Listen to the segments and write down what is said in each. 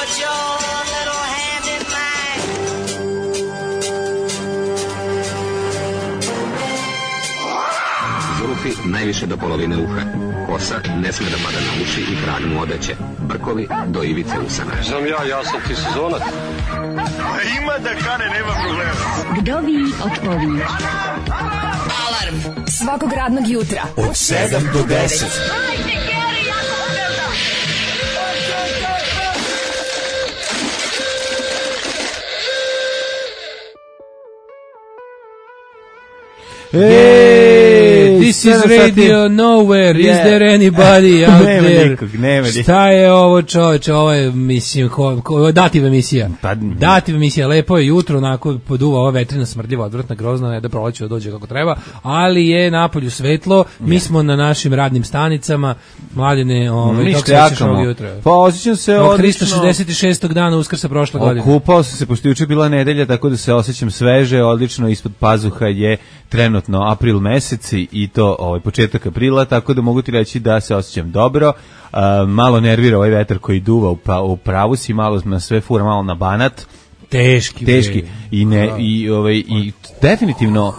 put your little hand in mine. Zulufi najviše do polovine uha. Kosa ne sme da pada na uši i kragnu odeće. Brkovi do ivice usana. Znam ja sam ti sezonac. Ima da kane, nema problema. Kdo vi odpovi? Alarm svakog radnog jutra od 7 do 10. This is Radio Nowhere. Is there anybody out there? Nema nikog. Šta je ovo, čoveče? Ovo je, mislim, dativa emisija. Dativa emisija. Lepo je jutro, onako poduva ova vetrina smrdljiva, odvratna, grozna, ne da proleće da dođe kako treba, ali je napolju svetlo. Mi smo na našim radnim stanicama. Mladine, kako se osjećaš ovog jutra? Pa osjećam se odlično. 366. dana Uskrsa prošle godine. Okupao sam se, pošto juče bila nedelja, tako da se osjećam sveže, odlično. Ispod pazuha je trenutno april mesec i to početak aprila, tako da mogu ti reći da se osjećam dobro. Malo nervira ovaj vetar koji duva u pravu si, malo na sve fura, malo na Banat. Teški. I definitivno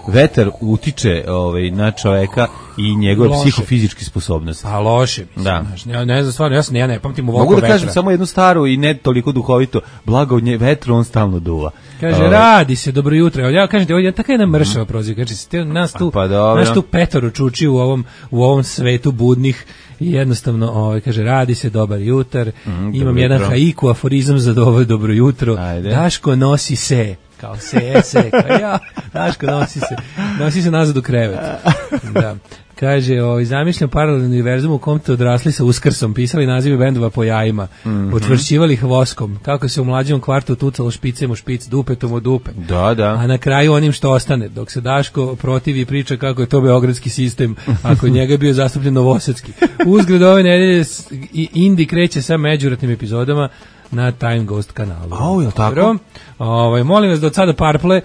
vetar utiče na čoveka i njegove psihofizičke sposobnosti. A loše, mislim. Da. Ne znam, stvarno, ja ne pamtim ovako vetra. Mogu da kažem samo jednu staru i ne toliko duhovito, blago vetru on stalno duva. Kaže, radi se, dobro jutro. Ja kažem, ovdje taka jedna mršava proziva. Kaže, nas tu petoro čuči u ovom svetu budnih i jednostavno, kaže, radi se, dobar jutar. Imam jedan haiku, aforizam za dobro jutro. Ajde. Daško nosi se. Kao se, kao ja, Daško nosi se nazad u krevet. Da. Kaže, zamišljam paralelni univerzum u kom te odrasli sa Uskrsom, pisali nazive bendova po jajima, potvršćivali ih voskom, kako se u mlađom kvartu tucalo špicem u špic, dupetom u dupe. Da. A na kraju onim što ostane, dok se Daško protivi i priča kako je to beogradski sistem, ako njega je bio zastupljen novosadski. Uzgred ove nedelje Indi kreće sa međuratnim epizodama na Time Ghost kanalu. Je tako? Molim vas da od sada Parple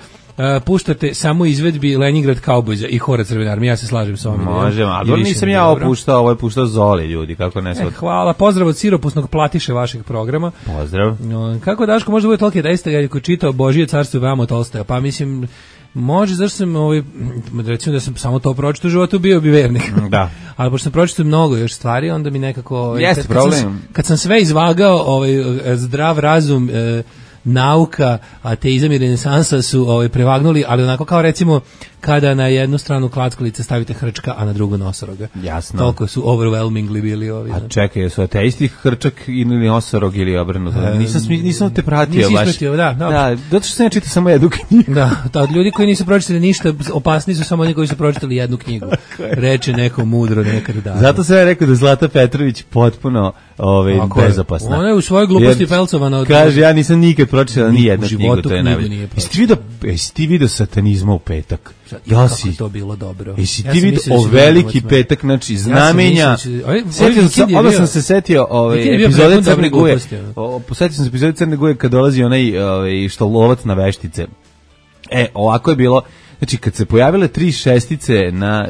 puštate samo izvedbi Leningrad Cowboysa i Hora Crvene armije, ja se slažem s ovim. Možemo, ali nisam ja opuštao, ovo je puštao Zoli, ljudi, kako ne sad. Hvala, pozdrav od siropusnog platiše vašeg programa. Pozdrav. Kako Daško može da bude tolike dejstva kad je čitao Božije carstvo i vamo Tolstoja, pa mislim, može, zašto sam, recimo da sam samo to pročitao u životu, bio bi vernik. Da. Ali pošto sam pročitao mnogo još stvari, onda mi nekako... Jeste problem. Kad sam sve izvagao, zdrav razum, nauka, ateizam i renesansa su prevagnuli, ali onako kao recimo kada na jednu stranu klackalice stavite hrčka, a na drugu nosoroga. Jasno. Toliko su overwhelmingly bili ovi. A čekaj, su ateisti hrčak ili nosorog ili obrnuto? Nisam te pratio baš. Ispratio, da. Zato što sam ja čitao samo jednu knjigu. Da, od ljudi koji nisu pročitali ništa, opasni su samo oni koji su pročitali jednu knjigu. Reče neko mudro nekad da. Zato sam ja rekao da Zlata Petrović potpuno bezopasna. Ona je u svojoj gluposti pelcovana. Kaže, ja nisam nikad pročitala ni jednu knjigu, to je najbolje. Jesi ti vidio satanizma u petak? Kako to bilo dobro. Jesi ti vidio veliki petak, znači znamenja. Odmah sam se setio epizode Crne Guje. Setio sam se epizode Crne Guje kad dolazi onaj što lovac na veštice. Ovako je bilo. Znači, kad se pojavile 3 šestice na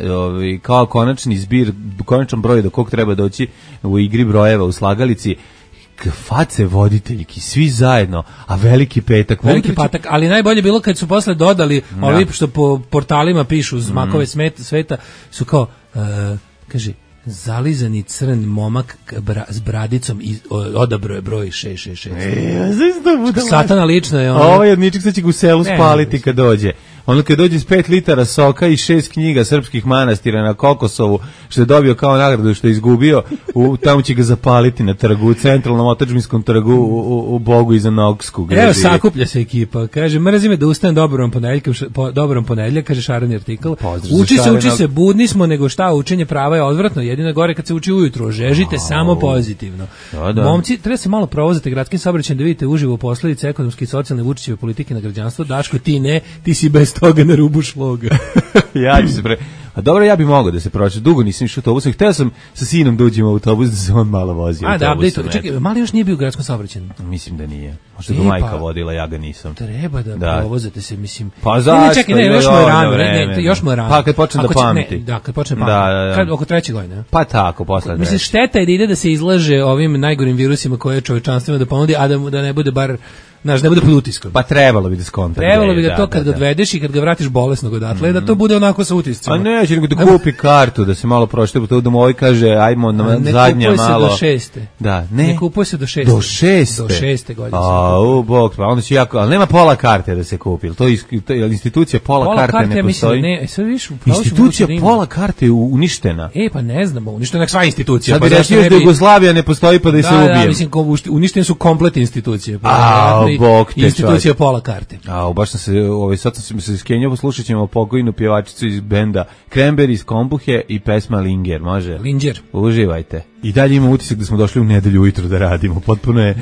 kao konačni zbir, konačan broj do kog treba doći u igri brojeva u slagalici, face voditeljki, svi zajedno, a veliki petak. Veliki patak, ali najbolje bilo kad su posle dodali ovi što po portalima pišu zmakove sveta, su kao, kaže, zalizani crn momak s bradicom i odabrao je broj 666. Satana lično je ono. Ovo je jedničak, sad će ga u selu spaliti kad dođe. Ono kad dođe s 5 litara soka i 6 knjiga srpskih manastira na Kokosovu, što je dobio kao nagradu što je izgubio, tamo će ga zapaliti na trgu, u centralnom otadžbinskom trgu u Bogu iza Nogsku. Evo, sakuplja se ekipa. Kaže, mrzi me da ustanem dobrom ponedjeljak, kaže šareni artikl. Uči se, budni smo, nego šta, učenje prava je odvratno, jedino gore kad se uči ujutro, žežite samo pozitivno. Da. Momci, treba se malo provozati gradskim saobraćajem da vidite uživo posledice ekonomske i socijalne Vučićeve politike na građanstvo. Daško, ti ne, ti si bez toga na rubu šloga. Ja ću se A dobro, ja bih mogao da se prošao. Dugo nisam išao autobusom. Hteo sam sa sinom da uđem u autobus da se on malo vozi. Čekaj, mali još nije bio u gradskom saobraćaju. Mislim da nije. Možda ga majka vodila, ja ga nisam. Treba da provozate se, mislim. Pa zašto? Čekaj, još mu je rano. Još mu je rano. Pa kad počne da pamti. Kad počne pamti. Oko 3. godine. Pa tako, posle. Mislim, šteta je da ide da se izlaže ovim najgorim virusima koje čovečanstvo da ponudi, a da ne bude bar, znaš, ne bude pod utiskom. Pa trebalo bi da skonta. Trebalo bi da to kad ga odvedeš i kad ga vratiš bolesnog odatle, da to bude onako sa utiscima. A neće nego da kupi kartu, da se malo prošle, to da mu ovaj kaže, ajmo na zadnja malo. Ne kupuje se do 6. Da, ne kupuje se do 6. Do 6. Do 6. godine. Bog, pa onda će jako, ali nema pola karte da se kupi. To je institucija pola karte ne postoji. Institucija pola karte je uništena. Pa ne znam, uništena je sva institucija. Sad bi rešio da Jugoslavija ne postoji pa da se ubije. Da, mislim, uništene su kompletne institucije. Bog te institucija pola karte. Baš sam se, sad sam se skenjao, poslušat ćemo pokojnu pjevačicu iz benda Cranberry iz Kombuhe i pesma Linger, može? Linger. Uživajte. I dalje ima utisak da smo došli u nedelju ujutro da radimo, potpuno je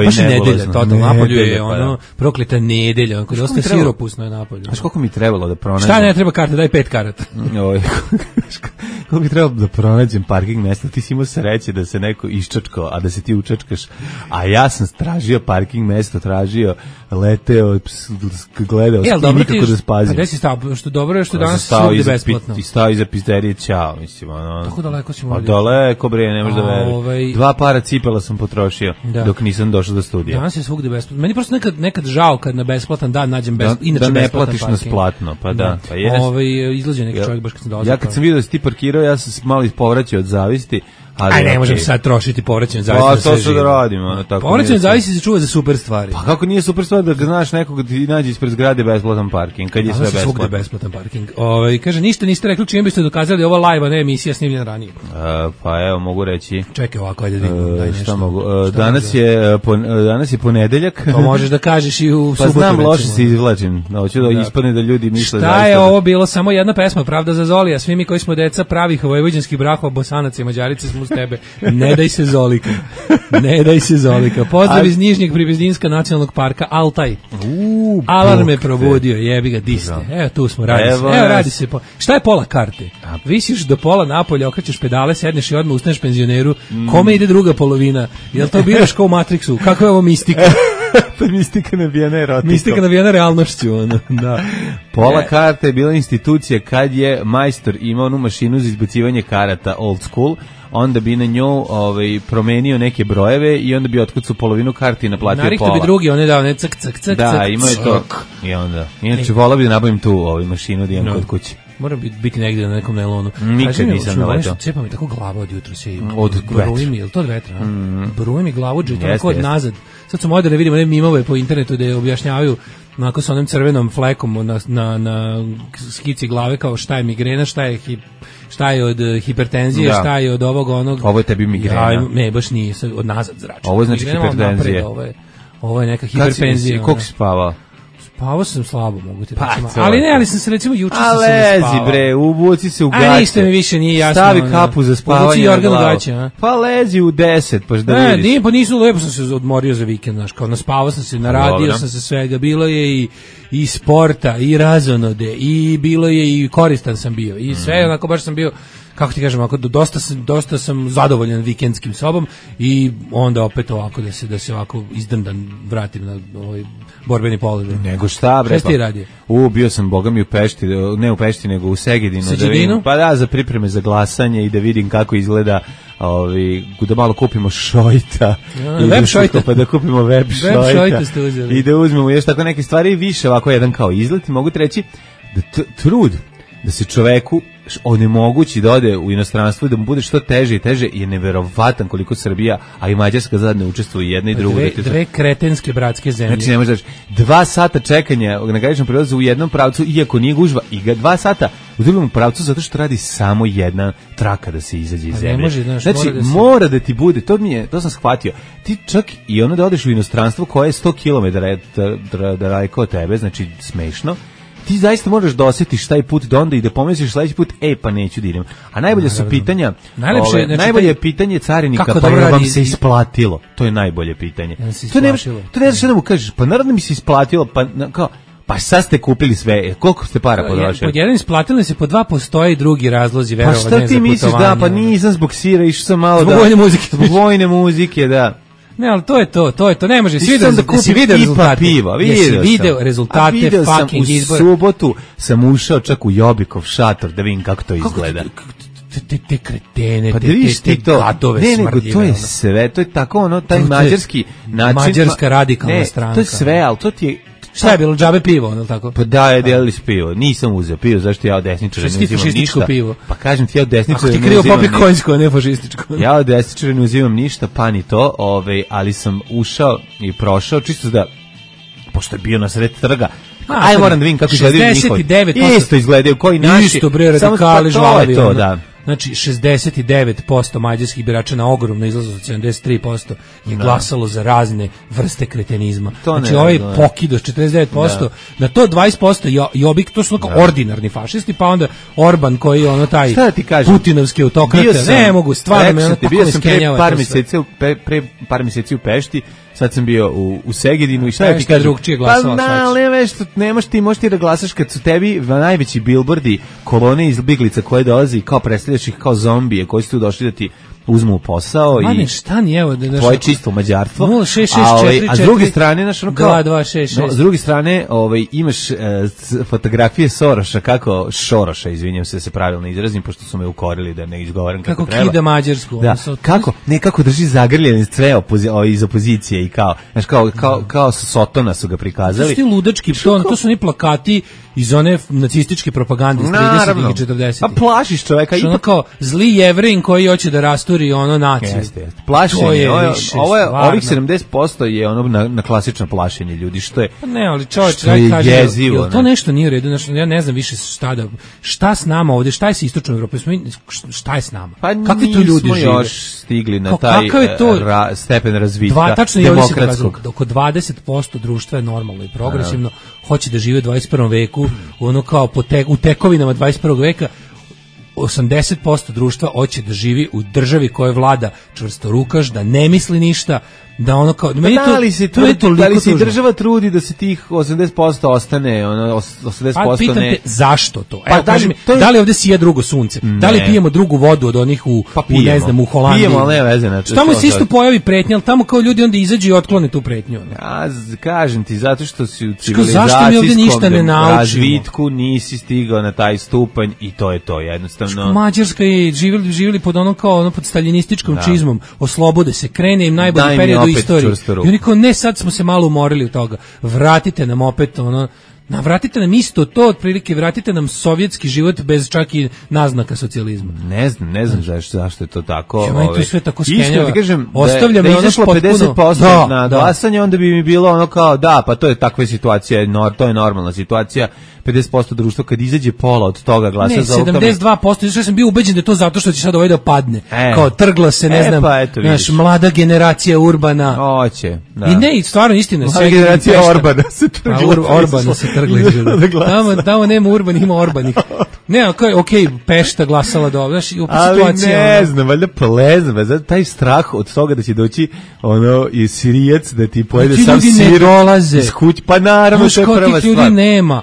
baš nedelja, totalno napolju je ono prokleta nedelja, onako dosta siropusno je napolju. Znaš koliko mi trebalo da pronađem? Šta ne treba karta, daj 5 karata. Koliko mi trebalo da pronađem parking mesta, ti si imao sreće da se neko iščačkao, a da se ti učačkaš, a ja sam tražio parking mesto, tražio, leteo, gledao, nikako da spazim. A gde si stao? Što dobro je što danas svugde besplatno. I stao iza pizderije, ćao, mislim, ono. Tako daleko ćemo ovdje. Daleko, bre, ne možeš da veruješ. 2 para cipela sam potrošio dok nisam došao do studija. Danas je svugde besplatno. Meni prosto nekad žao kad na besplatan dan nađem inače da ne platiš na splatno, pa da. Pa jes. Izlađe neki čovjek baš kad sam dolazio. Ja kad sam vidio da si ti parkirao, ja sam malo ispovraćao od zavisti. Aj, ne možem sad trošiti povraćanje zavisi. Pa to što da radimo. Povraćanje zavisi se čuva za super stvari. Pa kako nije super stvar da znaš nekoga ti nađe ispred zgrade besplatan parking, kad je sve besplatno. Besplatan parking. Kaže, ništa niste rekli čim biste dokazali ovo live, a ne emisija snimljena ranije. Pa evo, mogu reći. Čekaj ovako, ajde da vidimo. Šta mogu? Danas je ponedeljak. To možeš da kažeš i u subotu. Pa znam, loše se izvlačim. Hoću da ispadne da ljudi misle zaista. Šta je ovo bilo? Samo jedna pesma, Pravda za Zolija. Svi mi koji smo deca pravih vojvođanskih brahova, Bosanaca i Mađarice smo uz tebe. Ne daj se Zolika. Ne daj se Zolika. Pozdrav iz Nižnjeg Pribezdinska nacionalnog parka Altaj. Alarm me probudio, jebi ga, diste. Evo tu smo, radi se. Šta je pola karte? Visiš do pola napolja, okrećeš pedale, sedneš i odmah ustaneš penzioneru. Kome ide druga polovina? Jel to biraš kao u Matrixu? Kako je ovo mistika? To je mistika nabijena erotikom. Mistika nabijena realnošću, ono. Da. Pola karte je bila institucija kad je majstor imao onu mašinu za izbacivanje karata old school, onda bi na nju promenio neke brojeve i onda bi otkucao polovinu karti i naplatio pola. Narihto bi drugi, on je dao ne cak. Da, imao je to. I onda. Inače, volao bi da nabavim tu mašinu da imam kod kuće. Moram biti negdje na nekom nelonu. Nikad nisam naletao. Cepa mi tako glava od jutra se. Od vetra. Bruji mi, je li to od vetra? Bruji mi glavu, tako od nazad. Sad su moderne, vidimo one mimove po internetu da objašnjavaju onako sa onim crvenom flekom na skici glave kao šta je migrena, šta je od hipertenzije, šta je od ovog onog. Ovo je tebi migrena. Ne, baš nije, od nazad zrači. Ovo je znači hipertenzija. Ovo je neka hiperpenzija. Koliko si spavao? Spavao sam slabo, mogu ti reći. Ali sam se recimo juče sam se ne spavao. Lezi bre, ubuci se u gaće. A ništa mi više nije jasno. Stavi kapu za spavanje na glavu. Gaće, pa lezi u 10, pa da vidiš. Ne, pa nisu, lepo sam se odmorio za vikend, znaš, kao naspavao sam se, naradio sam se svega, bilo je i sporta, i razonode, i bilo je i koristan sam bio, i sve, onako baš sam bio, kako ti kažem, ako dosta sam zadovoljan vikendskim sobom i onda opet ovako da se ovako izdrndan vratim na ovaj borbeni položaj. Nego šta bre? Šta ti radio? Bio sam bogami u Pešti, ne u Pešti nego u Segedinu, da vidim. Pa da, za pripreme za glasanje i da vidim kako izgleda, da malo kupimo šojta. Web šojta. Pa da kupimo web šojta. Web šojta ste uzeli. I da uzmemo još tako neke stvari i više ovako jedan kao izlet. Mogu ti reći da trud da se čoveku onemogući da ode u inostranstvo i da mu bude što teže i teže je neverovatan koliko Srbija, a i Mađarska zajedno učestvuju jedna i druga. Dve kretenske bratske zemlje. Znači ne možeš daći 2 sata čekanja na graničnom prelazu u jednom pravcu, iako nije gužva, i 2 sata u drugom pravcu zato što radi samo jedna traka da se izađe iz zemlje. Znači mora da ti bude, to sam shvatio, ti čak i ono da odeš u inostranstvo koje je 100 km daleko od tebe, znači smešno, ti zaista moraš da osjetiš taj put do onda i da pomisliš sledeći put, pa neću da idem. A najbolje su pitanja, najbolje je pitanje carinika, pa je vam se isplatilo. To je najbolje pitanje. To ne znaš što da mu kažeš, pa naravno mi se isplatilo, Pa sad ste kupili sve, koliko ste para potrošili? Pod jedan isplatili se, po dva postoje i drugi razlozi, verovatno za putovanje. Pa šta ti misliš, da, pa nisam zbog sira, išao sam malo zbog vojne muzike. Zbog vojne muzike, da. Ne, ali to je to, ne može, si video rezultate. Piva, video rezultate fucking izbora. U subotu sam ušao čak u Jobikov šator da vidim kako to izgleda. Te kretene, pa te gadove smrdljive. Ne, nego to je sve, to je tako ono, taj mađarski način. Mađarska radikalna stranka. To je sve, ali to ti je... Šta je bilo, džabe pivo, ono tako? Pa da, je delili s pivo. Nisam uzeo pivo, zašto ja od desničara ne uzimam ništa. Pivo? Pa kažem ti, ja od desničara ne uzimam ništa. Ako ti krivo popi konjsko, a ne fašističko. Ja od desničara ne uzimam ništa, pa ni to, ali sam ušao i prošao, čisto da, pošto je bio na sred trga, aj moram da vidim kako izgledaju njihovi. Isto izgledaju, koji naši. Isto, bre, radikali, žvalavi. To, da. Znači, 69% mađarskih birača na ogromno izlazu od 73% je glasalo za razne vrste kretenizma. Znači, ovaj pokidos 49%, na to 20% Jobbik, to su ordinarni fašisti, pa onda Orban koji je ono taj putinovski autokrate. Ne mogu, stvarno me ono tako iskenjava. Pre par mjeseci u Pešti, sad sam bio u Segedinu i šta je ti kažem? Drugčije glasova. Pa nemaš ti, možeš ti da glasaš kad su tebi najveći bilbordi, kolone izbjeglica koje dolazi kao predstavljaš ih kao zombije koji su tu došli da ti uzmu posao i šta ni evo da tvoje čisto mađarstvo. 06644 a s druge strane znaš ono kao 2266. S druge strane imaš fotografije Soroša, kako Šoroša, izvinjavam se pravilno izrazim pošto su me ukorili da ne izgovaram kako treba. Kako kida Mađarsku. Da. Kako drži zagrljene sve iz opozicije i kao znaš kao Sotona su ga prikazali. To su ti ludački, to su ni plakati iz one nacističke propagande iz 30-ih i 40-ih. Pa plašiš čoveka. Ono kao zli Jevrin koji hoće da rasturi ono naciju. Jeste. Plašenje. Ovih 70% je ono na klasično plašenje ljudi, što je... Pa ne, ali čovječ, jezivo. To nešto nije u redu. Ja ne znam više šta s nama ovdje, šta je sa istočnom Evropom? Šta je s nama? Pa kakvi tu ljudi žive? Još stigli na taj stepen razvitka demokratskog. Oko 20% društva je normalno i progresivno, hoće da žive u 21. veku, ono kao u tekovinama 21. veka. 80% društva hoće da živi u državi koja vlada čvrstorukaš, da ne misli ništa, da ono kao... Da li se i država trudi da se tih 80% ostane, ono, 80% pa pitam te, zašto to? Evo, kaži mi, da li ovdje sije drugo sunce? Ne. Da li pijemo drugu vodu od onih u ne znam, u Holandiji? Pijemo, ali ne veze. Znači, tamo se isto pojavi pretnja, ali tamo kao ljudi onda izađu i otklone tu pretnju. Ja kažem ti, zato što si u civilizacijskom razvitku nisi stigao na taj stupanj i to je to, jednostavno. Mađarska je živjeli pod ono kao ono pod staljinističkom čizmom, oslobode se, krene im najbolji period u istoriji. I oni kao, ne, sad smo se malo umorili od toga. Vratite nam opet ono, vratite nam isto to, otprilike vratite nam sovjetski život bez čak i naznaka socijalizma. Ne znam zašto je to tako. Ja, to sve tako skenjava. Iskreno ti kažem, ostavlja da me izašlo 50% na glasanje, onda bi mi bilo ono kao, da, pa to je takva situacija, to je normalna situacija. 50% društva kad izađe pola od toga glasa za ovog. Ne, 72%, ja sam bio ubeđen da je to zato što će sad ovaj da padne. Kao trgla se, ne znam, naš mlada generacija Urbana. Hoće, da. I ne, stvarno istina. Mlada generacija Orbana se trgla. Orbana se trgla. Tamo nema Urban, ima Orbanih. Ne, okej, Pešta glasala dobro, znaš, u situaciji. Ali ne znam, valjda plezno, taj strah od toga da će doći ono i Sirijac da ti pojede sam sir iz kuće, pa naravno to je prva stvar. Ljudi nema.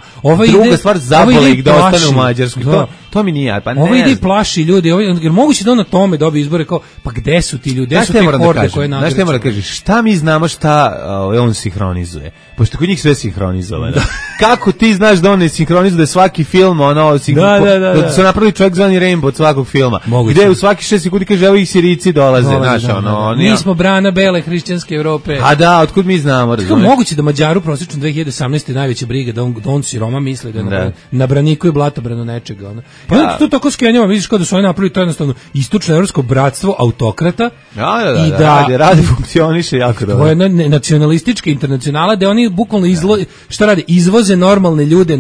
Druga stvar, zabole ih da ostane u Mađarskoj. To mi nije, pa ne. Ovo ide plaši ljudi, jer moguće da on na tome dobije izbore kao, pa gde su ti ljudi, gde su te horde koje nagrade? Znaš, ne mora da kažeš, šta mi znamo šta on sinhronizuje? Pošto kod njih sve sinhronizovano. Kako ti znaš da on ne sinhronizuje svaki film, da su napravili čovjek zvani Rainbow od svakog filma, gde u svaki 6 sekundi kaže, evo ih Sirici dolaze, znaš, ono. Mi smo brana bele hrišćanske Evrope. A da, otkud mi znamo, razumiješ? Moguće da Mađaru prosječno 2018. najveća briga, da on siroma misli da je na braniku i blatobranu nečega, ono. Pa to tako skenjava, vidiš kao da su oni napravili to jednostavno istočno evropsko bratstvo autokrata. Da, radi funkcioniše jako dobro. To je nacionalistička internacionala gde oni bukvalno šta rade, izvoze normalne ljude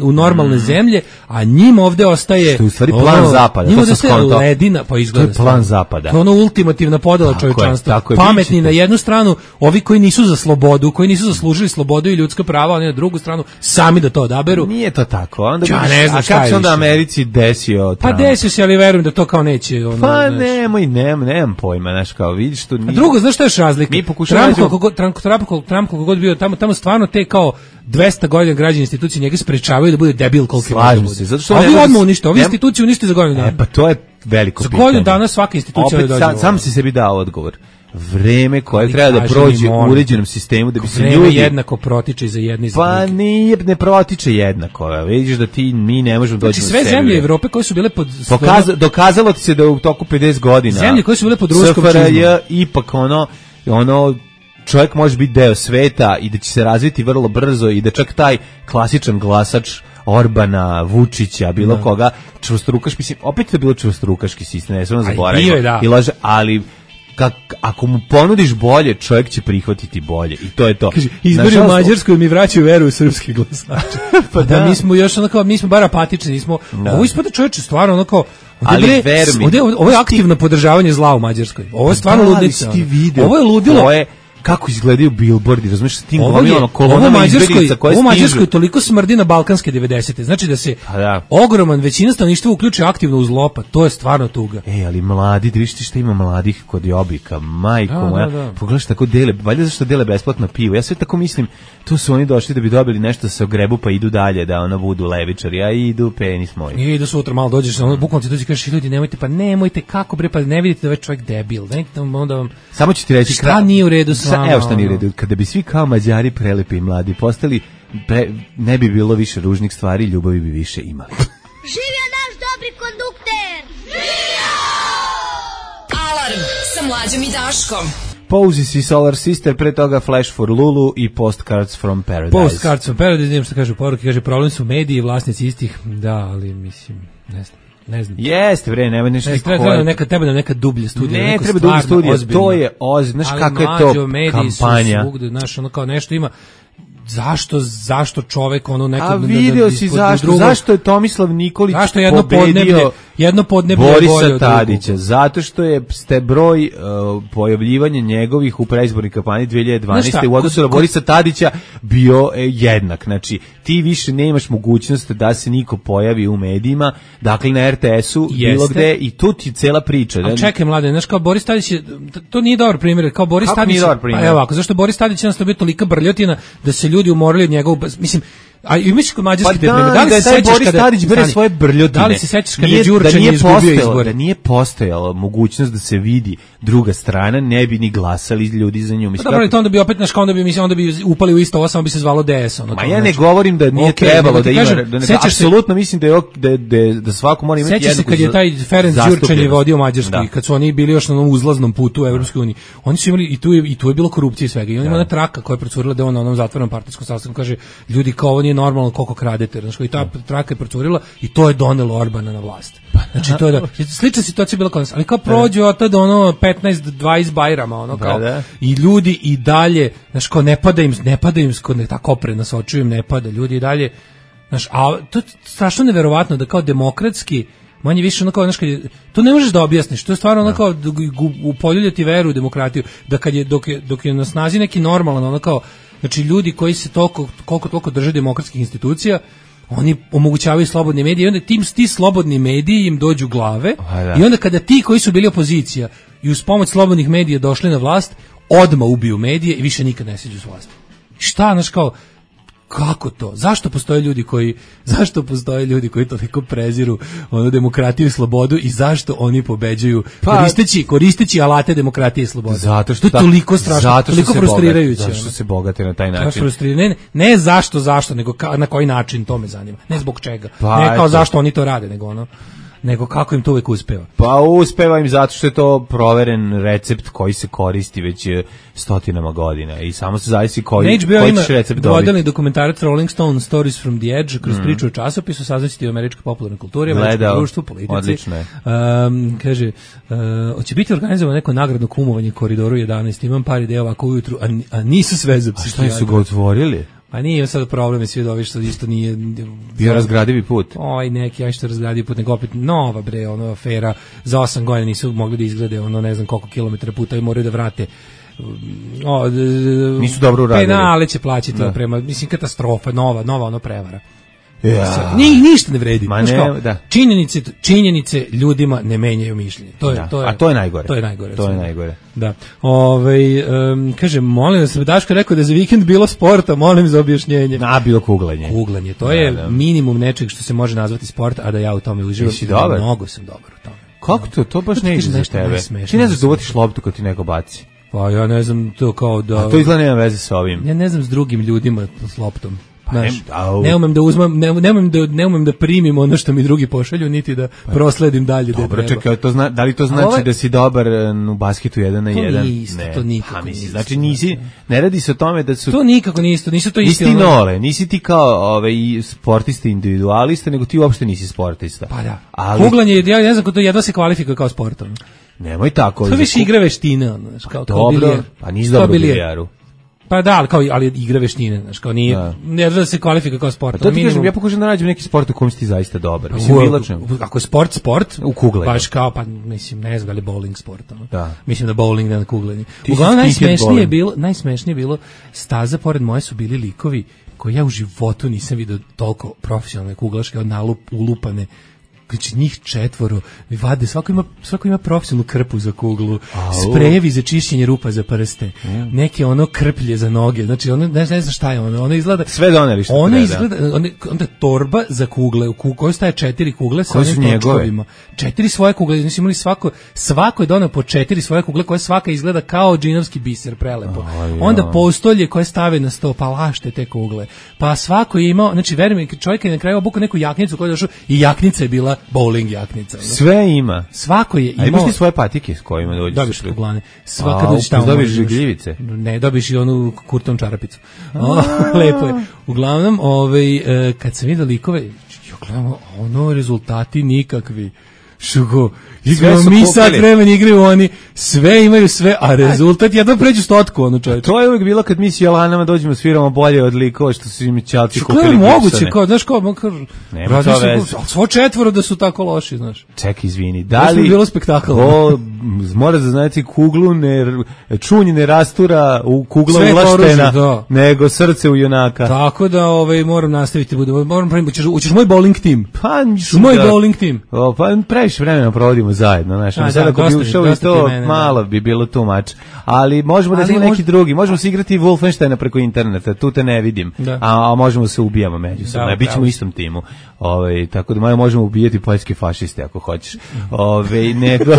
u normalne zemlje, a njima njima ovde ostaje... Što je u stvari plan zapada. Njima ovde ostaje ledina, pa izgleda. To je plan zapada. To je ono ultimativna podela čovječanstva. Pametni na jednu stranu, ovi koji nisu za slobodu, koji nisu zaslužili slobodu i ljudska prava, oni na drugu stranu, sami da to odaberu. Nije to tako. Onda ne znam šta je kako se onda Americi desio? Pa desio se, ali verujem da to kao neće. Ono, pa nemam pojma, znaš, kao vidiš tu... A drugo, znaš šta je još razlika? Trump koliko god bio tamo stvarno te kao 200 godina građani institucije njega sprečavaju da bude debil koliko slažem se, zato što ovi odmah unište, ovi institucije unište za godinu dana. Pa to je veliko pitanje. Za godinu dana svaka institucija opet dođe. Sam si sebi dao odgovor. Vreme koje treba da prođe u uređenom sistemu da bi se ljudi jednako protiče za jedni za pa ne protiče jednako. Vidiš da mi ne možemo doći do sve zemlje Evrope koje su bile pod dokazalo ti se da u toku 50 godina zemlje koje su bile pod ruskom čizmom ipak ono čovjek može biti deo sveta i da će se razviti vrlo brzo i da čak taj klasičan glasač Orbana, Vučića, bilo koga, čvrstorukaš, mislim, opet je bilo čvrstorukaški sistem, ne smemo zaboraviti. I laže, ali ako mu ponudiš bolje, čovjek će prihvatiti bolje i to je to. Izbori u Mađarskoj mi vraćaju veru u srpski glasače. Pa da, mi smo još onako, mi smo bar apatični, nismo. Ovo ispada čovječe stvarno onako. Ovo je aktivno podržavanje zla u Mađarskoj. Ovo je stvarno ludnica. Ovo je ludilo. Kako izgledaju billboardi, razumiješ, s tim gomilama kolonama izbjeglica koje stižu. Ovo Mađarskoj toliko smrdi na balkanske 90-te. Znači da se ogroman većina stanovništva uključi aktivno u zlo, pa to je stvarno tuga. Ali mladi, da vidiš ti šta ima mladih kod Jobika, majko moja. Pogledaš tako dele, valjda zašto dele besplatno pivo. Ja sve tako mislim, tu su oni došli da bi dobili nešto da se ogrebu pa idu dalje, da ono budu levičari, a idu penis moj. I idu sutra, malo dođeš, bukvalno ti dođi kažeš ljudi, nemojte, kako bre, pa ne vidite da ovaj čovjek debil. Samo ću ti reći šta nije u redu. Evo što nije u redu, kada bi svi kao Mađari prelepi i mladi postali, ne bi bilo više ružnih stvari, ljubavi bi više imali. Živio naš dobri kondukter! Živio! Alarm sa Mlađom i Daškom. Poses i Solar Sister, pre toga Flash for Lulu i Postcards from Paradise. Postcards from Paradise, znam što kaže u poruki, kaže problem su mediji i vlasnici istih, da, ali mislim, ne znam. Jeste, bre, nema nešto treba nam neka dublje studija. Ne, treba dublje studija, to je ozbiljno. Znaš kako je to kampanja. Svugde, znaš, ono kao nešto ima. Zašto čovek ono nekad... A vidio si zašto je Tomislav Nikolić pobedio jedno podneblje Borisa Tadića, zato što je broj pojavljivanja njegovih u predizbornoj kampanji 2012. u odnosu na Borisa Tadića bio jednak. Znači, ti više nemaš mogućnost da se niko pojavi u medijima, dakle na RTS-u, bilo gde, i tu ti cela priča. A čekaj, mlade, znaš, kao Boris Tadić to nije dobar primjer, kao Boris Tadić... Pa evo ovako, zašto Boris Tadić jednostavno bio tolika brljotina da se ljudi umorili od njegovog, mislim, a imaš kod mađarske pripreme. Da li se sećaš kada Tadić bere svoje brljotine? Da li se sećaš kada je Đurčan izgubio izbore? Da nije postojala mogućnost da se vidi druga strana, ne bi ni glasali ljudi za nju. Mislim, dobro, to onda bi opet naš onda bi upali u isto ovo, samo bi se zvalo DS. Ma ja ne govorim da nije trebalo da ima, apsolutno mislim da svako mora imati jednu. Sećaš se kad je taj Ferenc Đurčan vodio Mađarsku i kad su oni bili još na onom uzlaznom putu u Evropskoj uniji, oni su imali i tu je bilo korupcije i svega. I on ima ona traka koja je procurila da on na onom zatvorenom partijskom sastanku kaže ljudi kao ovo nije normalno koliko kradete, znači i ta traka je procurila i to je donelo Orbana na vlast. Znači to je slična situacija bila kod nas, ali kao prođe od tada ono 15-20 Bajrama ono kao i ljudi i dalje, znači kao ne pada im kod tako opre nas očujem, ne pada ljudi i dalje, znači a to je strašno neverovatno da kao demokratski manje više ono kao, znaš, to ne možeš da objasniš, to je stvarno ono kao upoljuljati veru u demokratiju, da kad je, dok je na snazi neki normalan ono kao, znači ljudi koji se toliko drže demokratskih institucija, oni omogućavaju slobodne medije i onda ti slobodni mediji im dođu glave i onda kada ti koji su bili opozicija i uz pomoć slobodnih medija došli na vlast, odmah ubiju medije i više nikad ne siđu s vlasti. Šta, znaš kao, kako to? Zašto postoje ljudi koji toliko preziru onu demokratiju i slobodu i zašto oni pobeđuju koristeći alate demokratije i slobode? Zato što to je toliko strašno, toliko frustrirajuće. Zato što se bogate na taj način. Ne zašto, nego na koji način, to me zanima. Ne zbog čega. Ne kao zašto oni to rade, nego kako im to uvijek uspeva. Pa uspeva im zato što je to proveren recept koji se koristi već stotinama godina i samo se zavisi koji ćeš recept dobiti. Dvodelni dokumentarac Rolling Stone Stories from the Edge kroz priču o časopisu, saznaćete o američkoj popularnoj kulturi, američkom društvu, politici. Odlično je. Kaže, hoće biti organizovano neko nagradno kumovanje Koridoru 11, imam par ideja ovako ujutru, a nisu sve za psihijatra. A šta su ga otvorili? Pa nije sad problem, je svi dovi što isto nije... Bio razgradivi put. Neki, što razgradivi put, nego opet nova bre, afera, za 8 godina nisu mogli da izgrade, ne znam koliko kilometara puta i moraju da vrate. Nisu dobro uradili. Penale će plaćati prema, mislim, katastrofa, nova prevara. Ja. Ništa ne vredi. Činjenice ljudima ne menjaju mišljenje. A to je najgore. To je najgore. Da. Kaže, molim da se Daško rekao da je za vikend bilo sporta, molim za objašnjenje. Bilo kuglanje. Kuglanje, to je minimum nečeg što se može nazvati sport, a da ja u tome uživam. Jesi dobar? Mnogo sam dobar u tome. Kako to baš ne ide za tebe? Ti ne znaš da uvatiš loptu kad ti neko baci. Pa ja ne znam to kao da... A to izgleda nema veze sa ovim. Ja ne znam s drugim ljudima s loptom. Ne umem da uzmem, ne umem da primim ono što mi drugi pošalju, niti da prosledim dalje. Dobro, čekaj, da li to znači da si dobar u basketu 1 na 1? To nikako nije. Znači ne radi se o tome da su... To nikako nije isto, nisu to isti. Nisi nole, nisi ti kao sportista individualista, nego ti uopšte nisi sportista. Pa da, kuglanje, ja ne znam ko to jedva se kvalifikuje kao sportom. Nemoj tako. To više igre veštine, kao dobro, pa nisi dobro u bilijaru. Pa da, ali igre veštine, znaš, kao nije, ne da se kvalifikuje kao sport. To ti kažem, ja pokušam da nađem neki sport u kom si ti zaista dobar. Mislim, ako je sport, u kuglanju. Baš kao, pa mislim, ne znam da li bowling sport. Mislim da bowling da na kuglanju. Uglavnom najsmešnije je bilo, staza pored moje su bili likovi koji ja u životu nisam vidio toliko profesionalne kuglaške, ulupane. Znači njih 4 vade, svako ima profesionalnu krpu za kuglu, sprejevi za čišćenje rupa za prste, neke krplje za noge, znači ne znam šta je ono izgleda... Sve doneli što treba. Onda torba za kugle, u kojoj staje 4 kugle sa onim točkovima. 4 svoje kugle, znači imali svako je doneo po 4 svoje kugle koje svaka izgleda kao džinovski biser, prelepo. Onda postolje koje stave na sto, pa lašte te kugle. Pa svako je imao, znači verujem mi, čovjek je na kraju obukao neku jaknicu koja je došao i jaknica je bila bowling jaknica. Sve ima. Svako je imao. A imaš ti svoje patike s kojima dođeš? Dobiš kuglane. Svaka dođeš tamo. Dobiš žigljivice? Ne, dobiš i onu kurton čarapicu. Lepo je. Uglavnom, kad sam vidio likove, rezultati nikakvi. Šugo, igramo mi sad vremen, igraju oni, sve imaju sve, a rezultat jedno pređu 100 čovječe. To je uvijek bilo kad mi s Jelanama dođemo, sviramo bolje od likova što su im ćalci kupili gipsane. Moguće, znaš nema to veze. Svo 4 da su tako loši, znaš. Ček, izvini, da li... bilo spektakl. Mora da znati kuglu, čunj ne rastura u kugla ulaštena, nego srce u junaka. Tako da moram nastaviti, ućeš moj bowling tim. Pa, moj bowling tim. Pa, previše vremena provodimo zajedno, znaš, sad ako bi ušao i to, malo bi bilo too much, ali možemo da neki drugi, možemo se igrati Wolfensteina preko interneta, tu te ne vidim, a možemo se ubijamo međusobno, bit ćemo u istom timu, tako da možemo ubijati poljske fašiste ako hoćeš, nego...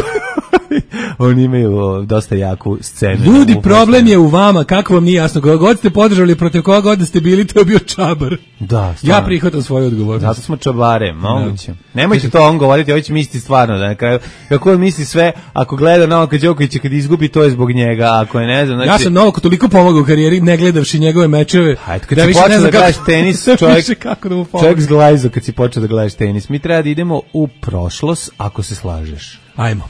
Oni imaju dosta jaku scenu. Ljudi, problem je u vama, kako vam nije jasno, koga god ste podržali, protiv koga god ste bili, to je bio čabar. Da, stvarno. Ja prihvatam svoju odgovornost. Zato smo čabare, moguće. Nemojte to on govoriti, ovo će misliti stvarno, da na kraju, kako on misli sve, ako gleda Novaka Đokovića kad izgubi, to je zbog njega, ako je ne znam. Znači... Ja sam Novaku toliko pomogao u karijeri, ne gledavši njegove mečeve. Hajde, kad si počeo da gledaš tenis, čovjek zglajzo kad si počeo da gledaš tenis. Mi treba da idemo u prošlost, ako se slažeš. Ajmo.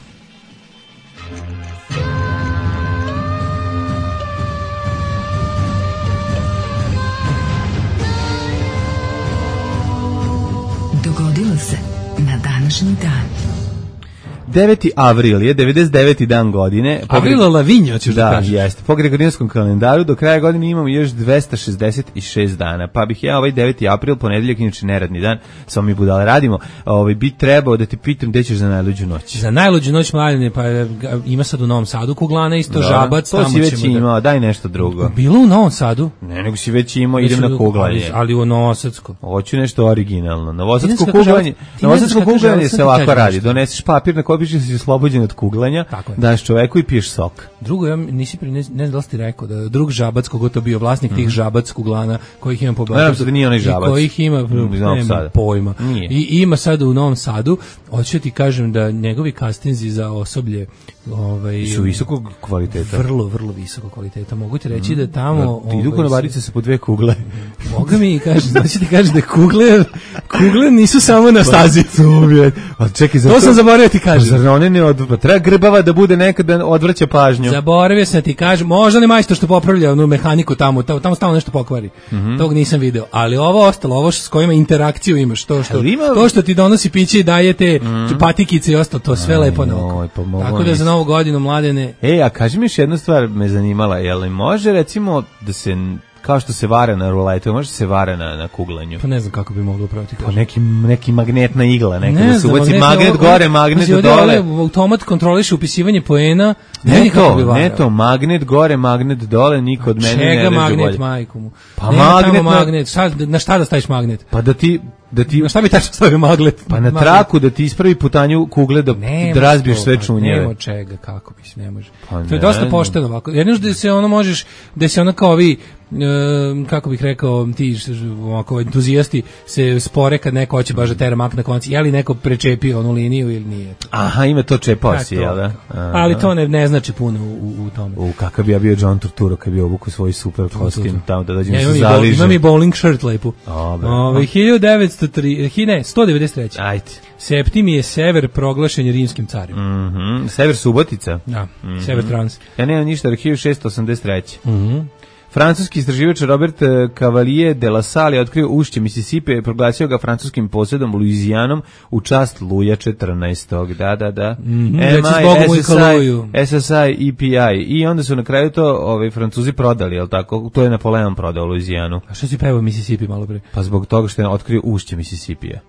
Dogodilo se na današnji dan. 9. avril je 99. dan godine. Avril Lavinjo, ćeš da kažeš. Da, jeste. Po gregorijanskom kalendaru do kraja godine imamo još 266 dana. Pa bih ja 9. april, ponedeljak, inače neradni dan, samo mi budale radimo, bi trebao da te pitam gde ćeš za najluđu noć. Za najluđu noć, mladine, pa ima sad u Novom Sadu kuglana, isto Žabac. To si već imao, daj nešto drugo. Bilo u Novom Sadu? Ne, nego si već imao, idem na kuglanje. Ali u Novosadsko. Hoću nešto originalno. Novosadsko kuglanje se ovako radi. Doneseš papir na koji piše si oslobođen od kuglanja, daš čoveku i piješ sok. Drugo, ja ne znam da li ti rekao da drug Žabac, kogo to bio vlasnik tih Žabac kuglana, kojih ima po Beogradu. Da nije onaj Žabac. Kojih ima, nema pojma. I ima sad u Novom Sadu, hoću ti kažem da njegovi kastinzi za osoblje Su visokog kvaliteta. Vrlo visokog kvaliteta. Mogu ti reći da tamo... Ti idu konobarice sa po 2 kugle. Boga mi kaže, znači ti kaže da kugle nisu samo na stazi. A čekaj, to sam zaboravio ti kažem. Zar one ne odvrća? Treba grbava da bude nekada odvrća pažnju. Zaboravio sam ti kažem, možda ne majstor što popravlja onu mehaniku tamo stalno nešto pokvari. Tog nisam video. Ali ovo ostalo, ovo s kojima interakciju imaš, to što ti donosi piće i daje te patikice i ostalo, to sve lepo na oko. Tako da za Novu godinu, Mladene... A kaži mi još jednu stvar me zanimala, je li može recimo da se, kao što se vara na ruletu, može se vara na kuglanju? Pa ne znam kako bi moglo upraviti. Pa neki magnetna igla, da se ubaci magnet gore, magnet dole. Automat kontroliše upisivanje poena. Ne to, magnet gore, magnet dole, niko od mene ne reže bolje. Čega magnet, majku mu? Pa magnet. Na šta da staviš magnet? Pa da ti na šta bi tačno stavio magnet? Pa na traku da ti ispravi putanju kugle da razbiješ sve čunjeve. Nema čega, kako bi se, ne može. To je dosta pošteno ovako. Jedno da se ono možeš, da se ono kao ovi, kako bih rekao, ti ovako entuzijasti se spore kad neko hoće baš da tera mak na konci, je li neko prečepio onu liniju ili nije. Aha, ima to čepao si, jel da? Ali to ne znači puno u tome. Kakav bi ja bio John Turturro kad bi obuku svoj super kostim tamo da dođem se zaližem. Imam i bowling shirt lepu. 193. Ajde. Septimije Sever proglašen je rimskim carem. Sever Subotica. Da, Sever Trans. Ja nemam ništa, 1683. Francuski istraživač Robert Cavalier de la Salle je otkrio ušće Mississippi i proglasio ga francuskim posjedom Luizijanom u čast Luja 14. Da. SSI, EPI. I onda su na kraju to Francuzi prodali, jel tako? To je Napoleon prodao Luizijanu. A što si pevao Mississippi malo pre? Pa zbog toga što je otkrio ušće Mississippija.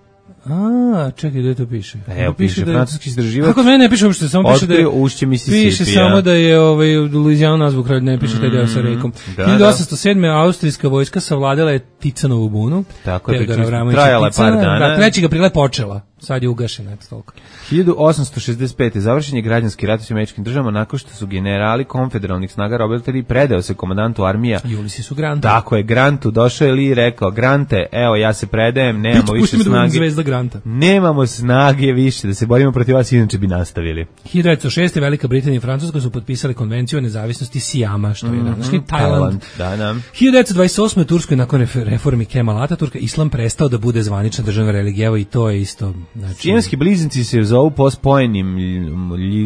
Čekaj, gdje to piše? Evo, piše francuski istraživač. Kako mene ne piše uopšte, samo piše da je ušće Mississippi. Piše samo da je Luizijanu nazvu kralj, ne piše taj deo sa rekom. 1807. austrijska vojska savladala je Ticanovu bunu. Tako je, trajala je par dana. 3. aprila je počela. Sad je ugašena, eto toliko. 1865. završen je građanski rat s Američkim državama nakon što su generali konfederalnih snaga Robert Lee predao se komandantu armija Ulyssesu Grantu. Tako je, Grantu. Došao je Lee i rekao: Grante, evo ja se predajem, nemamo više snage. Zvezda Granta. Nemamo snage više da se borimo protiv vas, inače bi nastavili. 1906. Velika Britanija i Francuska su potpisali konvenciju o nezavisnosti Sijama, što je današnji Tajland. 1928. u Turskoj nakon reformi Kemala Ataturka islam prestao da bude zvanična državna religija i to je isto. Siamski bliznici se zovu po spojenim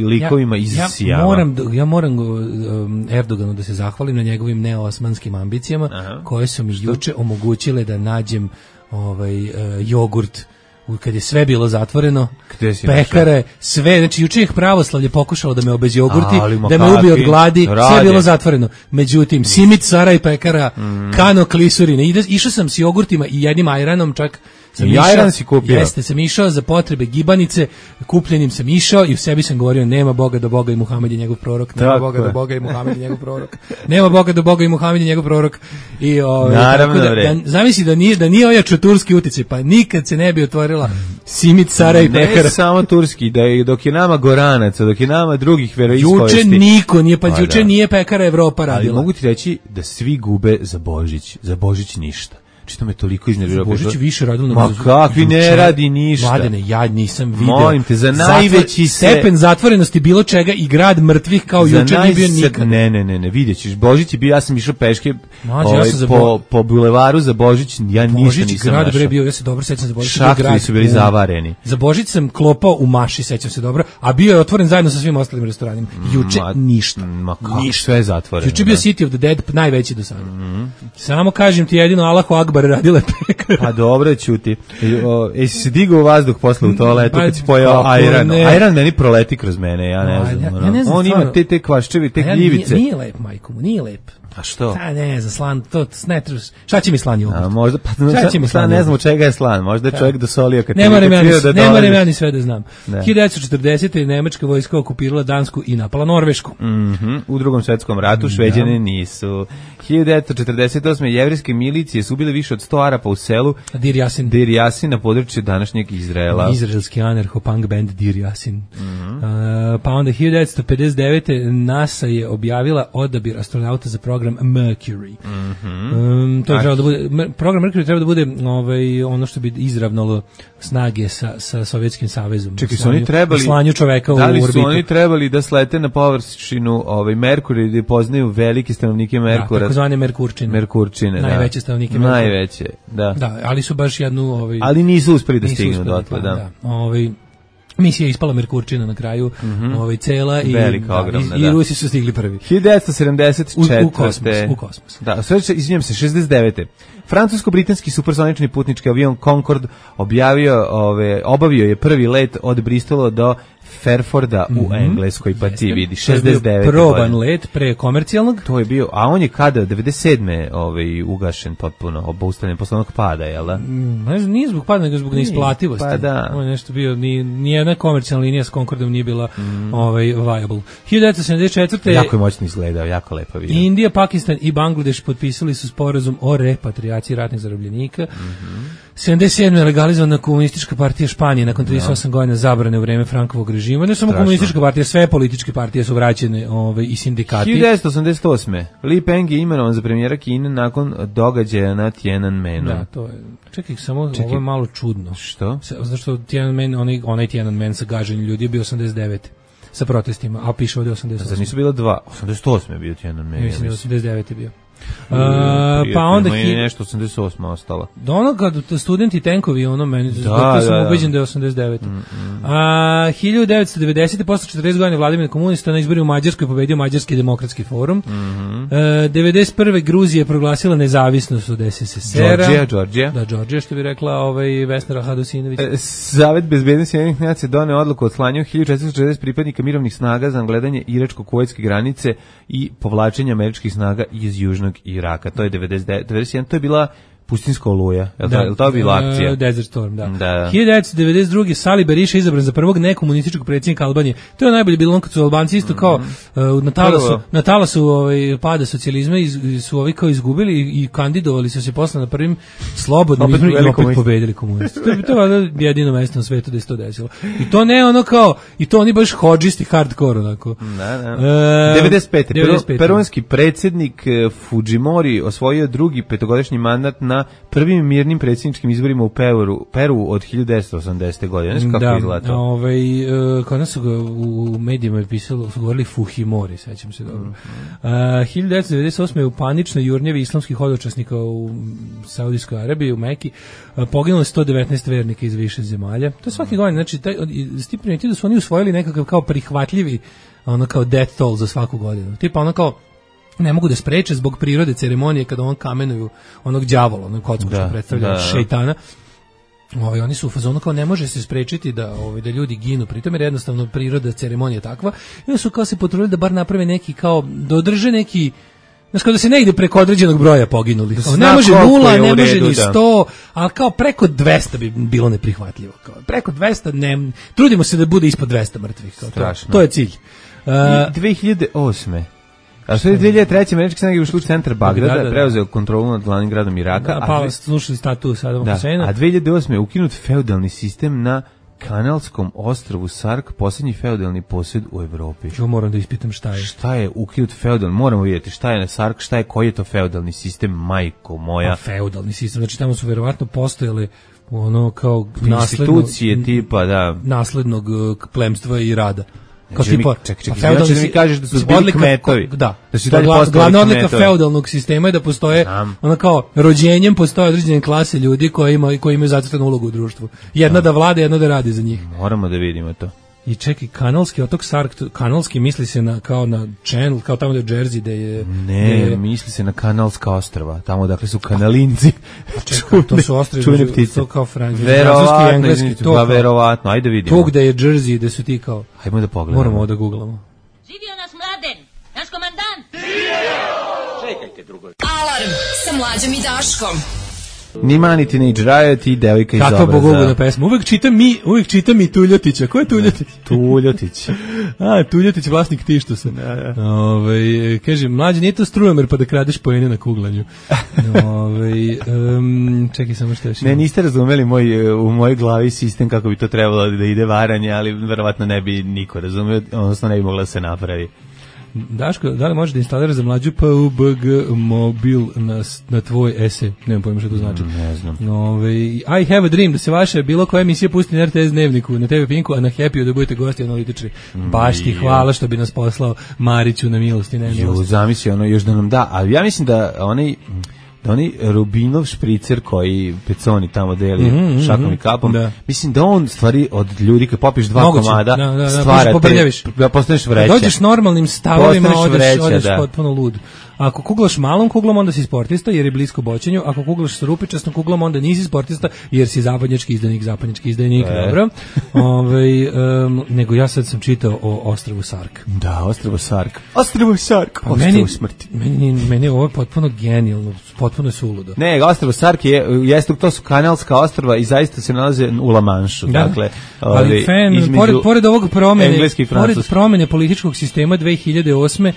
likovima iz Sijama. Ja moram Erdoganu da se zahvalim na njegovim neosmanskim ambicijama koje su mi juče omogućile da nađem jogurt kad je sve bilo zatvoreno, pekare, sve, znači juče ih pravoslavlje pokušalo da me obezjogurti, da me ubije od gladi, sve je bilo zatvoreno. Međutim, Simit, Sara i pekara, Kano, Klisurine, išao sam s jogurtima i jednim ajranom čak. Sam išao za potrebe gibanice, kupljenim sam išao i u sebi sam govorio: nema Boga do Boga i Muhamed je njegov prorok, nema Boga do Boga i Muhamed je njegov prorok, nema Boga do Boga i Muhamed je njegov prorok. I zamisli da nije ojačao turski uticaj, pa nikad se ne bi otvorila Simit, Sara i pekara. Ne samo turski, dok je nama Goranaca, dok je nama drugih veroispovesti. Juče niko nije, pa juče nije pekara Evropa radila. Ali mogu ti reći da svi gube za Božić ništa. Što me toliko iznervirao. Božić više radio na muziku. Ma kakvi ne radi ništa. Mladene, ja nisam video. Molim te, za najveći stepen zatvorenosti bilo čega i grad mrtvih kao juče nije bio nikad. Ne, vidjet ćeš. Božić je bio, ja sam išao peške po bulevaru za Božić, ja ništa nisam našao. Grad bio, ja se dobro sećam za Božić. Šahtovi su bili zavareni. Za Božić sam klopao u Maši, sećam se dobro, a bio je otvoren zajedno sa svim ostalim restoranima. Juče ništa. Ništa, sve je zatvoreno. Juče bio City of the Dead najveći do sada. Samo kažem ti jedino Allahu Akbar radile pekare. Pa dobro, ćuti. Jesi se digao u vazduh posle u toaletu kad si pojao ajran? Ajran meni proleti kroz mene, ja ne znam. On ima te kvaščevi, te gljivice. Nije lep, majko mu, nije lep. A što? Ne znam, slan, to ne trebaš. Šta će mi slan jogurt? Možda, ne znam od čega je slan. Možda je čovjek dosolio kad ne moram ja ni sve da znam. 1940. nemačka vojska okupirala Dansku i napala Norvešku. U Drugom svjetskom ratu Šveđani nisu. 1948. jevrejske milicije su ubile više od 100 Arapa u selu Dir Yasin na području današnjeg Izraela. Izraelski anarcho-punk band Dir Yasin. Pa onda 1959. NASA je objavila odabir astronauta za program Mercury. To je trebalo da bude, program Mercury treba da bude ono što bi izravnalo snage sa Sovjetskim savezom. Čekaj, su oni trebali slanju čoveka u orbitu. Da li su oni trebali da slete na površinu Merkurija i da poznaju velike stanovnike Merkura? Da, takozvane Merkurčine. Najveće stanovnike Merkura. Najveće, da. Da, ali su baš jednu... Ali nisu uspeli da stignu dotle, da. Misija je ispala Merkurčina na kraju, cela i velika, ogromna, i Rusi su stigli prvi. 1974. U kosmos. Da, sve izvinjam se, 69. Francusko-britanski supersonični putnički avion Concorde obavio je prvi let od Bristola do Fairforda u Engleskoj, pa ti vidi, 69. Proban let pre komercijalnog. To je bio, a on je kada, 97. Ugašen potpuno, obustavljen posle onog pada, jel da? Nije zbog pada, nego zbog neisplativosti. Pa da. On je nešto bio, nijedna komercijalna linija s Concordom nije bila viable. 1974. Jako je moćno izgledao, jako lepo vidio. Indija, Pakistan i Bangladeš potpisali su sporazum o repatriaciji ratnih zarobljenika. 77. je legalizovana komunistička partija Španije nakon 38 godina zabrane u vreme Frankovog režima. Ne samo komunistička partija, sve političke partije su vraćene i sindikati. 1988. Li Peng je imenovan za premijera Kine nakon događaja na Tiananmenu. Da, to je. Čekaj, ovo je malo čudno. Što? Zašto Tiananmen, onaj Tiananmen sa gaženjem ljudi je bio 89. sa protestima, a piše ovdje 88. Zar nisu bila 88. je bio Tiananmen? Mislim da 89. je bio. Pa onda je nešto 88 ostalo. Do ono kad studenti tenkovi meni sam ubeđen da je 89. 1990. posle 40 godina vladavine komunista na izborima u Mađarskoj pobedio Mađarski demokratski forum. 91. Gruzija je proglasila nezavisnost od SSSR-a. Georgija. Da, Georgija, što bi rekla Vesna Hadusinović. Savet bezbednosti Ujedinjenih nacija doneo odluku o slanju 1460 pripadnika mirovnih snaga za gledanje iračko-kuvajtske granice i povlačenje američkih snaga iz južnog Iraka. To je 91. To je bila pustinska oluja. Je li to bila akcija? Desert Storm, da. 1992. Sali Berisha izabran za prvog nekomunističkog predsjednika Albanije. To je najbolje bilo kad su Albanci isto kao na talasu pada socijalizma su ovi kao izgubili i kandidovali su se posle na prvim slobodnim izborima i opet pobedili komunisti. To je jedino mesto na svetu da se to desilo. I to ne ono kao, i to oni baš hodžisti hardcore onako. 95. Peruanski predsjednik Fujimori osvojio drugi petogodišnji mandat na prvim mirnim predsjedničkim izborima u Peru od 1980. godine. Znaš kako izgleda to? Kod nas su ga u medijima pisalo, su govorili Fujimori, sećam se dobro. 1998. je u paničnoj jurnjevi islamskih hodočasnika u Saudijskoj Arabiji, u Meki, poginulo 119 vernika iz više zemalja. To je svake godine, znači, ti primetili da su oni usvojili nekakav kao prihvatljivi, kao death toll za svaku godinu. Tipa ono kao, ne mogu da spreče zbog prirode ceremonije kada on kamenuju onog đavola, onog kocku što predstavlja šejtana. Oni su u fazonu kao ne može se sprečiti da ljudi ginu, pritom jer jednostavno priroda ceremonije takva. I onda su kao se potrudili da bar naprave neki kao da održe neki, znači kao da se ne ide preko određenog broja poginulih. Ne može 0, ne može ni 100, ali kao preko 200 bi bilo neprihvatljivo. Kao preko 200 ne, trudimo se da bude ispod 200 mrtvih. To je cilj. 2008. A što je 2003. američke snage ušli u centar Bagdada, preuzeo kontrolu nad glavnim gradom Iraka. Pa slušali status Sadama Huseina. A 2008. je ukinut feudalni sistem na kanalskom ostrvu Sark, posljednji feudalni posjed u Evropi. Ja moram da ispitam šta je. Šta je ukinut feudalni? Moramo vidjeti šta je na Sark, koji je to feudalni sistem, majko moja. Feudalni sistem, znači tamo su verovatno postojale ono kao institucije tipa, da. Naslednog plemstva i rada. Čekaj, znači da mi kažeš da su bili kmetovi. Da, glavna odlika feudalnog sistema je da postoje, ono kao rođenjem postoje određene klase ljudi koji imaju zacrtanu ulogu u društvu. Jedna da vlada, jedna da radi za njih. Moramo da vidimo to. I čekaj, kanalski otok Sark, kanalski misli se kao na Channel, kao tamo da je Jersey, da je... Ne, misli se na kanalska ostrva, tamo dakle su kanalinci. Čekaj, to su ostrvi, čuvene ptice. To kao francuski i engleski. Verovatno, ajde vidimo. To gde je Jersey, da su ti kao... Hajmo da pogledamo. Moramo da googlamo. Živio nas Mladen, naš komandant! Čekajte drugo. Alarm sa Mlađom i Daškom. Ni Mani Teenage Riot i Devojka iz obraza. Kakva bogogodna pesma. Uvijek čitam i Tuljotića. Ko je Tuljotić? Tuljotić. Tuljotić, vlasnik Tištusa. Kaže, mlađe, nije to strujomer pa da kradeš poene na kuglanju. Čekaj samo što još. Ne, niste razumeli u mojoj glavi sistem kako bi to trebalo da ide varanje, ali verovatno ne bi niko razumio, odnosno ne bi mogla da se napravi. Daško, da li možeš da instaliraš za mlađu PUBG mobil na tvoj ese? Nemam pojma što to znači. Ne znam. I have a dream, da se vaša bilo koja emisija pusti na RTS Dnevniku, na TV Pinku, a na Happy da budete gosti analitičari. Baš ti hvala što bi nas poslao Mariću na milost i nemilost. Zamisli još da nam da, ali ja mislim da oni Rubinov špricer koji Peconi tamo deli šakom i kapom, mislim da on stvari od ljudi kad popiš 2 komada stvara te, postaneš vreća. Dođeš normalnim stavovima, odeš potpuno lud. Ako kuglaš malom kuglom, onda si sportista jer je blisko boćenju. Ako kuglaš s rupičastom kuglom, onda nisi sportista jer si zapadnjački izdajnik. Dobro. Nego ja sad sam čitao o ostrvu Sark. Da, ostrvo Sark. Ostrvo smrti. Meni je ovo potpuno genijalno, potpuno je suludo. Ne, ostrvo Sark to su kanalska ostrva i zaista se nalaze u La Manšu. Da. Dakle, ali pored ovog promene političkog sistema 2008.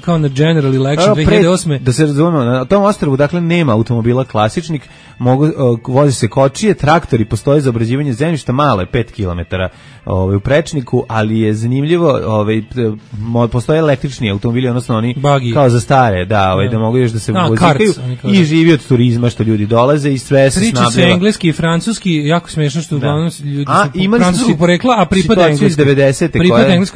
kao na general election 2008. Da se razumemo, na tom ostrvu dakle nema automobila klasičnih, vozi se kočije, traktori, postoje za obrađivanje zemljišta, malo je 5 km u prečniku, ali je zanimljivo, postoje električni automobili, odnosno oni Buggy. Kao za stare, da mogu još da se vozikaju i živi od turizma što ljudi dolaze i sve se snabdeva. Priča se engleski i francuski, jako smiješno što uglavnom ljudi su francuskog porekla, a pripada engleskoj.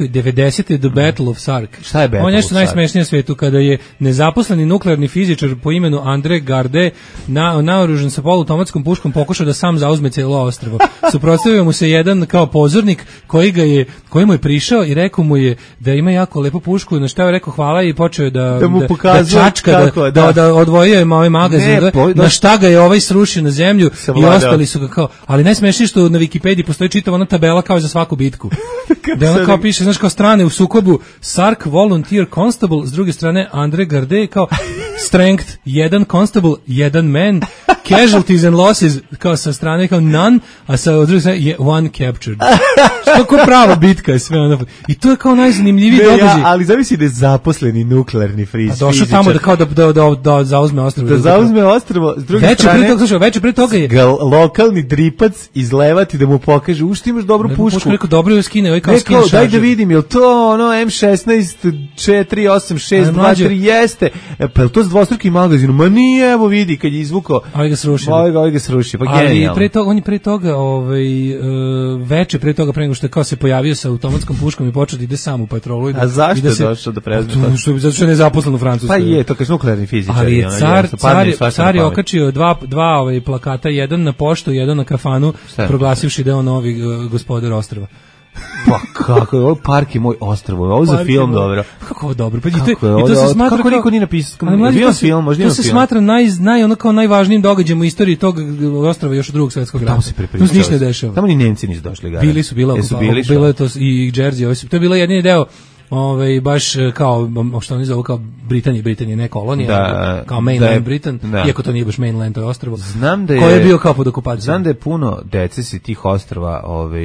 90. The Battle of Sark. Šta je Battle of Sark? On je nešto najsmešnije na svetu, kada je nezaposleni nuklearni fizičar po imenu André Garde naoružan sa poluautomatskom puškom pokušao da sam zauzme cijelo ostrvo. Suprotstavio mu se jedan kao pozornik koji mu je prišao i rekao mu je da ima jako lepu pušku, na što je rekao hvala i počeo da čačka, da odvojio ovaj magazin, na šta ga je ovaj srušio na zemlju i ostali su ga kao, ali najsmešnije što na Wikipediji postoji čitava ona tabela kao za svaku bitku. Da ona kao piše, znaš, kao strane u sukobu Sark Volunteer Constable, s druge strane André Garde kao Strength 1 Constable, 1 man, Casualties and Losses kao sa strane kao none, a sa druge strane je 1 captured. Što kao prava bitka je sve ono. I to je kao najzanimljiviji događaj. Ali zavisi da je zaposleni nuklearni fizičar. Došao tamo da kao da zauzme ostrvo. Da zauzme ostrvo, s druge strane. Veče pre toga je lokalni dripac izlevati da mu pokaže u što imaš dobru pušku. Rekao dobro je skine, ovaj kao skine šaržer. Daj da vidim, jel to ono M16 48623 jeste. Pa je to s dvostrukim magazinom? Ma nije, evo vidi kad je izvukao. Ovaj ga srušio. Pa genijalno. Ali on je pre toga veče pre toga pre nego što je kao se pojavio sa automatskom puškom i počeo da ide sam u patrolu. A zašto je došao da prezme? Zato što je nezaposlen u Francuskoj. Pa je, to kaže nuklearni fizičar. Ali je car je okačio dva plakata, jedan na poštu, jedan na kafanu, proglasivši da je on novi gospodar ostrva. Pa kako je, ovo park je moj ostrvo, ovo za film dobro. Kako je dobro, pa i to se smatra kako niko nije napisao, film, možda to se smatra kao najvažnijim događajem u istoriji tog ostrva još od Drugog svjetskog rata. Tu se ništa ne dešava. Tamo ni Nemci nisu došli. Bilo je to i Jersey, to je bila jedini deo baš kao, što oni zovu kao Britanija, ne kolonija, kao mainland Britain, iako to nije baš mainland, to je ostrvo, koje je bio kao pod okupacijom. Znam da je puno dece si tih ostrva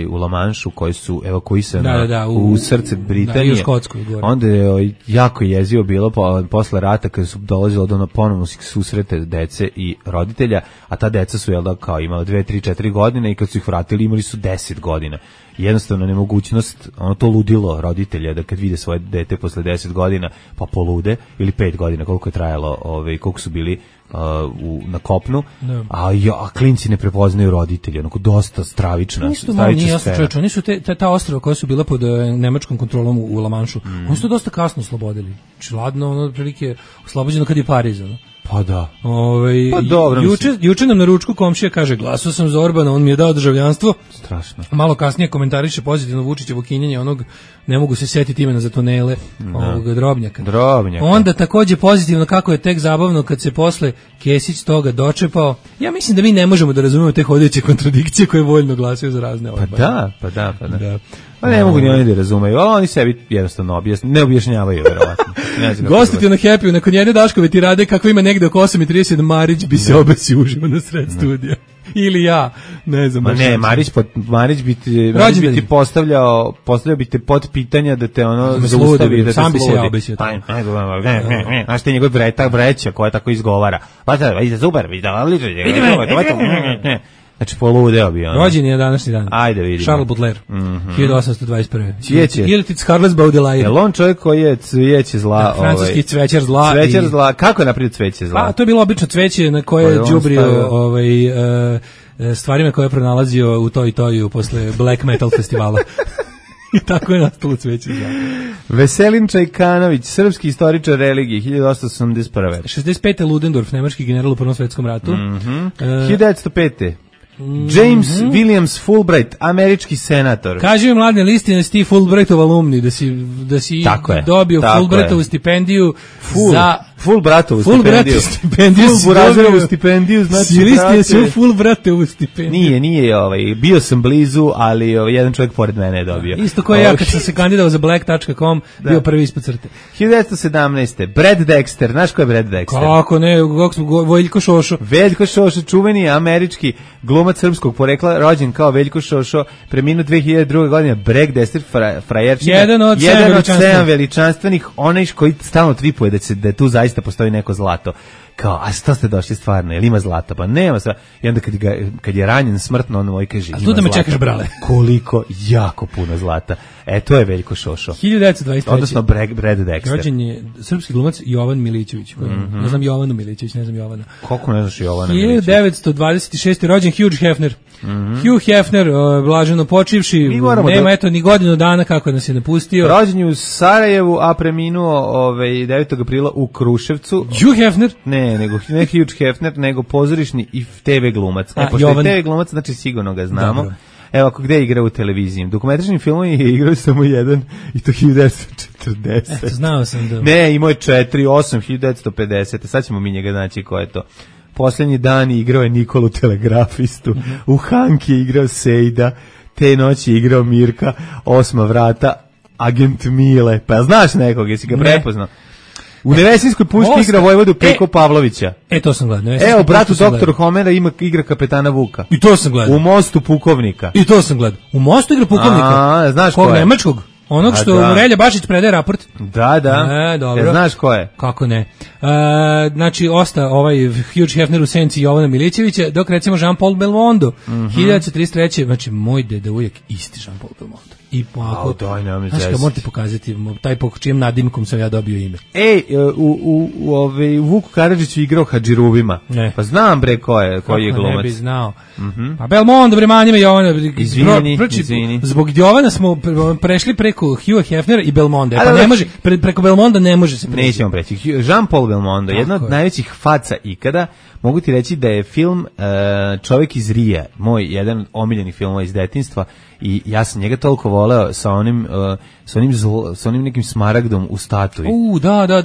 u La Manšu, koji su evakuisani u srce Britanije, u Škotskoj, onda je jako jezio bilo posle rata, kada su dolazilo do ponovno susrete dece i roditelja, a ta deca su kao imala 2, 3, 4 godine i kad su ih vratili imali su 10 godina. Jednostavno nemogućnost, to ludilo roditelja da kad vide svoje dete posle 10 godina pa polude, ili 5 godina koliko je trajalo, koliko su bili na kopnu, a klinci ne prepoznaju roditelje, onako dosta stravična scena. Oni su ta ostrva koja su bila pod nemačkom kontrolom u La Manšu, oni su to dosta kasno oslobodili. Znači, ladno, otprilike oslobođeno kad je Pariz, Pa da. Pa dobro. Juče nam na ručku komšija kaže, glasao sam za Orbana, on mi je dao državljanstvo. Strašno. Malo kasnije komentariše pozitivno Vučićevo kinjenje onog, ne mogu se setiti imena za tunele, ovog Drobnjaka. Onda takođe pozitivno kako je tek zabavno kad se posle Kesić toga dočepao. Ja mislim da mi ne možemo da razumemo te hodajuće kontradikcije koje voljno glasaju za razne Orbane. Pa da. Pa ne mogu ni oni da razumeju, ali oni sebi jednostavno ne objašnjavaju, verovatno. Gostiti na Happy-u, nakon jedne Daškove tirade, kako ima negde oko 8:30, Marić bi se obesio uživo na sred studija. Ili ja, ne znam. Ma ne, Marić bi ti postavljao bi te pod pitanja da te ono zaustavi, da te sam bi se ja obesio. Znaš ti njegov vreća koja tako izgovara. Pa da, vidite, super, vidite, znači poludeo bi ono. Rođen je današnji dan. Ajde vidimo. Charles Baudelaire, 1821. Cvijeće. Ili ti Charles Baudelaire. Je on čovjek koji je cvijeće zla? Francuski cvećar zla. Cvećar zla, kako je napravio cveće zla? Pa, to je bilo obično cveće na koje je đubrio stvarima koje je pronalazio u toj toju posle Black Metal festivala. I tako je nastalo cveće zla. Veselin Čajkanović, srpski istoričar religije, 1881. 65. Ludendorff, nemački general u Prvom svetskom ratu. 1905. James Williams Fulbright, američki senator. Kaže mi mladne listi da si ti Fulbrightov alumni, da si dobio Fulbrightovu stipendiju za Fulbrightovu stipendiju, znači si listi su Fulbrightovu stipendiju. Nije, bio sam blizu, ali jedan čovjek pored mene je dobio. Isto kao ja kad sam se kandidovao za black.com, bio prvi ispod crte. 1917. Brad Dexter, znaš ko je Brad Dexter? Kako ne, Veljko Šošo. Veljko Šošo, čuveni američki glumac srpskog porekla, rođen kao Veljko Šošo, preminuo 2002. godine, Brad Dexter, frajerčina. Jedan od 7 veličanstvenih, onaj koji stalno tripuje da tu zaista postoji neko zlato. Kao, a što ste došli stvarno, jel ima zlata? Pa nema sva. I onda kad je ranjen smrtno, on moj kaže, ima zlata. A tu da me čekaš, brale. Koliko, jako puno zlata. To je Veljko Šošo. 1923. Odnosno Brad Dexter. Rođen je srpski glumac Jovan Milićević. Ja znam Jovanu Milićević, ne znam Jovana. Kako ne znaš Jovana Milićević? 1926. rođen Hugh Hefner. Hugh Hefner, blaženo počivši, nema eto ni godinu dana kako nas je napustio. Rođen je u Sarajevu, a preminuo 9. aprila u Kruševcu. Hugh Hefner? Ne Hugh Hefner, nego pozorišni i TV glumac. Pošto je TV glumac, znači sigurno ga znamo. Dobro. Evo, gde igra u televiziji? Dokumentarnim filmom je igrao samo jedan, i to 1940. Eto, znao sam da... Ne, imao je 8, 1950. Sad ćemo mi njega naći ko je to. Posljednji dan igrao je Nikolu telegrafistu, u Hanki je igrao Sejda, te noći je igrao Mirka, 8 vrata, agent Mile. Pa znaš nekog, jesi ga prepoznao? U Nevesinskoj pušti igra vojvodu Peko Pavlovića. To sam gledao. Evo, bratu doktor Homera igra kapetana Vuka. I to sam gledao. U Mostu pukovnika. I to sam gledao. U Mostu igra pukovnika. Znaš ko je? Nemačkog. Onog što Relja Bašić predaje raport. Da. Dobro. Znaš ko je? Kako ne. Znači, osta Hugh Hefner u senci Jovana Milićevića, dok recimo Jean-Paul Belmondo, 1933. Znači, moj deda uvijek isti Jean-Paul Belmondo. I polako, znaš kad možete pokazati taj po čijem nadimkom sam ja dobio ime. U Vuku Karadžiću igrao Hadžirubima. Pa znam bre koji je glumac. Ne bi znao. Pa Belmondo, bre, manjime Jovana. Izvini. Zbog Jovana smo prešli preko Hugha Hefnera i Belmonda. Pa ne može, preko Belmonda ne može se preći. Nećemo preći. Jean-Paul Belmondo, jedna od najvećih faca ikada. Mogu ti reći da je film Čovjek iz Rija, moj jedan omiljeni film iz detinjstva, i ja sam njega toliko voleo sa onim nekim smaragdom u statuji. Da.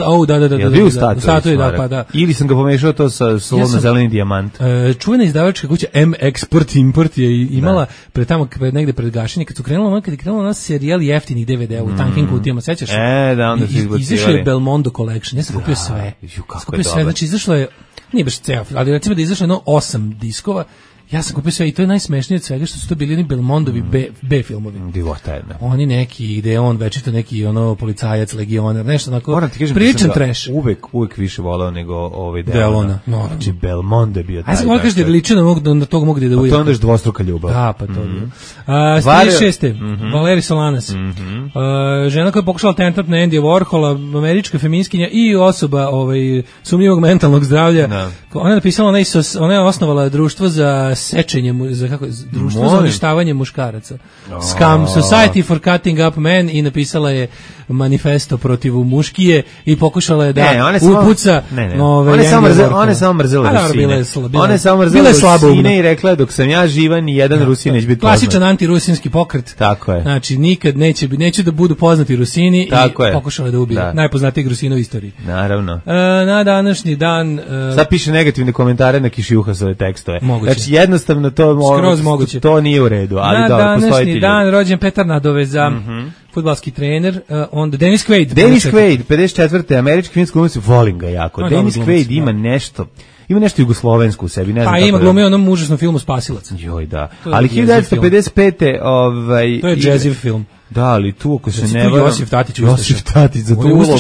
Je bio u statuji? Da. Ili sam ga pomešao to sa slovno-zeleni dijamant. Čuvena izdavačka kuća M-Export Import je imala negde pred gašenje, kad je krenula na serijal jeftinih DVD-a u tankim kutijama, sećaš? Onda su izbacivali. Izašao je Belmondo Collection, ja sam kupio sve. Skupio sve, znači izašlo je, nije baš ceo, ali recimo da je izašlo 8 diskova. Ja sam kupio sve i to je najsmešnije od svega što su to bili oni Belmondovi B filmovi. Divota jedna. Oni neki, gde je on večito neki policajac, legioner, nešto onako. Moram ti kažem, priličan trash. Uvek više volao nego Delona. Znači Belmondo je bio taj. A sam moram kažem da je veličina na tog mog deda uvijek. To onda je dvostruka ljubav. Da, pa to je. 36. Valeri Solanas. Žena koja je pokušala atentat na Andy Warhola, američka feminiskinja i osoba sumnjivog mentalnog zdravlja. Ona je napisala, ona je osnovala društvo za sečenje, društvo za uništavanje muškaraca. Scum, Society for Cutting Up Men, i napisala je manifesto protiv muškije i pokušala je da upuca. Ona je samo mrzela Rusine. Ona je samo mrzela Rusine i rekla, dok sam ja živa, ni jedan Rusin neće biti poznat. Klasičan antirusinski pokret. Tako je. Znači, nikad neće da budu poznati Rusini i pokušala da ubije najpoznatijeg Rusina u istoriji. Naravno. Na današnji dan... Sad piše negativne komentare na Kišijuhasove tekstove. Moguće. Znači, jednostavno to nije u redu, ali dobro, postoji ti. Na današnji dan rođen Petar Nadoveza, fudbalski trener, onda Dennis Quaid. Dennis Quaid, 54. američki filmski glumac, volim ga jako. Dennis Quaid ima nešto jugoslovensko u sebi, ne znam. Pa ima glumio onom užasnom filmu Spasilac. Joj, da. Ali 1955. To je jazziv film. Da, ali tu ako se ne varam... Josif Tatić za tu ulogu.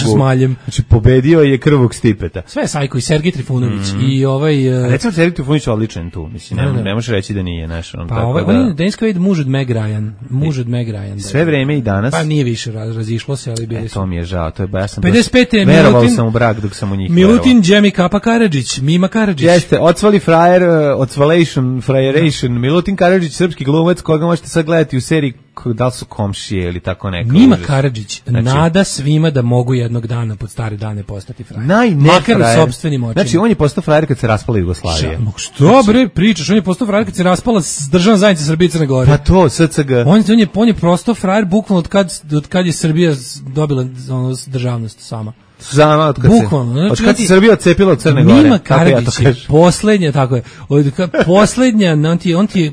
Znači, pobedio je Krvog Stipeta. Sve je Sajko i Sergij Trifunović i ovaj... Recimo, Sergij Trifunović je odličan tu. Mislim, ne možeš reći da nije naš. Pa on je Dennis Quaid, muž od Meg Ryan. Sve vreme i danas. Pa nije više razišlo se, ali bili su. To mi je žao, to je ja sam 55. verovao sam u brak dok sam u njih Milutin Džemi Kapa Karadžić, Mima Karadžić. Jeste, ocvali frajer, frajeration, Milutin Karadžić, srpski glumac, koga možete sad gledati u seriji da li su komšije ili tako neka. Mima Karadžić nada svima da mogu jednog dana pod stare dane postati frajer. Makar u sopstvenim očima. Znači on je postao frajer kad se raspala Jugoslavija. Što bre pričaš? On je postao frajer kad se raspala državna zajednica Srbije i Crne Gore. Pa to, SCG. On je postao frajer bukvalno od kad je Srbija dobila državnost sama. Od kad se Srbija odcepila od Crne Gore. Mima Karadžić je poslednja, tako je. Poslednja, on ti je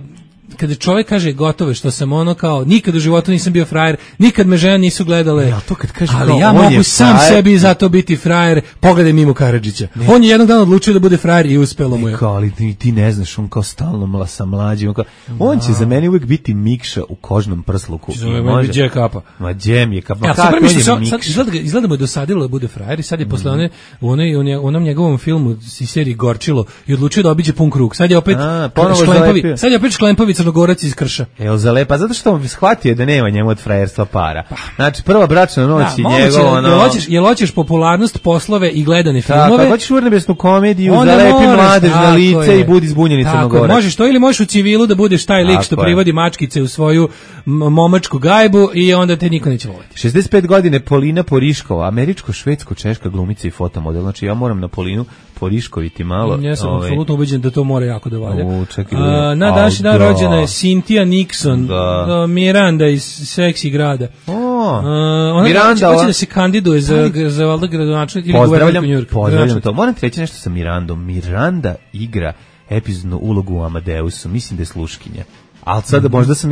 kada čovjek kaže gotovo, što sam ono kao nikad u životu nisam bio frajer, nikad me žene nisu gledale, to kad kaže ali kao, ja mogu sam frajer, sebi zato biti frajer, pogledaj Mimu Karadžića. On je jednog dana odlučio da bude frajer i uspelo mu je. Ali ti ne znaš, on kao stalno sa mlađim, on će za mene uvijek biti Mikša u kožnom prsluku. Može Džem Kapa. Ma Džem je Kapa. Izgleda mu je dosadilo da bude frajer i sad je posle onom njegovom filmu iz seriji Gorčilo i odlučio da obiđe pun krug. Sad je opet Šklempovi Crnogorac iz Krša. Pa zato što on shvatio da nema njemu od frajerstva para. Znači, prva bračna noć i njegovo... Jel hoćeš popularnost, poslove i gledane filmove? Tako, hoćeš urnebesnu komediju, zalepi mladež na lice i budi zbunjeni Crnogorac. Možeš to ili možeš u civilu da budeš taj lik što privodi mačkice u svoju momačku gajbu i onda te niko neće voliti. 65 godine Polina Poriškova, američko-švedsko-češka glumica i fotomodel. Znači, ja moram na Polinu Poriškoviti malo. Ja sam apsolutno ubeđen da to mora jako da valja. Na današnji dan rođena je Cynthia Nixon, Miranda iz Seksi grada. Miranda, hoće da se kandiduje za valjda gradonačelnik ili guvernerku Njujorka. Pozdravljam to. Moram ti reći nešto sa Mirandom. Miranda igra epizodnu ulogu u Amadeusu. Mislim da je sluškinja. Ali sad možda sam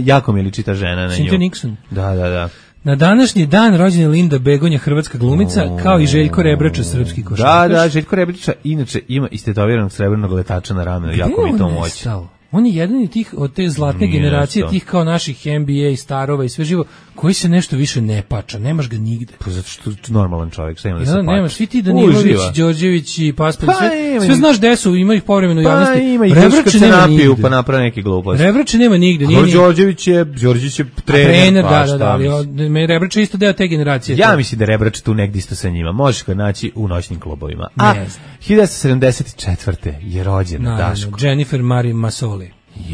jako mi liči ta žena na nju. Cynthia Nixon. Da. Na današnji dan rođena je Linda Begonja, hrvatska glumica, kao i Željko Rebrača, srpski košarkaš. Da, Željko Rebrača inače ima istetoviranog srebrnog letača na ramenu, jako mi to moći. On je jedan od te zlatne generacije, tih kao naših NBA starova i sve živo, koji se nešto više ne pača, nemaš ga nigde. Pa zato što je normalan čovjek, šta ima da se pača. Nemaš, svi ti Danilović, Đorđević i Paspalj, sve znaš gde su, ima ih povremeno u javnosti. Pa ima ih kad se napiju, pa naprave neki gluposti. Rebrača nema nigde. Đorđević je trener, ali Rebrača je isto deo te generacije. Ja mislim da Rebrača tu negdje isto sa njima, možeš ga naći u noćnim klubovima. A 1974. je rođena Daško. Jennifer Marie Masoli.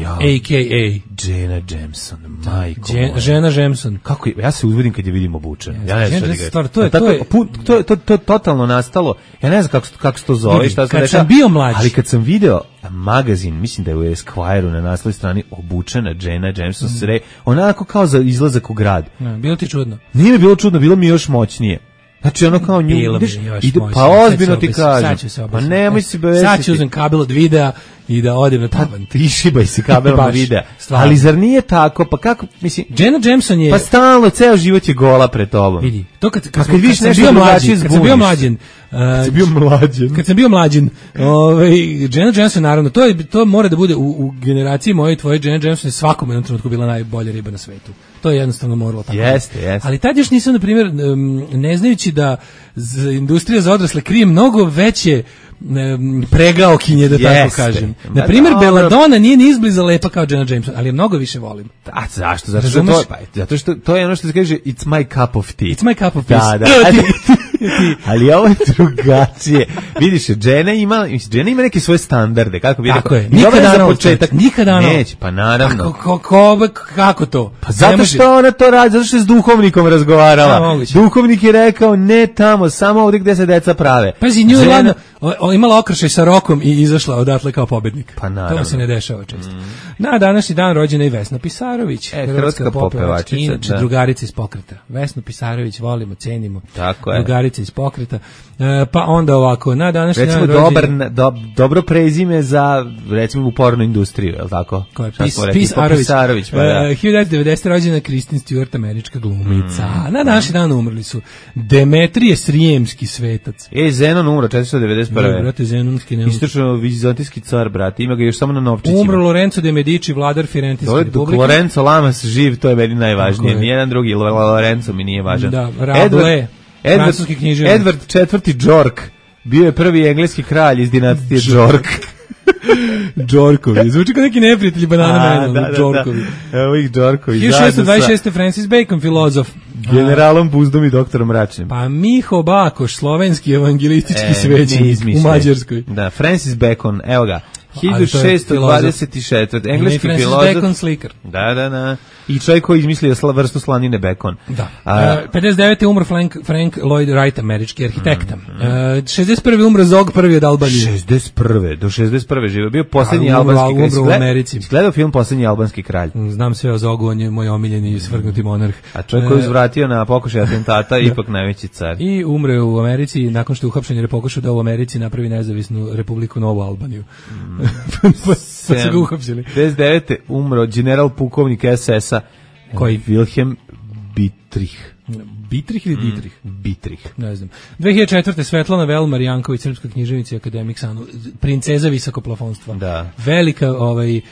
A.K.A. Jenna Jameson, majko Jenna Jameson. Kako ja se uzbudim kad je vidim obučena. Ja ne znam šta to je totalno nastalo. Ja ne znam kako se to zove, šta se dešava. Ali kad sam video magazin, mislim da je u Esquire-u na naslovnoj strani obučena Jenna Jameson, onako kao za izlazak u grad. Bilo ti čudno? Nije mi bilo čudno, bilo mi još moćnije. Znači ono kao nju ideš, pa ozbiljno ti kažem. Pa nemoj si bevesiti. Sad ću uzem kabel od videa i da odem na tavan. Ti šibaj se kabelom od videa. Ali zar nije tako? Pa kako, mislim... Jenna Jameson je... Pa stalno, ceo život je gola pred tobom. Vidi, to kad sam bio mlađin, Jenna Jameson, naravno, to mora da bude u generaciji moje i tvoje, Jenna Jameson je svakom jednom trenutku bila najbolja riba na svetu. To je jednostavno moralo tako. Jeste. Ali tad još nisam, na primjer, ne znajući da industrija za odrasle krije mnogo veće pregaokinje, da tako kažem. Na primjer, Belladonna nije ni izbliza lepa kao Jenna Jameson, ali je mnogo više volim. A zašto? Zato što to je ono što se kaže it's my cup of tea. It's my cup of tea. Da. Ali ovo je drugačije. Vidiš, Jenna ima neke svoje standarde, kako bi rekao. Tako je. Nikada neće, pa naravno. Kako to? Pa zato što ona to radi, zato što je s duhovnikom razgovarala. Duhovnik je rekao, ne tamo, samo ovdje gde se deca prave. Pazi, nju je ladno, imala okršaj sa rokom i izašla odatle kao pobednik. Pa naravno. To se ne dešava često. Na današnji dan rođena je Vesna Pisarović, hrvatska popevačica, inače drugarica iz Pokreta. Vesnu Pisarović volimo, cenimo. Tako je. Drugarica iz Pokreta. Pa onda ovako, na današnji dan rođena... dobro prezime za, recimo, u porno industriju, je li tako? Ko je? Pisarović. Pa da. 1990. rođena Kristen Stewart, američka glumica. Na današnji dan umrli su Demetrije Srijemski svetac. Zenon umro 491. Brate, Zenonski ne. Istočno-vizantijski car, brate, ima ga još samo na novčićima. Umro Lorenzo de Medici, vladar Firentinske republike. Lorenzo Lamas živ, to je meni najvažnije. Nijedan drugi Lorenzo mi nije važan. Da, Rabelais, francuski književnik. Edward IV. Džork bio je prvi engleski kralj iz dinastije Džork. Džorkovi, zvuči kao neki neprijatelji banana mena, Džorkovi. Evo ih Džorkovi. 1626. Francis Bacon, filozof. Generalom Buzdom i doktorom Mračnim. Pa Miho Bakoš, slovenski evangelistički svećenik u Mađarskoj. Da, Francis Bacon, evo ga. 1624. Engleski filozof. Bacon slikar. Da. I čovjek koji izmislio vrstu slanine bekon. Da. 59. umro Frank Lloyd Wright, američki arhitekta. 61. umro Zog prvi od Albanije. 61. Do 61. živio. Bio posljednji albanski kralj. Umro u Americi. Gledao film Posljednji albanski kralj. Znam sve o Zogu, on je moj omiljeni svrgnuti monarh. A čovjek koji uzvratio na pokušaj atentata, ipak najveći car. I umre u Americi, nakon što je uhapšen jer je pokušao da u Americi napravi nezavisnu republiku Novu Albaniju. Pa se ga uhapšili. 59. umro general pukovnik SS-a koji? Wilhelm Dietrich. Dietrich ili Dietrich? Dietrich. Ne znam. 2004. Svetlana Velmar Janković, srpska književnica i akademik princeza visokoplafonstva. Da. Velika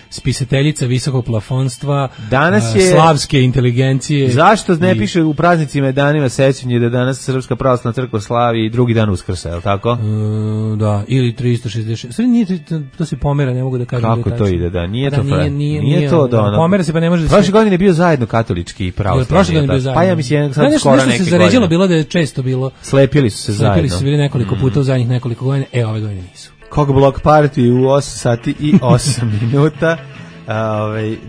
spisateljica visokoplafonstva, danas je slavske inteligencije. Zašto ne piše u praznicima i danima sećanje da danas Srpska pravoslavna crkva slavi i drugi dan Uskrsa, je li tako? Da, ili 366. Sve nije, to se pomera, ne mogu da kažem. Kako to ide, da? Nije to nije to da ono. Pomera se pa ne može da se. Prošle godine je bio zajedno katolički i pravoslavni. Prošle godine je bio zajedno. Pa ja mislim sad skoro neki se zaređalo bilo da je često bilo. Slepili su se zajedno. Slepili su se bili nekoliko puta u zadnjih nekoliko godina, ove godine nisu. Kog blok party u 8 sati i 8 minuta.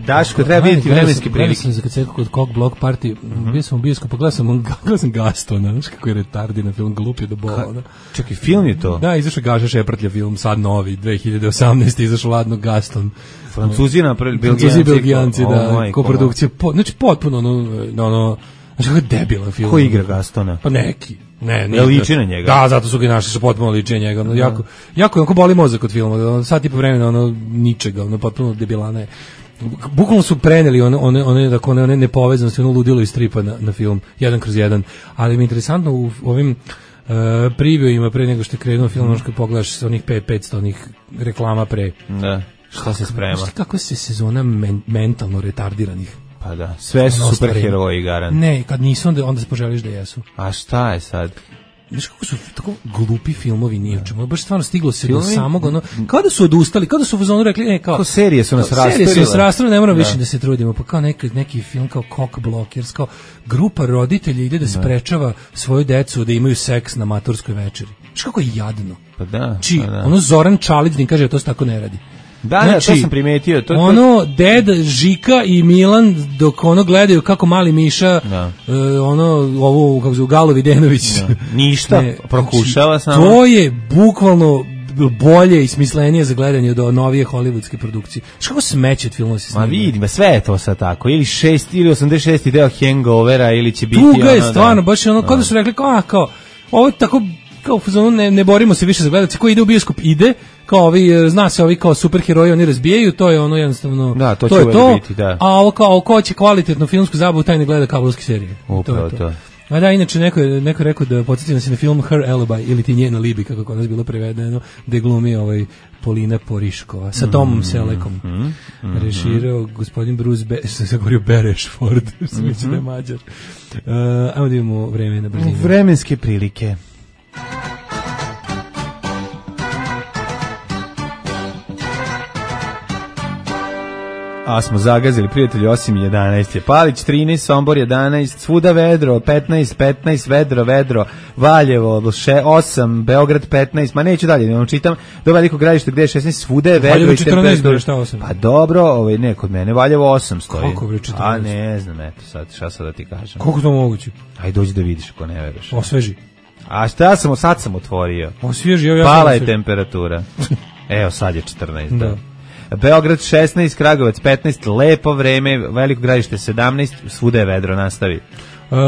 Daško, treba vidjeti vremenske prilike. Gledao sam kad se kod Kog blok party, bio sam u bioskopu, gledao sam Gastona, znaš kako je retardi na film, glup je do bola. Čekaj, film je to? Da, izašao Gaša Šeprtlja film, sad novi, 2018. izašao ladno Gaston. Francuzi napravili, Belgijanci, da, koprodukcija, znači potpuno, ono, znači kako je debilan film. Ko igra Gastona? Pa neki. Ne, liči na njega. Da, zato su ga našli, su potpuno liči na njega. Jako onako boli mozak od filma. Sad tipa vremena, ničega, potpuno debilana je. Bukvalno su preneli one nepovezanosti, ono ludilo iz stripa na film, 1/1. Ali mi je interesantno u ovim previewima pre nego što je krenuo film, ono što pogledaš sa onih 500 onih reklama pre. Da, šta se sprema? Znaš kako se sezona mentalno retardiranih. Pa da, sve su superheroji garant. Ne, kad nisu, onda se poželiš da jesu. A šta je sad? Znaš kako su tako glupi filmovi nije u čemu, baš stvarno stiglo se do samog, kao da su odustali, kao da su u fazonu rekli, kao serije su nas raspravile, ne moramo više da se trudimo, pa kao neki film kao Cock Blockers, kao grupa roditelja ide da sprečava svoju decu da imaju seks na maturskoj večeri. Znaš kako je jadno. Pa da. Ono Zoran Čalić kaže, to se tako ne radi. Da, to sam primetio. Ded, Žika i Milan dok gledaju kako mali Miša, ovu, kako zove, Galo Videnović. Ništa, prokušava samo. To je bukvalno bolje i smislenije za gledanje od novije hollywoodske produkcije. Što smeće od filmova se snima? Ma vidim, sve je to sad tako. Ili 86. deo Hangovera, ili će biti tuga je stvarno, baš je kao da su rekli, kao, ovo je tako, kao ne borimo se više za gledalce, ko ide u bioskop ide, kao zna se ovi kao superheroji, oni razbijaju, to je ono jednostavno, da, to je to, biti, da. A ovo kao, ko će kvalitetnu filmsku zabavu, taj ne gleda kablovske serije. Upravo to. A da, inače, neko je rekao da podsjetio se na film Her Alibi, ili ti njena Libi, kako kod nas bilo prevedeno, gde glumi Polina Poriškova, sa Tomom Selekom. Režirao gospodin Bruce sam govorio Berešford, sam mislio da je Mađar. Ajmo da imamo vreme na brzinu. Vremenske prilike. A smo zagazili, prijatelji, 8:11 je Palić, 13, Sombor 11, svuda vedro, 15, vedro, Valjevo 8, Beograd 15, ma neću dalje, ne vam čitam, do Velikog Gradišta gde je 16, svuda je vedro. Valjevo 14, šta 8? Pa dobro, ne, kod mene Valjevo 8 stoji. Koliko bre 14? A ne znam, eto sad, šta sad da ti kažem. Koliko to moguće? Ajde dođi da vidiš ako ne veruješ. Osveži. A šta sad sam otvorio? Osvježio, pala je temperatura. Evo, sad je 14. Da. Beograd 16, Kragujevac 15, lepo vreme, Veliko Gradište 17, svuda je vedro, nastavi.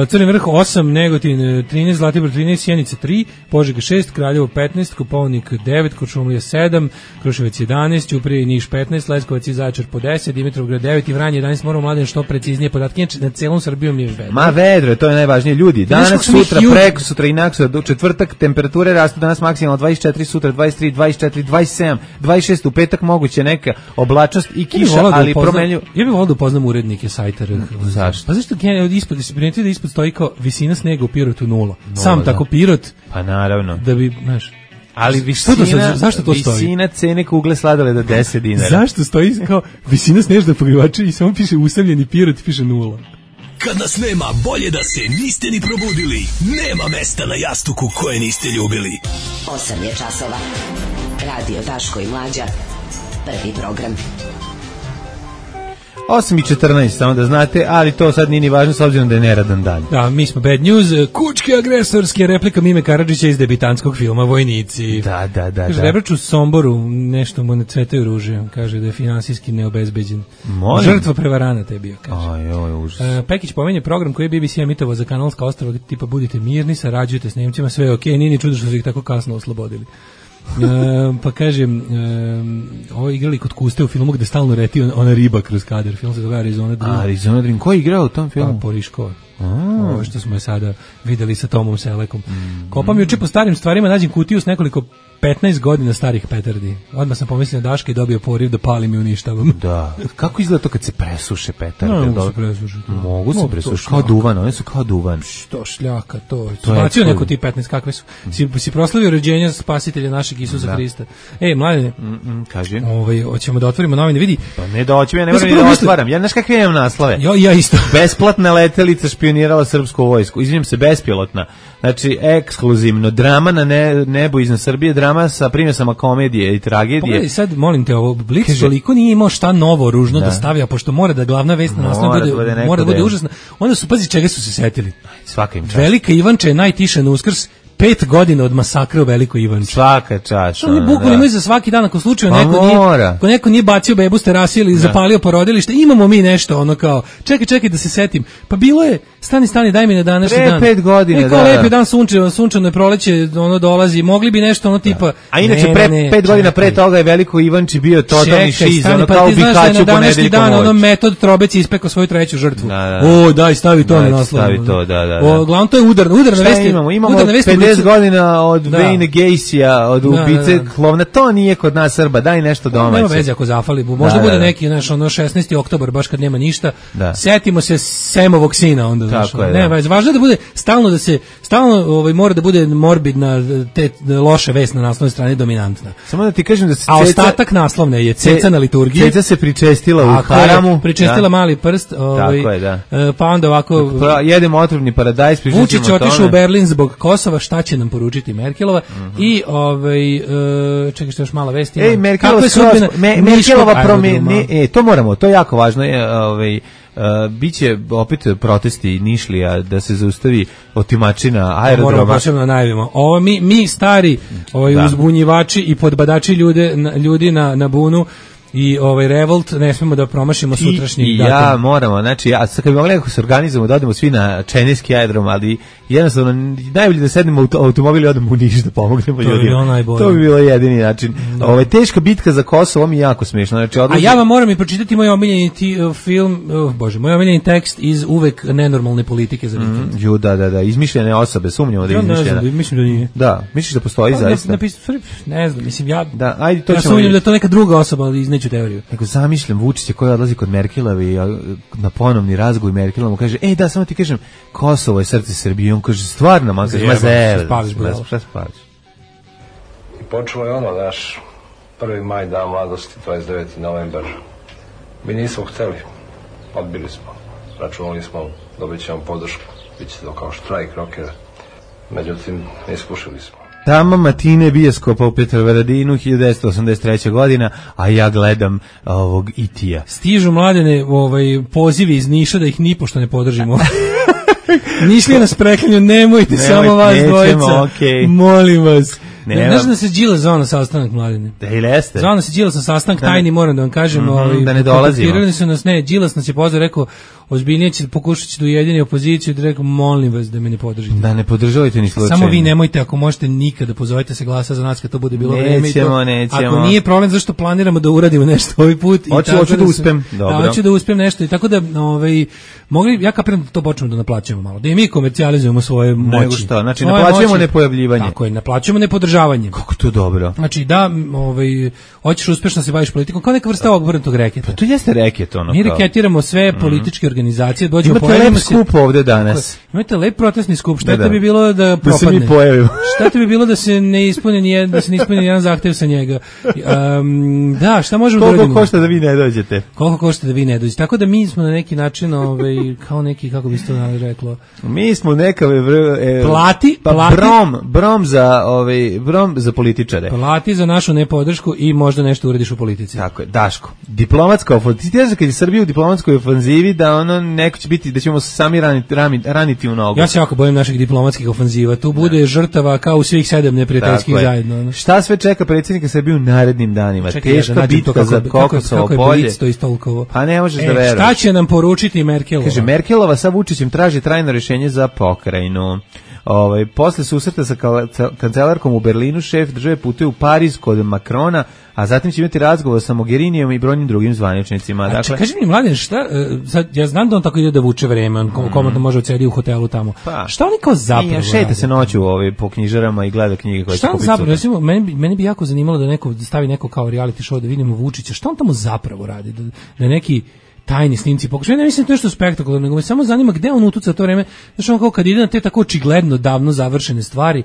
Crni vrh 8, Negotin 13, Zlatibor 13, Sjenica 3, Požega 6, Kraljevo 15, Kopaonik 9, Kuršumlija 7, Kruševac 11, Ćuprija i Niš 15, Leskovac i Zaječar po 10, Dimitrovgrad 9 i Vranje 11. Moramo mladen što preciznije podatke, inače na celom Srbijom je vedro. Ma vedro, to je najvažnije. Ljudi, danas, sutra, preko sutra i naksutra, do četvrtak temperature rastu, danas maksimalno 24, sutra 23, 24, 27, 26, u petak moguće neka oblačnost i kiša, ali promenljivo. Ja bih volio da upoznam urednike sajta. Zašto? Pa zašto da ispod stoji kao visina snega u Pirotu 0. Sam tako Pirot. Pa naravno. Da bi, znaš. Ali zašto to stoji? Visina cene kugle sladoleda 10 dinara. Zašto stoji kao visina snežnog pokrivača i samo piše usamljeni Pirot, piše 0. Kad nas nema, bolje da se niste ni probudili. Nema mesta na jastuku koje niste ljubili. 8 je časova. Radio Daško i Mlađa. Prvi program. 8:14, samo da znate, ali to sad nije ni važno s obzirom da je neradan dan. Da, mi smo bad news, kučke agresorske, replika Mime Karadžića iz debitanskog filma Vojnici. Da. Kaže, Rebrač u Somboru, nešto mu ne cvetaju ruže, kaže da je finansijski neobezbeđen. Žrtva prevaranata je bio, kaže. Aj, užas. Pekić pomenje program koji je BBC emitovao za Kanalska ostrva, tipa budite mirni, sarađujte s Nemcima, sve je okej, nije ni čudo što su ih tako kasno oslobodili. Pa kažem, ovo igrali kod Kuste u filmu gde stalno leti ona riba kroz kadar. Film se zove Arizona Dream. Arizona Dream, ko je igrao u tom filmu? Pa Poriškova. Ovo što smo je sada videli sa Tomom Selekom. Kopam juče po starim stvarima, nađem kutiju s nekoliko 15 godina starih petardi. Odmah sam pomislio na Daška i dobio poriv da palim i uništavam. Da. Kako izgleda to kad se presuše petarde? No, mogu se presušiti. Mogu se presušiti. Kao duvan, one su kao duvan. Što šljaka, to je. Bacio neko ti 15, kakve su. Si proslavio rođenja spasitelja našeg Isusa Hrista. Mladene, kaži. Hoćemo da otvorimo novine, vidi. Pa ne da hoćemo, ja ne moram da otvaram. Ja znaš kakve imam naslove? Ja isto. Besplatna letelica špionirala srpsku vojsku. Izvinjam se, bespilotna. Znači, ekskluzivno, drama na nebu iznad Srbije, drama sa primjesama komedije i tragedije. Pogledaj sad, molim te, ovo Blic toliko nije imao šta novo, ružno da stavlja, pošto mora da glavna vest na naslovu mora da bude užasna. Onda su, pazi, čega su se setili. Svaka im čast. Velika Ivanča je najtiša na Uskrs, 5 godina od masakra u Velikoj Ivanči. Svaka čast. Što oni bukvalno imaju za svaki dan, ako slučaju neko nije bacio bebu s terase ili zapalio porodilište, imamo mi nešto, ono kao, čekaj da se setim. Pa bilo je, stani, daj mi na današnji dan. 5 godina, da. Lepi dan, sunčano je proleće, ono dolazi, mogli bi nešto, ono tipa. A inače, 5 godina pre toga je Veliko Ivanči bio totalni šiz, ono kao Bikaću u današnji dan, ono metod Trobec ispekao svoju treću žrtvu. O, daj, stavi to na naslov. Stavi to, da. Glavno to je udarna vest. Imamo 50 godina od Wayne Gacyja, od ubice Klovna, to nije kod nas Srba, daj nešto domaće. Nema veze ako zafali, možda bude neki, znaš, ono 16. oktobar, baš kad nema ništa, setimo se Semovog sina onda, znaš. Ne, važno je da bude, stalno mora da bude morbidna, te loše vest na naslovnoj strani dominantna. Samo da ti kažem da se a ostatak naslovne je Ceca na liturgiji. Ceca se pričestila u haramu. Pričestila mali prst, tako je, da. Pa onda ovako jedemo otrovni paradajz, Vučić otišao u Berlin zbog Kosova, šta će nam poručiti Merkelova i čekaj što još mala vest ima. Merkelova promeni, to moramo, to je jako važno, biće opet protesti Nišlija da se zaustavi otimačina aerodroma. Moramo posebno najavimo. Ovo mi stari uzbunjivači i podbadači ljudi na bunu i revolt, ne smemo da promašimo sutrašnji datum. Ja moramo, znači, sad kad bi mogli nekako se organizujemo da odemo svi na Čeneski aerodrom, ali jednostavno najbolje da sednemo u automobil i odemo u Niš da pomognemo ljudima. To bi bilo jedini način. Teška bitka za Kosovo mi je jako smiješno. Znači, a ja vam moram i pročitati moj omiljeni moj omiljeni tekst iz uvek nenormalne politike za vikend. Da, izmišljene osobe, sumnjamo da je izmišljena. Mislim da nije. Da, misliš da postoji zaista? Ne znam, mislim ja sumnjam da to neka druga osoba, ali izneću teoriju. Nego zamišljam Vučića koji odlazi kod Merkelove i na ponovni razgovor Merkelova mu kaže, da, samo ti kažem, Kosovo je srce Srbije. On kaže, stvarno, man kaže, šta spališ? I počelo je ono, naš 1. maj, dan mladosti, 29. novembar. Mi nismo hteli, odbili smo, računali smo, dobit ćemo podršku, bit će to kao štrajk rokera. Međutim, iskušili smo. Tama Matine bioskopa u Petrovaradinu 1983. godina, a ja gledam ovog Itija. Stižu mladene pozivi iz Niša da ih nipošto ne podržimo. Nišli nas preklinju, nemojte samo vas dvojica. Okay. Molim vas. Znaš da se Đilas zvao na sastanak, Mladine? Da ili jeste? Zvao nas je Đilas na sastanak, tajni, moram da vam kažem. Da ne dolazimo. Kontaktirali su nas, Đilas nas je pozvao, rekao, ozbiljnije će pokušati da ujedini opoziciju, da rekao, molim vas da me ne podržite. Da ne podržavajte ni slučajno. Samo vi nemojte, ako možete nikada, pozovite se glasa za nas kad to bude bilo vreme. Nećemo. Ako nije problem, zašto planiramo da uradimo nešto ovaj put. Hoću da uspem. Dobro. Hoću da uspem nešto. I tako da, ja kapiram da to počnemo da naplaćujemo malo. Da i mi komercijalizujemo svoje moći. Nego što, znači naplaćujemo nepojavljivanje. Tako je, naplaćujemo nepodržavanje. Kako to dobro. Znači da, hoćeš uspešno se baviš politikom, kao neka vrsta obrnutog reketa. Pa to jeste reket, ono. Mi reketiramo sve političke organizacije, dođemo pojavimo se. Imate lep skup ovde danas. Imate lep protestni skup, šta te bi bilo da propadne? Da se mi pojavimo. Šta te bi bilo da se ne ispuni jedan zahtev sa njega? Da, šta možemo da uradimo? Koliko košta da vi ne dođete? Koliko košta da vi ne dođete? Tako da mi smo na neki način, kao neki, kako bi se to reklo? Mi smo neka plati brom za političare. Plati za našu nepodršku i možda nešto uradiš u politici. Tako je, Daško. Diplomatska ofenziva, kad je Srbija u diplomatskoj ofenzivi, da neko će biti, da ćemo sami raniti u nogu. Ja se jako bojim naših diplomatskih ofenziva. Tu bude žrtava kao u svih 7 neprijateljskih zajedno. Šta sve čeka predsjednika Srbije u narednim danima? Teška bitka za Kokosovo polje. Pa ne možeš da veruješ. Šta će nam poručiti Merkelova? Kaže, Merkelova sa Vučićem traži trajno rješenje za pokrajinu. Posle susreta sa kancelarkom u Berlinu, šef države putuje u Pariz kod Makrona, a zatim će imati razgovor sa Mogherinijom i brojnim drugim zvaničnicima. Dakle, kaži mi, Mladen, šta, ja znam da on tako ide da vuče vreme, on komotno može odsedi u hotelu tamo. Pa, šta oni kao zapravo šeta se noću po knjižarama i gleda knjige koje će kupiti. Šta on zapravo, recimo, meni bi jako zanimalo da neko stavi neko kao reality show da vidimo Vučića, šta on tamo zapravo radi, da neki tajni snimci pokušaju. Ja ne mislim to nešto spektakularno, nego me samo zanima gde on utuca to vreme. Znaš, on kao kad ide na te tako očigledno davno završene stvari,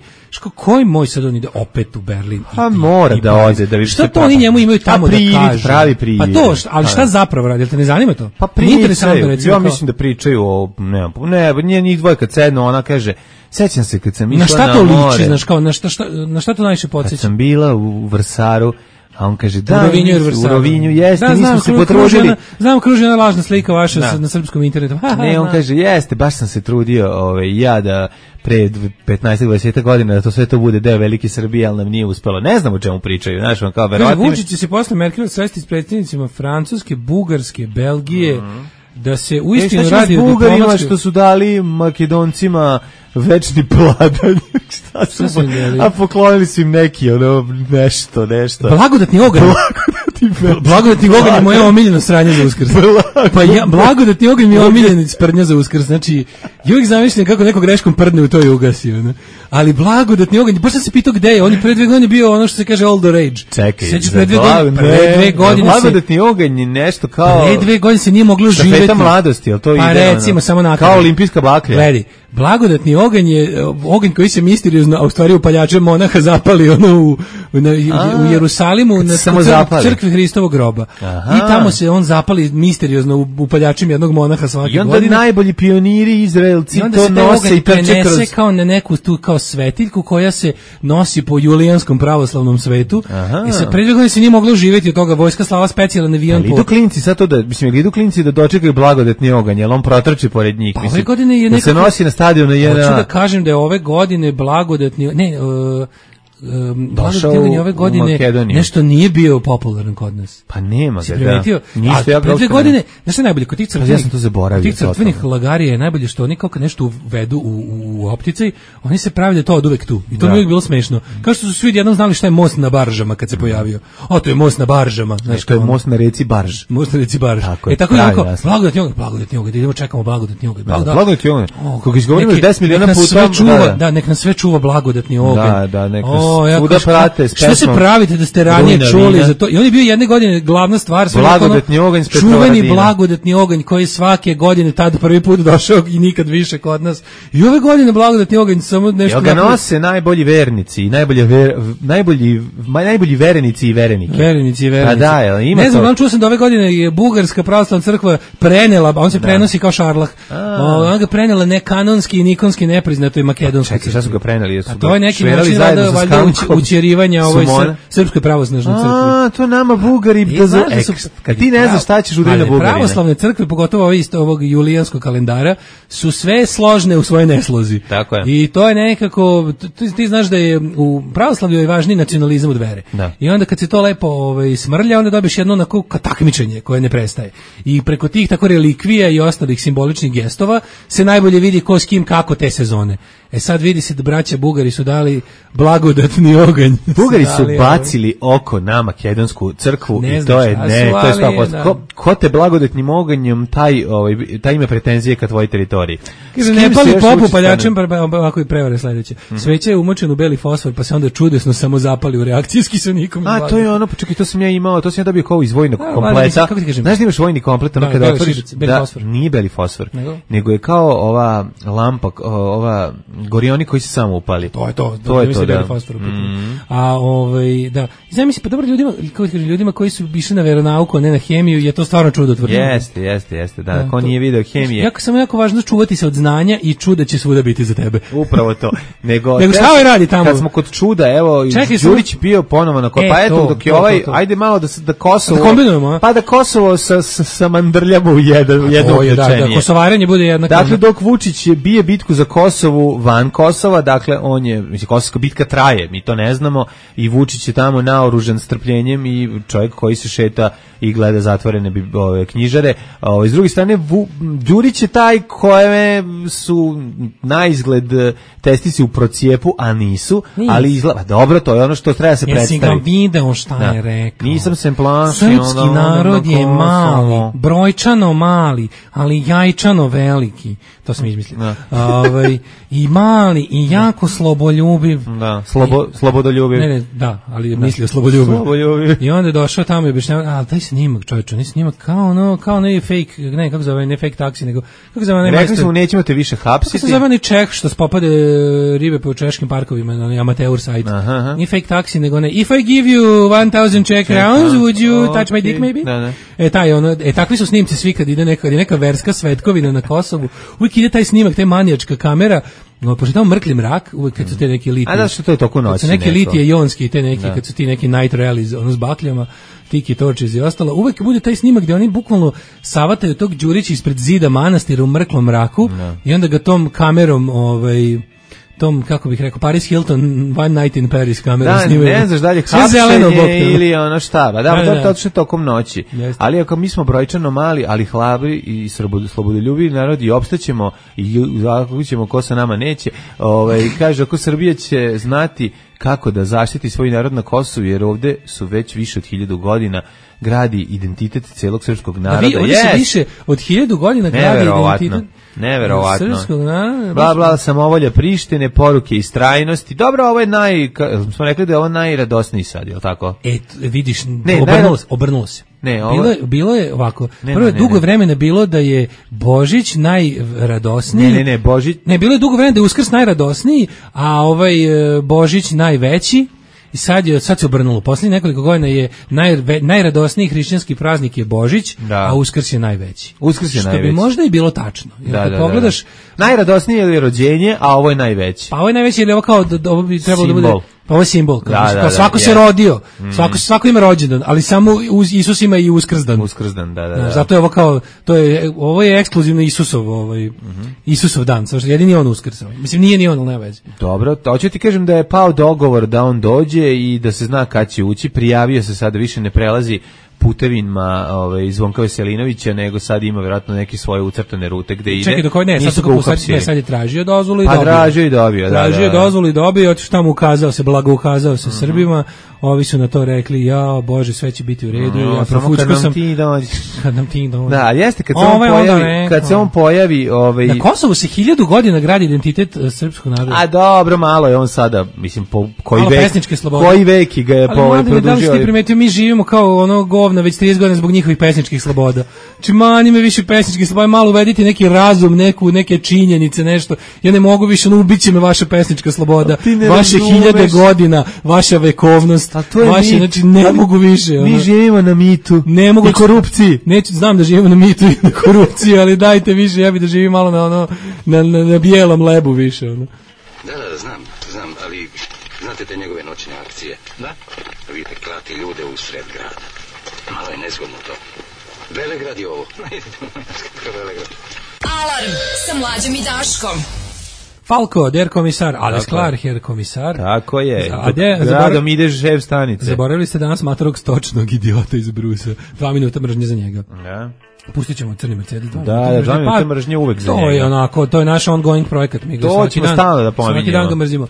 koji moj sad on ide opet u Berlin? Pa mora da ode, da više. Šta to oni njemu imaju tamo da kažu? Pravi privid. Pa to, ali šta zapravo radi? Jel te ne zanima to? Pa pričaju. Ja mislim da pričaju o, ne, njih dvoje kad sednu, ona kaže, sećam se kad sam išla na more. Na šta to liči, znaš, kao, na šta to najviše podsjeća? Kad sam bila u Vrsaru, a on kaže, da, u Rovinju jeste, nismo se potrudili. Znam, kruži ona lažna slika vaša na srpskom internetu. Ne, on kaže, jeste, baš sam se trudio ja da pre 15-20 godina da to sve to bude deo velike Srbije, ali nam nije uspelo. Ne znam o čemu pričaju, znaš, on kao verovatno. Vučić će se posle Merkel sresti s predsjednicima Francuske, Bugarske, Belgije, da se uistinu radi o Bugarima što su dali Makedoncima večni pladanj. Šta su a poklonili su im neki nešto. Blagodatni oganj. Blagodatni oganj je moja omiljena sranja za Uskrs. Pa blagodatni oganj mi je omiljena sprdnja za Uskrs. Znači, ja uvijek zamišljam kako neko greškom prdne u to i ugasi. Ali blagodatni oganj, baš sam se pitao gde je. On je pre 2 godine bio ono što se kaže all the rage. Čekaj, pre 2 godine blagodatni oganj je nešto kao... Pre 2 godine se nije moglo živjeti. Štafeta mladosti, jel to ide? Pa recimo, samo nakon. Kao olimpijska baklja. Gledi, blagodatni oganj je oganj koji se misteriozno, a u stvari upaljačem monaha zapali u Jerusalimu na crkvi Hristovog groba. I tamo se on zapali misteriozno upaljačem jednog monaha svake godine. I onda najbolji pioniri Izraelci to nose i trče kroz... kao na neku tu kao svetiljku koja se nosi po julijanskom pravoslavnom svetu. I sa pre 2 godine se nije moglo živjeti od toga. Vojska slala specijalan avion. Idu klinci sad to da, mislim, idu klinci da dočekaju blagodatni oganj, jer on protrči pored njih. Pa ove godine je nekako... se nosi na stadionu JNA. Hoću da kažem da je ove godine blagodatni... blagodatni ove godine nešto nije bio popularan kod nas. Pa nema ga, da. Nisu ja pre 2 godine, znaš što je najbolje, kod tih crkvenih, ja sam to zaboravio. Tih crkvenih lagarija je najbolje što oni kao kad nešto uvedu u opticaj, oni se pravi da je to od uvek tu. I to mi je uvijek bilo smešno. Kao što su svi jednom znali šta je most na baržama kad se pojavio. To je most na baržama. Znaš, to je most na reci Barž. Most na reci Barž. Tako je onako, blagodatni oganj, idemo čekamo blagodatni oganj. Blagodatni oganj. Kako izgovorimo 10 miliona puta. Da, nek nas sve čuva blagodatni oganj. Da, nek svuda prate s pesmom. Šta se pravite da ste ranije čuli za to? I on je bio jedne godine glavna stvar. Blagodatni oganj s čuveni blagodatni oganj koji svake godine tad prvi put došao i nikad više kod nas. I ove godine blagodatni oganj samo nešto... Jel ga nose najbolji vernici i najbolji verenici i verenike? Verenici i verenici. A da, ima to. Ne znam, čuo sam da ove godine je Bugarska pravoslavna crkva prenela, on se prenosi kao šarlah. On ga prenela nekanonski i nikonski nepriznato i makedonski. Čekaj, šta su ga preneli? A to je neki način učjerivanja ovoj srpskoj pravoslavnoj crkvi. A, to nama Bugari kad ti ne znaš šta ćeš udari na Bugarine. Pravoslavne crkve, pogotovo ovog julijanskog kalendara, su sve složne u svojoj neslozi. Tako je. I to je nekako, ti znaš da je u pravoslavlju je važniji nacionalizam od vere. Da. I onda kad se to lepo smrlja, onda dobiješ jedno onako takmičenje koje ne prestaje. I preko tih tako relikvija i ostalih simboličnih gestova se najbolje vidi ko s kim kako te sezone. Sad vidi se da braća Bugari su dali blagodatni oganj. Bugari su bacili oko na makedonsku crkvu i to je to je stvarno. Ko te blagodatnim oganjem taj ima pretenzije ka tvojoj teritoriji. Kaže ne pali popu paljačem, ovako i prevare sledeće. Sveća je umočen u beli fosfor, pa se onda čudesno samo zapali u reakcijski sa nikom. A to je ono, čekaj, to sam ja imao, to sam ja dobio kao iz vojnog kompleta. Znaš da imaš vojni komplet, ono kada otvoriš, nije beli fosfor, nego je kao ova lampa, ova gorioni koji se samo upali. To je to, da. A da. I znam mislim, pa dobro ljudima koji su išli na veronauku, a ne na hemiju, je to stvarno čudotvorno. Jeste, da. Ko nije video hemije. Samo jako važno čuvati se od znanja i čuda će svuda biti za tebe. Upravo to. Nego šta ovaj radi tamo? Kad smo kod čuda, evo, Đurić bio ponovo na pa eto, dok je ajde malo da Kosovo... Da kombinujemo, pa da Kosovo sa mandrljama u jedno uključenije. Da, kosovaranje bude jednako. Dakle, dok Vučić bije bitku za Kosovu van Kosova, dakle, on je, mislim, kosovska bitka traje, mi to ne znamo, i Vučić je tamo naoružan strpljenjem i čovjek koji se šeta i gleda zatvorene knjižare. S druge strane, Đurić je taj koje su na izgled testici u procijepu, a nisu, ali izgleda, dobro, to je ono što treba se predstaviti. Jesi ga video šta je rekao? Nisam se plašio. Srpski narod je mali, brojčano mali, ali jajčano veliki. To sam izmislio. I mali, i jako slobodoljubiv. Da, slobodoljubiv. Ne, da, ali mislio slobodoljubiv. I onda je došao tamo i objašnjavao, a taj snimak, čovječe, ne snimak kao ne fake, ne, kako zove, ne fake taksi, nego, kako zove, ne rekli smo, nećemo te više hapsiti. Kako se zove, ne Čeh, što spopade ribe po češkim parkovima, na amateur sajt. Nije fake taksi, nego ne, if I give you 1000 Czech crowns, would you touch my dick, maybe? Takvi su snimci svi kad ide neka verska svetkovina na Kosovu, uvijek ide taj snimak, taj manijačka kamera, pošto tamo mrkli mrak, uvijek kad su te neki litije. A da što to je toliko noći? Kad su neke litije jonski, te neki, kad su ti neki night rallies, s bakljama, tiki torčiz i ostalo, uvijek bude taj snimak gdje oni bukvalno savataju tog Đurića ispred zida manastira u mrklom mraku i onda ga tom kamerom, tom, kako bih rekao, Paris Hilton, One Night in Paris kamerom snimaju. Da, ne znaš dalje hapšenje ili ono šta, to je tokom noći. Ali ako mi smo brojčano mali, ali hlabri i slobodoljubivi narod i opstaćemo i zakućemo ko sa nama neće, kaže, ako Srbija će znati kako da zaštiti svoj narod na Kosovu, jer ovde su već više od 1000 godina gradi identitet celog srpskog naroda. Ovdje se više od 1000 godina gradi identitet. Neverovatno. Bla, samovolja Prištine, poruke istrajnosti. Dobro, ovo je smo rekli da je ovo najradosniji sad, je li tako? Vidiš, obrnulo se. Bilo je ovako. Prvo je dugo vremena bilo da je Božić najradosniji. Božić. Bilo je dugo vremena da je Uskrs najradosniji, a Božić najveći. I sad se obrnulo. Posljednjih nekoliko godina je najradosniji hrišćanski praznik je Božić, a Uskrs je najveći. Što bi možda i bilo tačno. Jer pogledaš, najradosnije je rođenje, a ovo je najveći. Pa ovo je najveći, jer ovo kao ovo bi trebalo da bude. Pa ovo je simbol. Svako se rodio. Svako ima rođendan, ali samo Isus ima i Uskrsdan. Da. Zato je ovo kao, ovo je ekskluzivno Isusov dan. Jedini on Uskrs. Mislim, nije ni on, ali nema veze. Dobro, hoću ti kažem da je pao dogovor da on dođe i da se zna kad će ući. Prijavio se sada, više ne prelazi putevima Zvonka Veselinovića, nego sad ima vjerojatno neke svoje ucrtane rute gde ide. Čekaj, dok sad je tražio dozvolu i dobio. Tražio i dozvolu i dobio, šta mu ukazao se, blago ukazao se Srbima, ovi su na to rekli, ja, Bože, sve će biti u redu, ja profučko sam. Kad nam ti dođe. Da, jeste, kad se on pojavi... Na Kosovu se 1000 godina gradi identitet srpskog naroda. A dobro, malo je on sada, mislim, koji vek ga je produžio. Da li ste primetio, mi živimo kao ono govna već 30 godina zbog njihovih pesničkih sloboda. Znači, mani me više pesničkih sloboda, malo uvedite neki razum, neke činjenice, nešto. Ja ne mogu više, ubiće me vaša pesnička sloboda, vaše 1000 godina, vaša vekovnost, vaše, znači, ne mogu više. Mi živimo na mitu i korupciji. Znam da živimo na mitu i na korupciji, ali dajte više, ja bih da živim malo na bijelom lebu više. Da, znam, ali znate te njegove noćne akcije? Da. Vidite, klati ljude u sred grada. Malo je nezgodno to. Velegrad je ovo. Velegrad. Alarm sa Mlađom i Daškom. Falko, der komisar, alles klar, her komisar. Tako je. Gradom ideš šef stanice. Zaboravili ste danas matorog stočnog idiota iz Brusa. 2 minuta mržnje za njega. Ja. Pustit ćemo crni Mercedes. Da, 2 minuta mržnje uvek za njega. To je onako, to je naš ongoing projekat. Mi ga to ćemo stalno da pominjemo. Svaki dan ga mrzimo.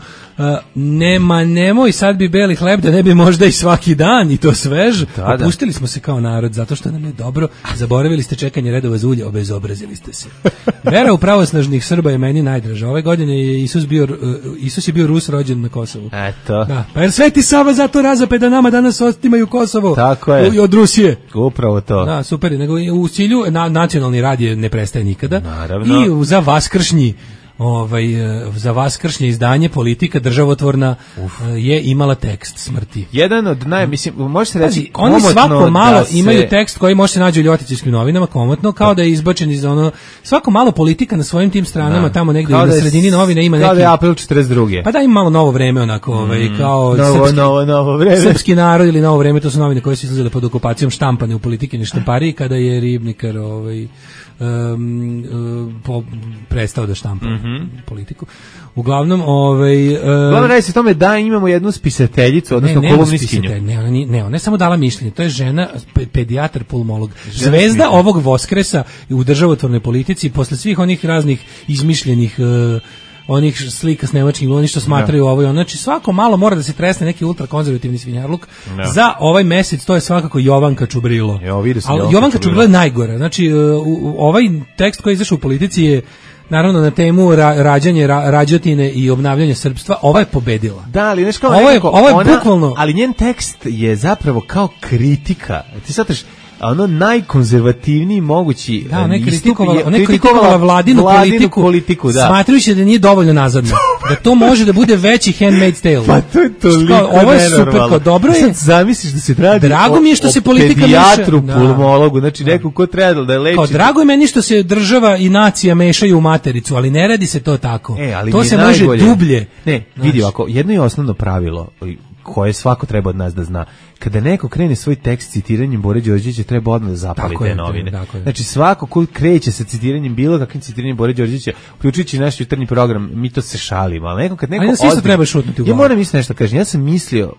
Nemoj, sad bi beli hleb, da ne bi možda i svaki dan i to svež. Opustili smo se kao narod zato što nam je dobro. Zaboravili ste čekanje redova za ulje, obezobrazili ste se. Vera u pravosnažnih Srba je meni najdraža. Ove godine je Isus je bio Rus rođen na Kosovu. Eto. Da. Pa jer Sveti Sava zato razape da nama danas otimaju Kosovo. Tako je. Od Rusije. Upravo to. Da, super. Nego u cilju nacionalni rad ne prestaje nikada. Naravno. I za vaskršnje izdanje Politika državotvorna je imala tekst smrti. Jedan od može se reći oni svako malo imaju tekst koji može se naći u Ljotićevskim novinama, komotno, kao da je izbačen iz svako malo Politika na svojim tim stranama, tamo negdje na sredini novina ima neki... Kao da je april 42. Pa da ima malo Novo vreme, onako, kao novo vreme. Srpski narod ili Novo vreme, to su novine koje su izlazile pod okupacijom, štampane u Politikini štampariji, kada je Ribnikar prestao da štampa Politiku. Uglavnom, Uglavnom radi se o tome da imamo jednu spisateljicu, odnosno kolumnistkinju. Ona je samo dala mišljenje. To je žena, pedijatar, pulmolog. Zvezda ovog Voskresa u državotvornoj politici, posle svih onih raznih izmišljenih onih slika s nemačkim, oni što smatraju ovo i ono. Znači svako malo mora da se tresne neki ultrakonzervativni svinjarluk. Za ovaj mesec to je svakako Jovanka Čubrilo. Ali Jovanka Čubrilo je najgora. Znači ovaj tekst koji je izašao u Politici je naravno na temu rađanje rađotine i obnavljanje srpstva. Ova je pobedila. Da, ali nešto ovo je bukvalno, ali njen tekst je zapravo kao kritika. Ti shvataš, ono najkonzervativniji mogući. Da, ona je kritikovala vladinu politiku da. Smatrajući da nije dovoljno nazadno. Da to može da bude veći Handmaid's Tale. Pa to je toliko ovo je super, kao dobro je. Sad zamisliš da se radi. Drago mi je što se politika pedijatru, pulmologu, znači neko ko treba da leči. Kao drago je meni što se država i nacija mešaju u matericu, ali ne radi se to tako. To se može dublje. Ne, vidi ovako, jedno je osnovno pravilo koje svako treba od nas da zna. Kada neko krene svoj tekst citiranjem Bore Đorđevića, treba odmah da zapali te novine. Znači svako ko kreće sa citiranjem bilo kakvim citiranjem Bore Đorđevića, uključujući naš jutarnji program, mi to se šalimo, ali kad neko isto treba šutnuti u glavu. Ja moram isto nešto kažem.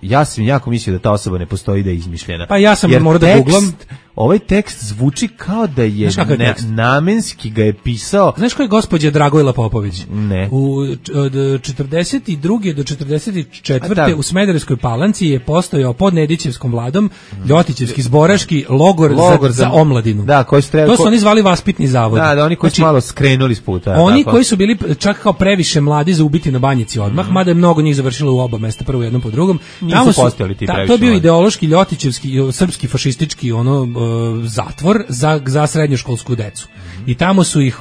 Ja sam jako mislio da ta osoba ne postoji, da je izmišljena. Pa ja sam morao da googlam. Ovaj tekst zvuči kao da je namenski ga je pisao. Znaš ko je gospođa Dragojla Popović? Ne. Od 42. do 44. u Smederevskoj Palanci je postojao pod Nedićevskom vladom Ljotićevski zboraški logor za omladinu. Da, koji to su oni zvali vaspitni zavod. Da, oni koji su malo skrenuli s puta. Oni koji su bili čak kao previše mladi za ubiti na Banjici odmah, mada je mnogo njih završilo u oba mesta, prvo jednom po drugom. Nisu postojali ti previše. To je bio ideološki Ljotićevski, srpski fašistički zatvor za srednjoškolsku decu. I tamo su ih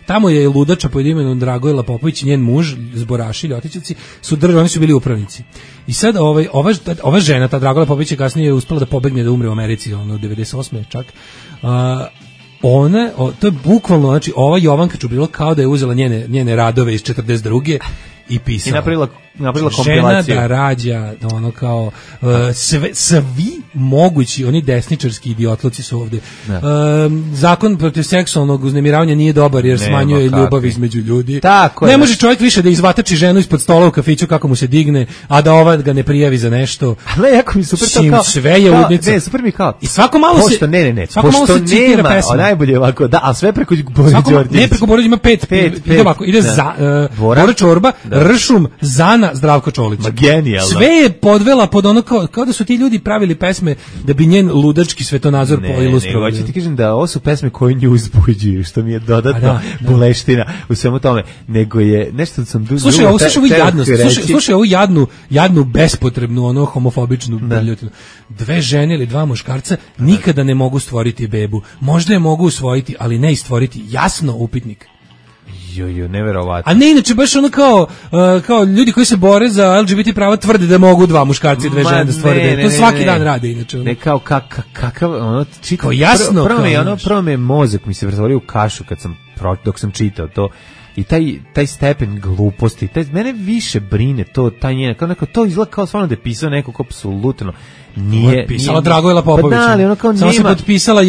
tamo je ludača pod imenom Dragojla Popović i njen muž, zboraši Ljotićevci, oni su bili upravnici. I sad ova žena, ta Dragojla Popović, je kasnije uspela da pobegne, da umre u Americi, 98. čak. To je bukvalno, znači ova Jovanka Čubrilo kao da je uzela njene radove iz 42. i pisala. I napravila kompilaciju. Žena da rađa, kao svi mogući, oni desničarski idiotluci su ovde. Zakon protiv seksualnog uznemiravanja nije dobar jer smanjuje ljubav između ljudi. Ne može čovjek više da izvatači ženu ispod stola u kafiću kako mu se digne, a da ova ga ne prijavi za nešto. Ale jako mi super to kao. Sve je ludnica. Ne, super mi kao. I svako malo pošto, ne. Svako malo se citira pesma. Najbolje ovako, da, a sve preko Bore Đorđevića. Ne, preko Bore ima pet. Ide ovako, ide Bora Čorba, Ršum, Zana, Zdravko Čolić. Genijalno. Sve je podvela pod ono kao da su ti ljudi pravili pesme da bi njen ludački svetonazor poilustrovali. Ne, hoću ti kažem da ovo su pesme koje nju uzbuđuju, što mi je dodatno boleština u svemu tome, nego je nešto sam Slušaj ovu jadnu bespotrebnu, homofobičnu brljotinu. 2 žene ili 2 muškarca nikada ne mogu stvoriti bebu. Možda je mogu usvojiti, ali ne i stvoriti. Jasno, upitnik. Neverovatno. A ne, inače baš ono kao ljudi koji se bore za LGBT prava tvrde da mogu 2 muškarca i 2 žene da stvore. To svaki dan rade inače. Ne kao kakav kao jasno. Prvo me mozak mi se pretvorio u kašu dok sam čitao to. i taj stepen gluposti, mene više brine to, taj njena, kao neko, to izgleda kao stvarno da je pisao nekog apsolutno nije pisala Dragojla Popović. Pa da, ono kao samo se potpisala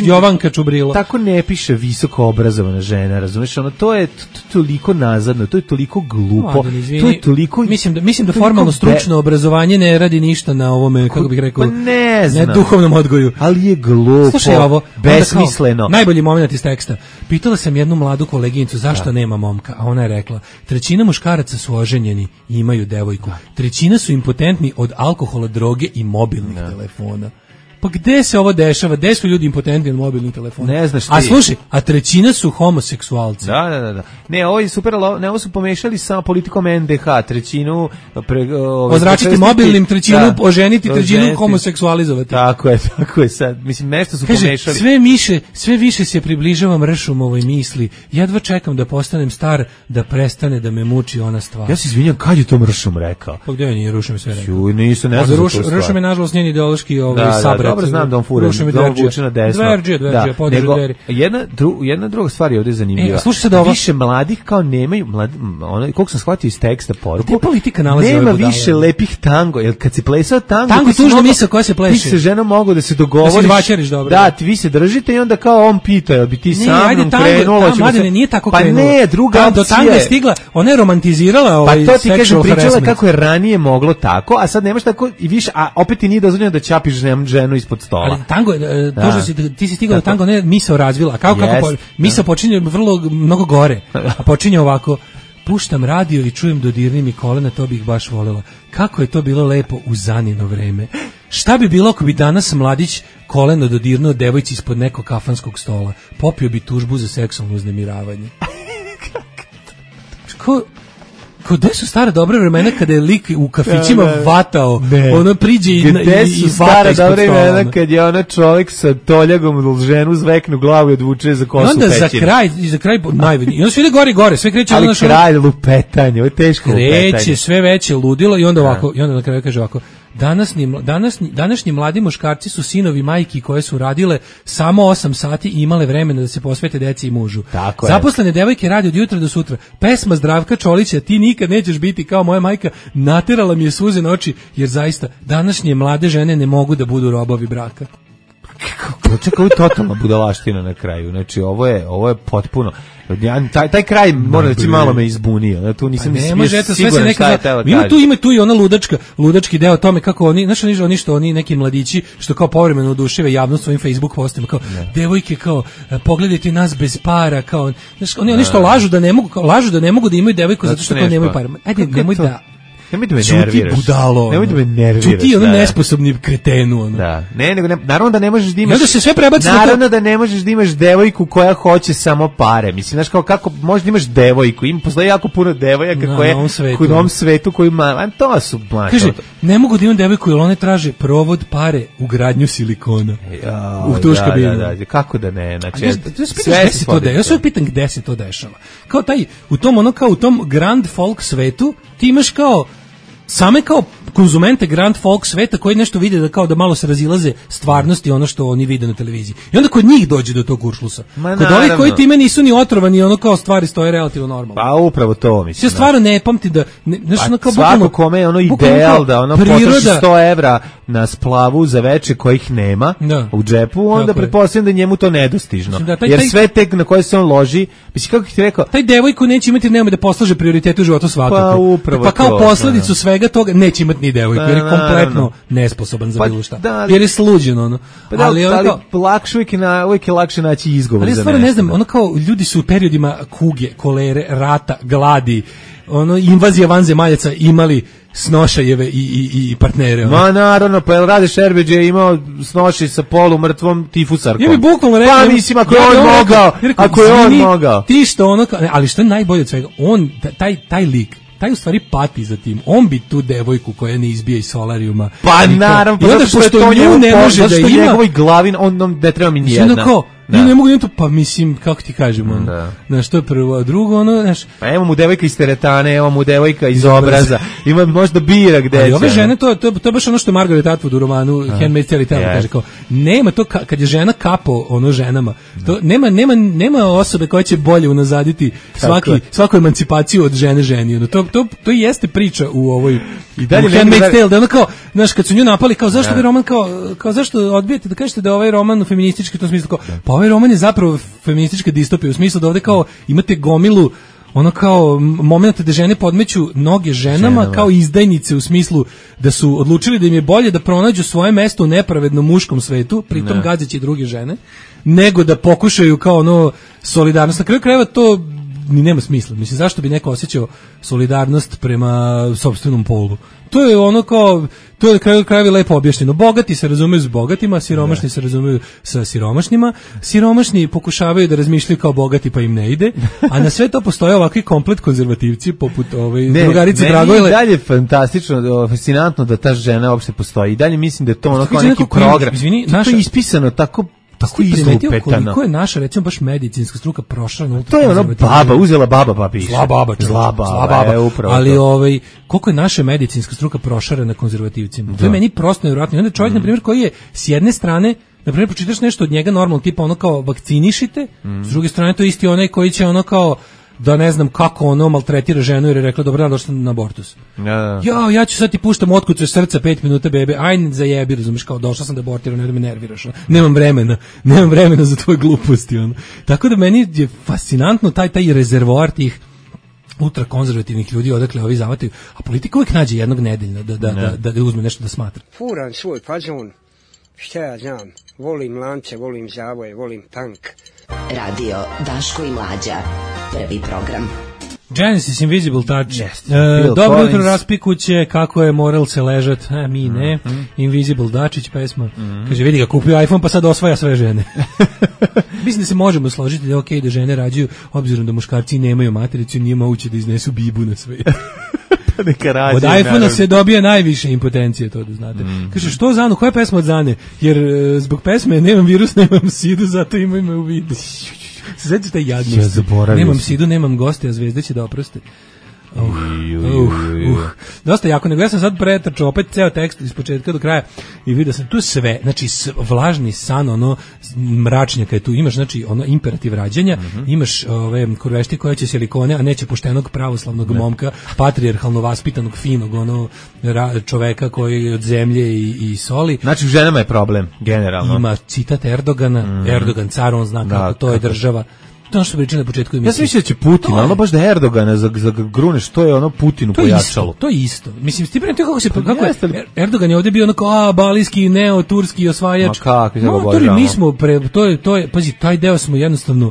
Jovanka Čubrilo. Tako ne piše visoko obrazovana žena, razumeš? Ono to je toliko nazadno, to je toliko glupo. To je toliko mislim da formalno stručno obrazovanje ne radi ništa na ovome, kako bih rekao, pa ne duhovnom odgoju. Ali je glupo. Slušaj ovo, besmisleno. Najbolji moment iz teksta. Pitala sam jednu mladu koleginicu zašto nema momka, a ona je rekla: 1/3 muškaraca su oženjeni i imaju devojku. 1/3 su impotentni od alkohola, droge i mobilnih telefona. Pa gde se ovo dešava? Gde su ljudi impotentni od mobilnih telefona? Ne znaš ti. A slušaj, a 1/3 su homoseksualci. Da. Ne, ovo je super, ne, ovo su pomešali sa politikom NDH, 1/3 ozračiti mobilnim, 1/3 oženiti, 1/3 homoseksualizovati. Tako je sad. Mislim, nešto su pomešali. Sve više se približavam Ršumovoj misli. Jedva čekam da postanem star, da prestane da me muči ona stvar. Ja se izvinjam, kad je to Ršum rekao? Pa gde nije Ršum sve rekao? Nisu, ne znam. Ršum je nažalost njen ideološki sabrat. Dobro znam da on fura, da on vuče na desno. Dverđe, podržu dveri. Jedna druga stvar je ovdje zanimljiva. Više mladih kao nemaju, koliko sam shvatio iz teksta poruku, nema više lepih tango, jer kad si plesao tango tužna misao koja se pleše. Ti se ženom mogu da se dogovoriš, da, vi se držite i onda kao on pita, jel bi ti sa mnom krenulo? Mladine, nije tako krenulo. Pa ne, druga opcija. Do tanga je stigla, ona je romantizirala ovaj pa to ti sexual pričala harassment. kako je ranije moglo tako, a sad nemaš tako i više, a opet ti nije dozvoljeno da ćapiš ženu ispod stola. Ali tango je, ti si stigao do tango, ne misao razvila, a kako misao počinje mnogo gore, a počinje ovako: puštam radio i čujem dodirni mi kolena, to bih baš volela. Kako je to bilo lepo u Zanino vreme. Šta bi bilo ako bi danas mladić koleno dodirnuo devojci ispod nekog kafanskog stola? Popio bi tužbu za seksualno uznemiravanje. Gde su stara dobra vremena kada je lik u kafićima vatao, ono priđe i vata ispod stola. Gde su stara dobra vremena kad je ona čovjek sa toljagom ženu zveknu glavu i odvuče za kosu pećinu. Onda za kraj najvedniji. I onda sve ide gore, sve kreće. Ali kraj lupetanje, ovo je teško lupetanje. Kreće sve veće ludilo i onda ovako, i onda na kraju kaže ovako: Današnji mladi muškarci su sinovi majki koje su radile samo 8 sati i imale vremena da se posvete deci i mužu. Zaposlene devojke rade od jutra do sutra. Pesma Zdravka Čolića "Ti nikad nećeš biti kao moja majka" naterala mi je suze na oči, jer zaista današnje mlade žene ne mogu da budu robovi braka. Čekaj, ovo je totalna budalaština na kraju. Znači, ovo je potpuno... Taj kraj, moram reći, malo me izbunio. Tu nisam siguran šta je tela kaži. Ima tu i ona ludački deo o tome kako oni, znaš oni neki mladići što kao povremeno oduševe javnost svojim Facebook postima, kao devojke, kao pogledajte nas bez para, kao, znaš, oni što lažu da ne mogu da imaju devojku zato što kao nemaju para. Ajde, nemoj da me nerviraš. Budalo. Nemoj da me nerviraš. Čuti ono nesposobni kretenu. Ono. Da. Naravno da ne možeš da imaš... Onda se sve prebaci. Naravno da ne možeš da imaš devojku koja hoće samo pare. Mislim, znaš, kako možeš da imaš devojku? Postoji jako puno devojaka koje u ovom svetu koji ima... To su mlače. Kaže, ne mogu da imam devojku jer one traže provod, pare, ugradnju silikona. U tuš kabinu. Da. Kako da ne? Znači, ja se pitam gde se to dešava. Kao u tom grand folk svetu ti imaš kao same kao konzumente grand folk sveta koji nešto vide da malo se razilaze stvarnosti ono što oni vide na televiziji. I onda kod njih dođe do tog kuršlusa. Kod ovih koji time nisu ni otrovani, ono kao stvari stoje relativno normalno. Pa upravo to mislim. Ja stvarno ne pamtim da svako kome je ono ideal da ono potroši 100 evra na splavu za veče kojih nema u džepu, onda pretpostavljam da njemu to nedostižno. Jer sve tek na koje se on loži, mislim kako ti rekao, taj devojku neće imati nema da poslaže prioritete u životu svakako. Pa kao posledicu svega toga neće imati ni devojku, jer je kompletno nesposoban za bilo šta. Jer je sluđen ono. Ali uvijek je lakše naći izgovor za nešto. Ali ja stvarno ne znam, ono kao ljudi su u periodima kuge, kolere, rata, gladi, ono invazija vanzemaljaca imali snošajeve i partnere. Ma naravno, pa jel Rade Šerbeđ je imao snošaj sa polumrtvom tifusarkom. Ja bi bukvalno rekao, pa mislim, ako je on mogao. Ti što ono, ali što je najbolje od svega, on, taj lik, taj u stvari pati za tim. On bi tu devojku koja ne izbija iz solarijuma. Pa naravno, zato što nju ne može da ima. Zašto njegovoj glavi on ne treba mi nijedna. Ja ne mogu to, pa mislim, kako ti kažemo, znaš, to je prvo, a drugo, ono, znaš... Pa evo mu devojka iz teretane, evo mu devojka iz obraza, ima možda bira gde će. Ali ove žene, to je baš ono što je Margaret Atwood u romanu Handmaid's Tale kaže, kao, nema to, kad je žena kapo, ono, ženama, to, nema osobe koja će bolje unazaditi svaku emancipaciju od žene ženi, ono, to jeste priča u ovoj Handmaid's Tale, da ono kao, znaš, kad su nju napali, kao, zašto bi roman, kao, zašto odbijete da kažete da je ovaj roman feministički, u tom smislu, kao, pa ovaj roman je zapravo feministička distopija, u smislu da ovde kao imate gomilu ono kao momenta da žene podmeću noge ženama kao izdajnice u smislu da su odlučili da im je bolje da pronađu svoje mesto u nepravednom muškom svetu, pritom gazeći druge žene, nego da pokušaju kao ono solidarnost. Na kraju krajeva to ni nema smisla. Mislim, zašto bi neko osjećao solidarnost prema sopstvenom polu? To je ono kao, to je na kraju krajeva lepo objašnjeno. Bogati se razumeju s bogatima, siromašni se razumeju sa siromašnima, siromašni pokušavaju da razmišljaju kao bogati pa im ne ide, a na sve to postoje ovakvi komplet konzervativci poput drugarice Dragojle. I dalje fantastično, fascinantno da ta žena uopšte postoji. I dalje mislim da je to ono kao neki program. To je ispisano tako izlupetano. Koliko je naša, recimo, baš medicinska struka prošla na to je ono baba, uzela baba pa piše. Zla baba. Ali koliko je naša medicinska struka prošarena konzervativcima. To je meni prosto nevjerojatno. Onda čovjek, na primjer, koji je s jedne strane, na primjer, pročitaš nešto od njega normalno, tipa ono kao vakcinišite, s druge strane to je isti onaj koji će ono kao da ne znam kako ono maltretira ženu jer je rekla dobar dan, došla na abortus. Ja ću sad ti puštam otkucaš srca 5 minuta bebe, ajde zajebi, razumeš, kao došla sam da abortiram, ne da me nerviraš. Nemam vremena za tvoje gluposti. Ono. Tako da meni je fascinantno taj rezervoar tih ultrakonzervativnih ljudi odakle ovi zavataju, a politika uvijek nađe jednog nedeljna da uzme nešto da smatra. Furan svoj fazon, šta ja znam, volim lance, volim zavoje, volim tank. Radio Daško i Mlađa, prvi program. Genesis Invisible Touch. Dobro jutro raspikuće, kako je moral se ležat, mi ne. Invisible Dačić pesma. Kaže, vidi ga, kupio iPhone pa sad osvaja sve žene. Mislim da se možemo složiti da je okej da žene rađaju, obzirom da muškarci nemaju matericu i nije moguće da iznesu bibu na svijet. Od iPhone-a se dobija najviše impotencije, to da znate. Kaže, što Zanu, koja je pesma od Zane? Jer zbog pesme nemam virus, nemam sidu, zato imaj me u vidu. Se sveći taj jadnost. Nemam sidu, nemam goste, a zvezde će da oproste. Dosta jako, nego ja sam sad pretrčao opet ceo tekst iz početka do kraja i vidio sam tu sve, znači vlažni san, ono mračnjaka je tu, imaš znači ono imperativ rađanja, imaš ove kurvešti koje će silikone, a neće poštenog pravoslavnog momka, patrijarhalno vaspitanog, finog ono čoveka koji je od zemlje i soli. Znači u ženama je problem, generalno. Ima citat Erdogana, Erdogan car, on zna kako to je država. To što pričali na početku emisije. Ja sam mislio da će Putin, ono baš da Erdogana za grune, što je ono Putinu pojačalo. To je isto. Mislim, ti prenete kako je Erdogan je ovdje bio onako balijski, neoturski osvajač. Ma kako, no, mi smo, to je, pazi, taj deo smo jednostavno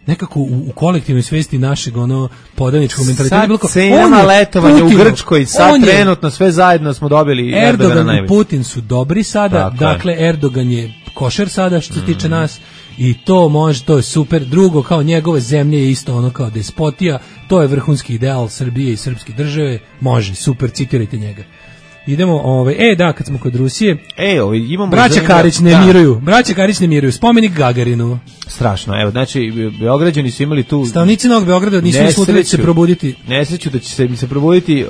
nekako u kolektivnoj svesti našeg ono podaničkog mentaliteta bilo kao cenama letovanja u Grčkoj, sad trenutno sve zajedno smo dobili Erdogan i Putin su dobri sada, dakle Erdogan je košer sada što se tiče nas. I to može, to je super. Drugo, kao njegove zemlje je isto ono kao despotija, to je vrhunski ideal Srbije i srpske države, može, super, citirajte njega. Idemo, kad smo kod Rusije, imamo braća Karić ne miruju, spomenik Gagarinu. Strašno, evo, znači, Beograđani su imali tu... Stanovnici Novog Beograda nisu mislili da će se probuditi. Nesreću da će se probuditi,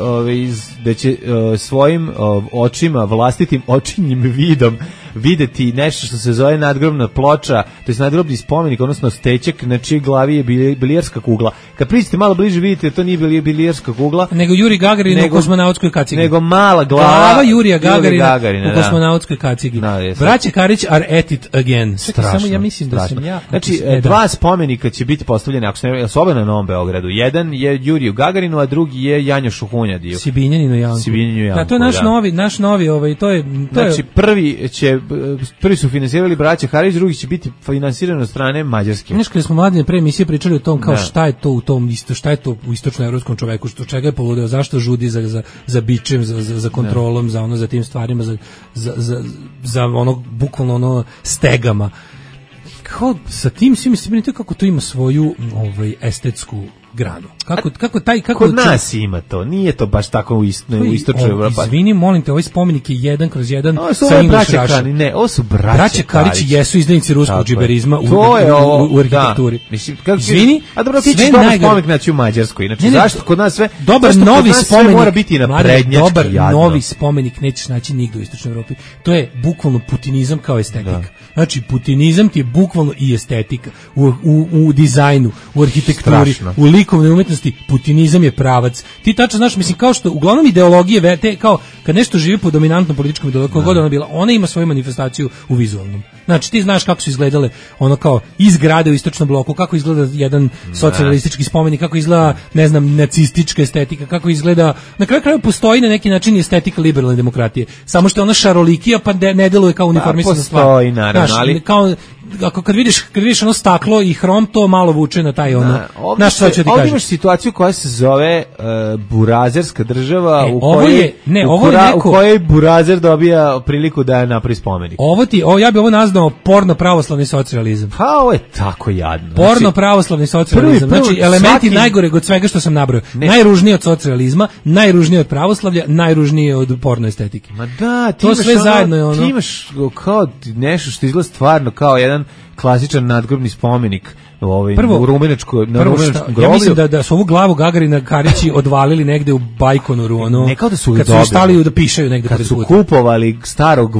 da će svojim očima, vlastitim očinjim vidom videti nešto što se zove nadgrobna ploča, to je nadgrobni spomenik, odnosno stečak na čijoj glavi je bilijarska kugla. Kad priđete malo bliže vidite da to nije bilijarska kugla, nego Juri Gagarin u kosmonautskoj kacigi. Nego mala glava Jurija Gagarina u kosmonautskoj kacigi. Braća Karić are at it again. Strašno, samo ja mislim da sam ja... Znači, dva spomenika će biti postavljeni, ako se ne oba na Novom Beogradu. Jedan je Juriju Gagarinu, a drugi je Janjošu Hunjadiju. Sibinjaninu Janku. Da, to je naš novi, to je... Znači, prvi su finansirali braća Karić, drugi će biti finansirani od strane Mađarske. Znaš, kada smo mladine pre emisije pričali o tom, kao šta je to u tom isto, šta je to u istočnoevropskom čoveku, što čega je poludeo, zašto žudi za bičem, za kontrolom, za tim stvarima, za ono, bukvalno ono, stegama. Kao sa tim svim mislim kako to ima svoju estetsku granu. Kod nas ima to, nije to baš tako u istočnoj Evropi. Izvini, molim te, ovaj spomenik je 1/1 sa English Russian. Ne, ovo su braća Karić jesu izdajnici ruskog džiberizma u arhitekturi. Izvini, a dobro, ti ćeš dobar spomenik naći u Mađarskoj. Inače, zašto kod nas sve... Dobar novi spomenik mora biti naprednjački. Dobar novi spomenik nećeš naći nigde u istočnoj Evropi. To je bukvalno putinizam kao estetika. Znači, putinizam ti je bukvalno i estetika. U dizajnu, u arhitekturi, u likovnoj umetnosti, putinizam je pravac. Ti tačno znaš, mislim, kao što uglavnom ideologije, kao kad nešto živi po dominantnom političkom ideologiju, god ona bila, ona ima svoju manifestaciju u vizualnom. Znači, ti znaš kako su izgledale ono kao izgrade u istočnom bloku, kako izgleda jedan socijalistički spomenik, kako izgleda, ne znam, nacistička estetika, kako izgleda, na kraju krajeva postoji na neki način estetika liberalne demokratije. Samo što je ona šarolikija, pa ne deluje kao uniformisana stvar. Postoji, naravno, znaš, ali... Kao, kad vidiš ono staklo i hrom, to malo vuče na taj ono. Znaš šta ću ti kažem? Ovdje imaš situaciju koja se zove burazerska država u kojoj burazer dobija priliku da napravi spomenik. Ja bi ovo nazvao porno pravoslavni socijalizam. Pa ovo je tako jadno. Porno pravoslavni socijalizam. Znači elementi najgoreg od svega što sam nabrojao. Najružnije od socijalizma, najružnije od pravoslavlja, najružnije od porno estetike. Ma da, to sve zajedno je ono. Ti imaš kao nešto što izgleda stvarno kao jedan klasičan nadgrobni spomenik u rumenačkom groblju. Ja mislim da su ovu glavu Gagarina Karići odvalili negde u Bajkonoru, ono, ne kao da su kad su stali da pišaju negde kad su kupovali starog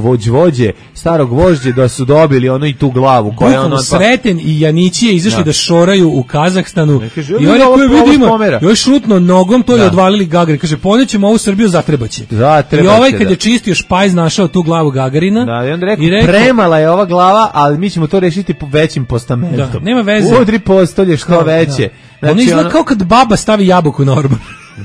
vođe da su dobili ono i tu glavu koja ono Sreten i Janićije izašli da šoraju u Kazahstanu i oni koji vidimo još šutno nogom to je odvalili Gagarin, kaže ponećemo ovu Srbiju zatrebaće. I ovaj kad je čistio špajz našao tu glavu Gagarina i onda rekao premala je ova glava, ali mi ćemo to rešiti po većim postamentom. Nema veze. Udri postolje što veće. Znači, ono izgleda kao kad baba stavi jabuku na orban.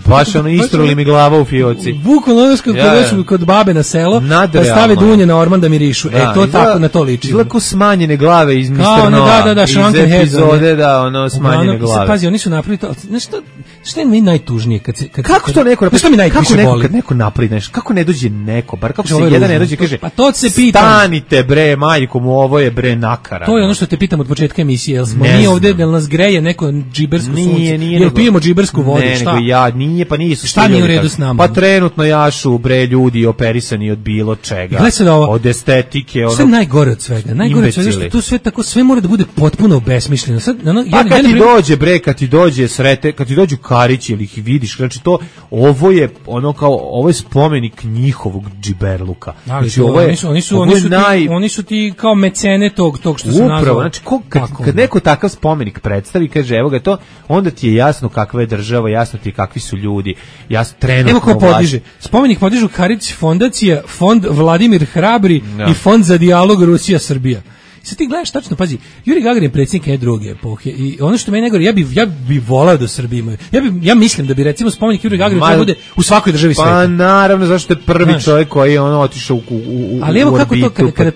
Baš ono istruli mi glava u fioci. Bukvalno ono kod babe na selo, pa stave dunje na orman da mirišu. To tako na to liči. Izgleda kao smanjene glave iz Mr. Noa. Iz epizode, smanjene glave. Pazi, oni su napravili to. Što je mi najtužnije? Kako to neko napravi? Što mi najviše boli? Kad neko napravi, kako ne dođe neko, bar kako se jedan ne dođe kaže, pa to se pitam. Stanite bre, majko mu, ovo je bre nakara. To je ono što te pitam od početka emisije, jel smo mi ovde, jel nas greje neko džibersko sunce? Jel pijemo džibersku vodu, šta? Nije, pa nisu. Šta nije u redu s nama? Pa trenutno jašu bre ljudi operisani od bilo čega. Od estetike, ono. Sve najgore od svega. Najgore od svega što tu sve tako sve mora da bude potpuno obesmišljeno. Sad kad ti dođe bre, kad ti dođu Karići ili ih vidiš, znači to ovo je spomenik njihovog džiberluka. Znači oni su ti kao mecene tog što se nazvao. Upravo, znači kad neko takav spomenik predstavi, kaže evo ga to, onda ti je jasno kakva je država, jasno ti kakvi su ljudi. Trenutno evo ko podiže. Spomenik podižu Karić fondacija, fond Vladimir Hrabri i fond za dijalog Rusija-Srbija. Sad ti gledaš tačno, pazi, Juri Gagarin je predsjednik neke druge epohe i ono što meni najgore, ja bi volao da Srbiji imaju. Ja mislim da bi recimo spomenik Juri Gagarinu trebao bude u svakoj državi sveta. Pa naravno, zašto je prvi čovjek koji je otišao u ali evo kako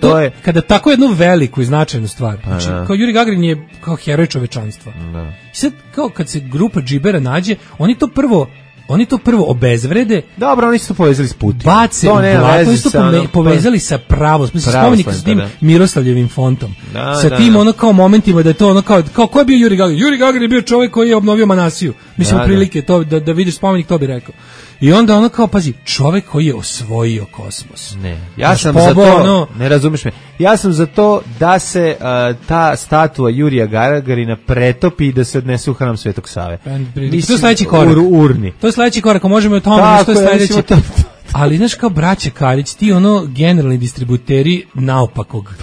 to, kada tako jednu veliku i značajnu stvar, znači, kao Juri Gagarin je kao heroj čovečanstva. I sad, kao kad se grupa džibera nađe, oni to prvo obezvrede. Dobro, oni su to povezali s Putinom. Bace u blato, oni su to povezali sa spomenik sa tim Miroslavljevim fontom. Sa tim ono kao momentima da je to ono kao ko je bio Juri Gagarin? Juri Gagarin je bio čovjek koji je obnovio Manasiju. Mislim, prilike to da vidiš spomenik, to bi rekao. I onda ono kao, pazi, čovjek koji je osvojio kosmos. Ne, ja sam za to, ne razumiješ me, ja sam za to da se ta statua Jurija Gagarina pretopi i da se odnese u hram Svetog Save. To je sledeći korak. Urni. To je sledeći korak, možemo o tome, što je sledeći. Ali znaš kao braća Karić, ti generalni distributeri naopakog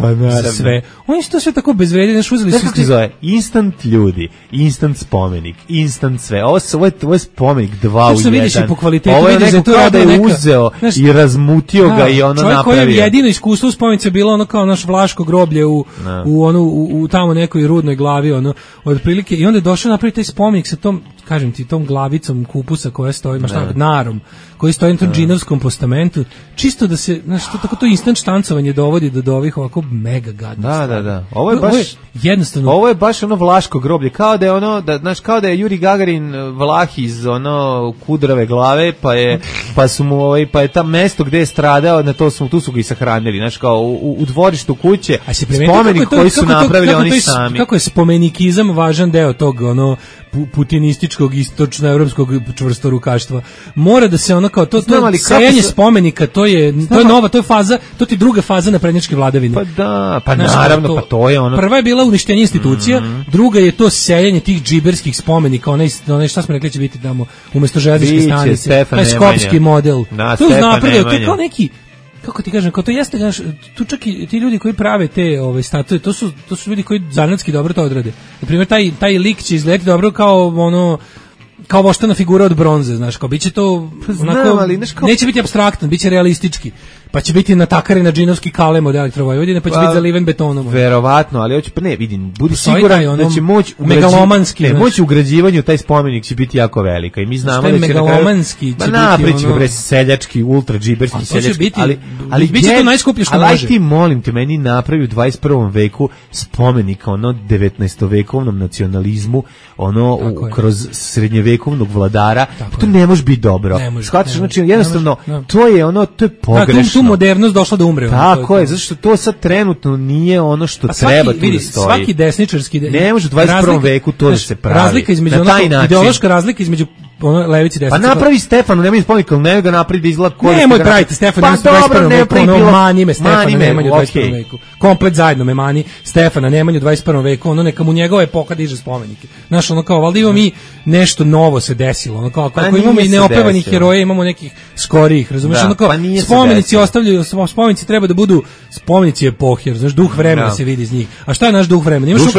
za sve. Oni su to sve tako bezvredni, znaš, uzeli su... Znaš kako se zove? Instant ljudi, instant spomenik, instant sve. Ovo je spomenik 2 u 1. Vidiš i po kvalitetu, ovo je neko kao da je uzeo i razmutio ga i ono napravio. Čovjek koji je jedino iskustvo u spomenici je bilo ono kao naš Vlaško groblje u tamo nekoj rudnoj glavi, otprilike. I onda je došao napraviti taj spomenik sa tom, kažem ti, tom glavicom kupusa koja stoji, narom, koji stoji na tom džinovskom postamentu, čisto da se, znaš, tako to instant štancovanje dovodi do ovih ovako mega gadnih. Da. Ovo je baš ono Vlaško groblje, kao da je ono, znaš, kao da je Juri Gagarin Vlah iz ono kudrave glave, pa su mu pa je tam mesto gde je stradao, tu su ga i sahranili, znaš, kao u dvorištu kuće, spomenik koji su napravili oni sami. Kako je spomenikizam važan deo tog putinističkog srpskog istočnoevropskog čvrstorukaštva. Mora da se ono kao to sejanje spomenika, to je nova, to je faza, to ti druga faza naprednjačke vladavine. Pa da, pa naravno, pa to je ono. Prva je bila uništenje institucija, druga je to sejanje tih džiberskih spomenika, onaj šta smo rekli će biti tamo umesto železničke stanice, taj skopski model. To je napredio, to je kao neki, kako ti kažem, kao to jeste, tu čak i ti ljudi koji prave te statue, to su ljudi koji zanatski dobro to odrade. Na primjer, taj lik će izgledati dobro kao voštana figura od bronze, znaš, kao biće to onako, neće biti apstraktno, biće realistički. Pa će biti natakari na džinovski kalem od Elektrovojvodine, pa će biti zaliven betonom. Verovatno, ali hoće, pa ne, vidim, budi siguran da će moć ugrađivanju taj spomenik će biti jako velika i mi znamo da će megalomanski će biti ono seljački, ultra džiberski seljački, ali biće to najskuplje što može. Ali ti molim te, meni napravi u 21. veku spomenika 19. nacionalizmu, kroz srednjevekovnog vladara, to ne može biti dobro. Shvataš, znači jednostavno to je pogrešno. Tu modernost došla da umre. Tako je, zato što to sad trenutno nije ono što treba tu da stoji. Svaki desničarski... Ne može u 21. veku to da se pravi. Razlika između ideološka razlika između levici i desnici. Pa napravi Stefano, nemoj spomenik, ali ne ga napravi da izgleda koji... Nemoj praviti Stefano, u 21. veku, mani me Stefana Nemanju u 21. veku. Komplet zajedno me mani Stefana Nemanju u 21. veku, neka mu njegova epoha diže spomenike. Znaš, valjda imamo mi nešto novo se desilo, ako imamo i neopevanih heroja, imamo nekih skorijih, razumiješ, spomenici ostavljaju, spomenici treba da budu spomenici epohe, znaš, duh vremena se vidi iz njih. A šta je naš duh vremena? Imaš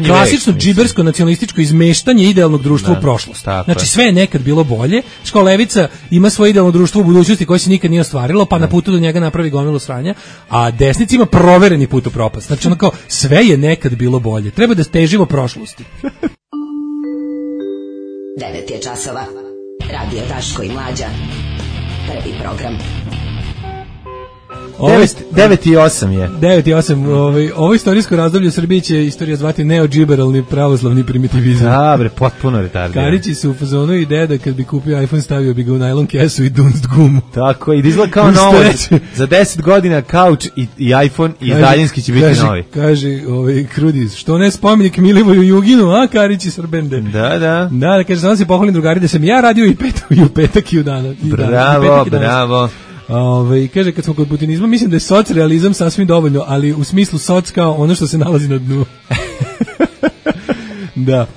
klasično džibersko nacionalističko izmeštanje idealnog društva u prošlost. Znači sve je nekad bilo bolje, kao levica ima svoje idealno društvo u budućnosti koje se nikad nije ostvarilo, pa na putu do njega napravi gomilu sranja, a desnica ima provereni put u propast. Znači sve je nekad bilo bolje. Treba da težimo prošlosti. 9 je časova. Radio Daško i Mlađa. Prvi program. 9:08 je. 9:08. Ovo istorijsko razdoblje u Srbiji će istorija zvati neodžiberalni pravoslavni primitivizam. Bre, potpuno retardiran. Karići su u fazonu ideja da kad bi kupio iPhone stavio bi ga u najlon kesu i dunst gumu. Tako, i da izgleda kao novo. Za 10 godina kauč i iPhone i daljinski će biti novi. Kaže Krudis, što ne spomenik Milivoju Juginu, a Karići Srbende. Da, kaže, sam se pohvalim drugari da sam ja radio i u petak i u dana. Bravo. Kaže, kad smo kod putinizma, mislim da je socrealizam sasvim dovoljno, ali u smislu soc kao ono što se nalazi na dnu. Da.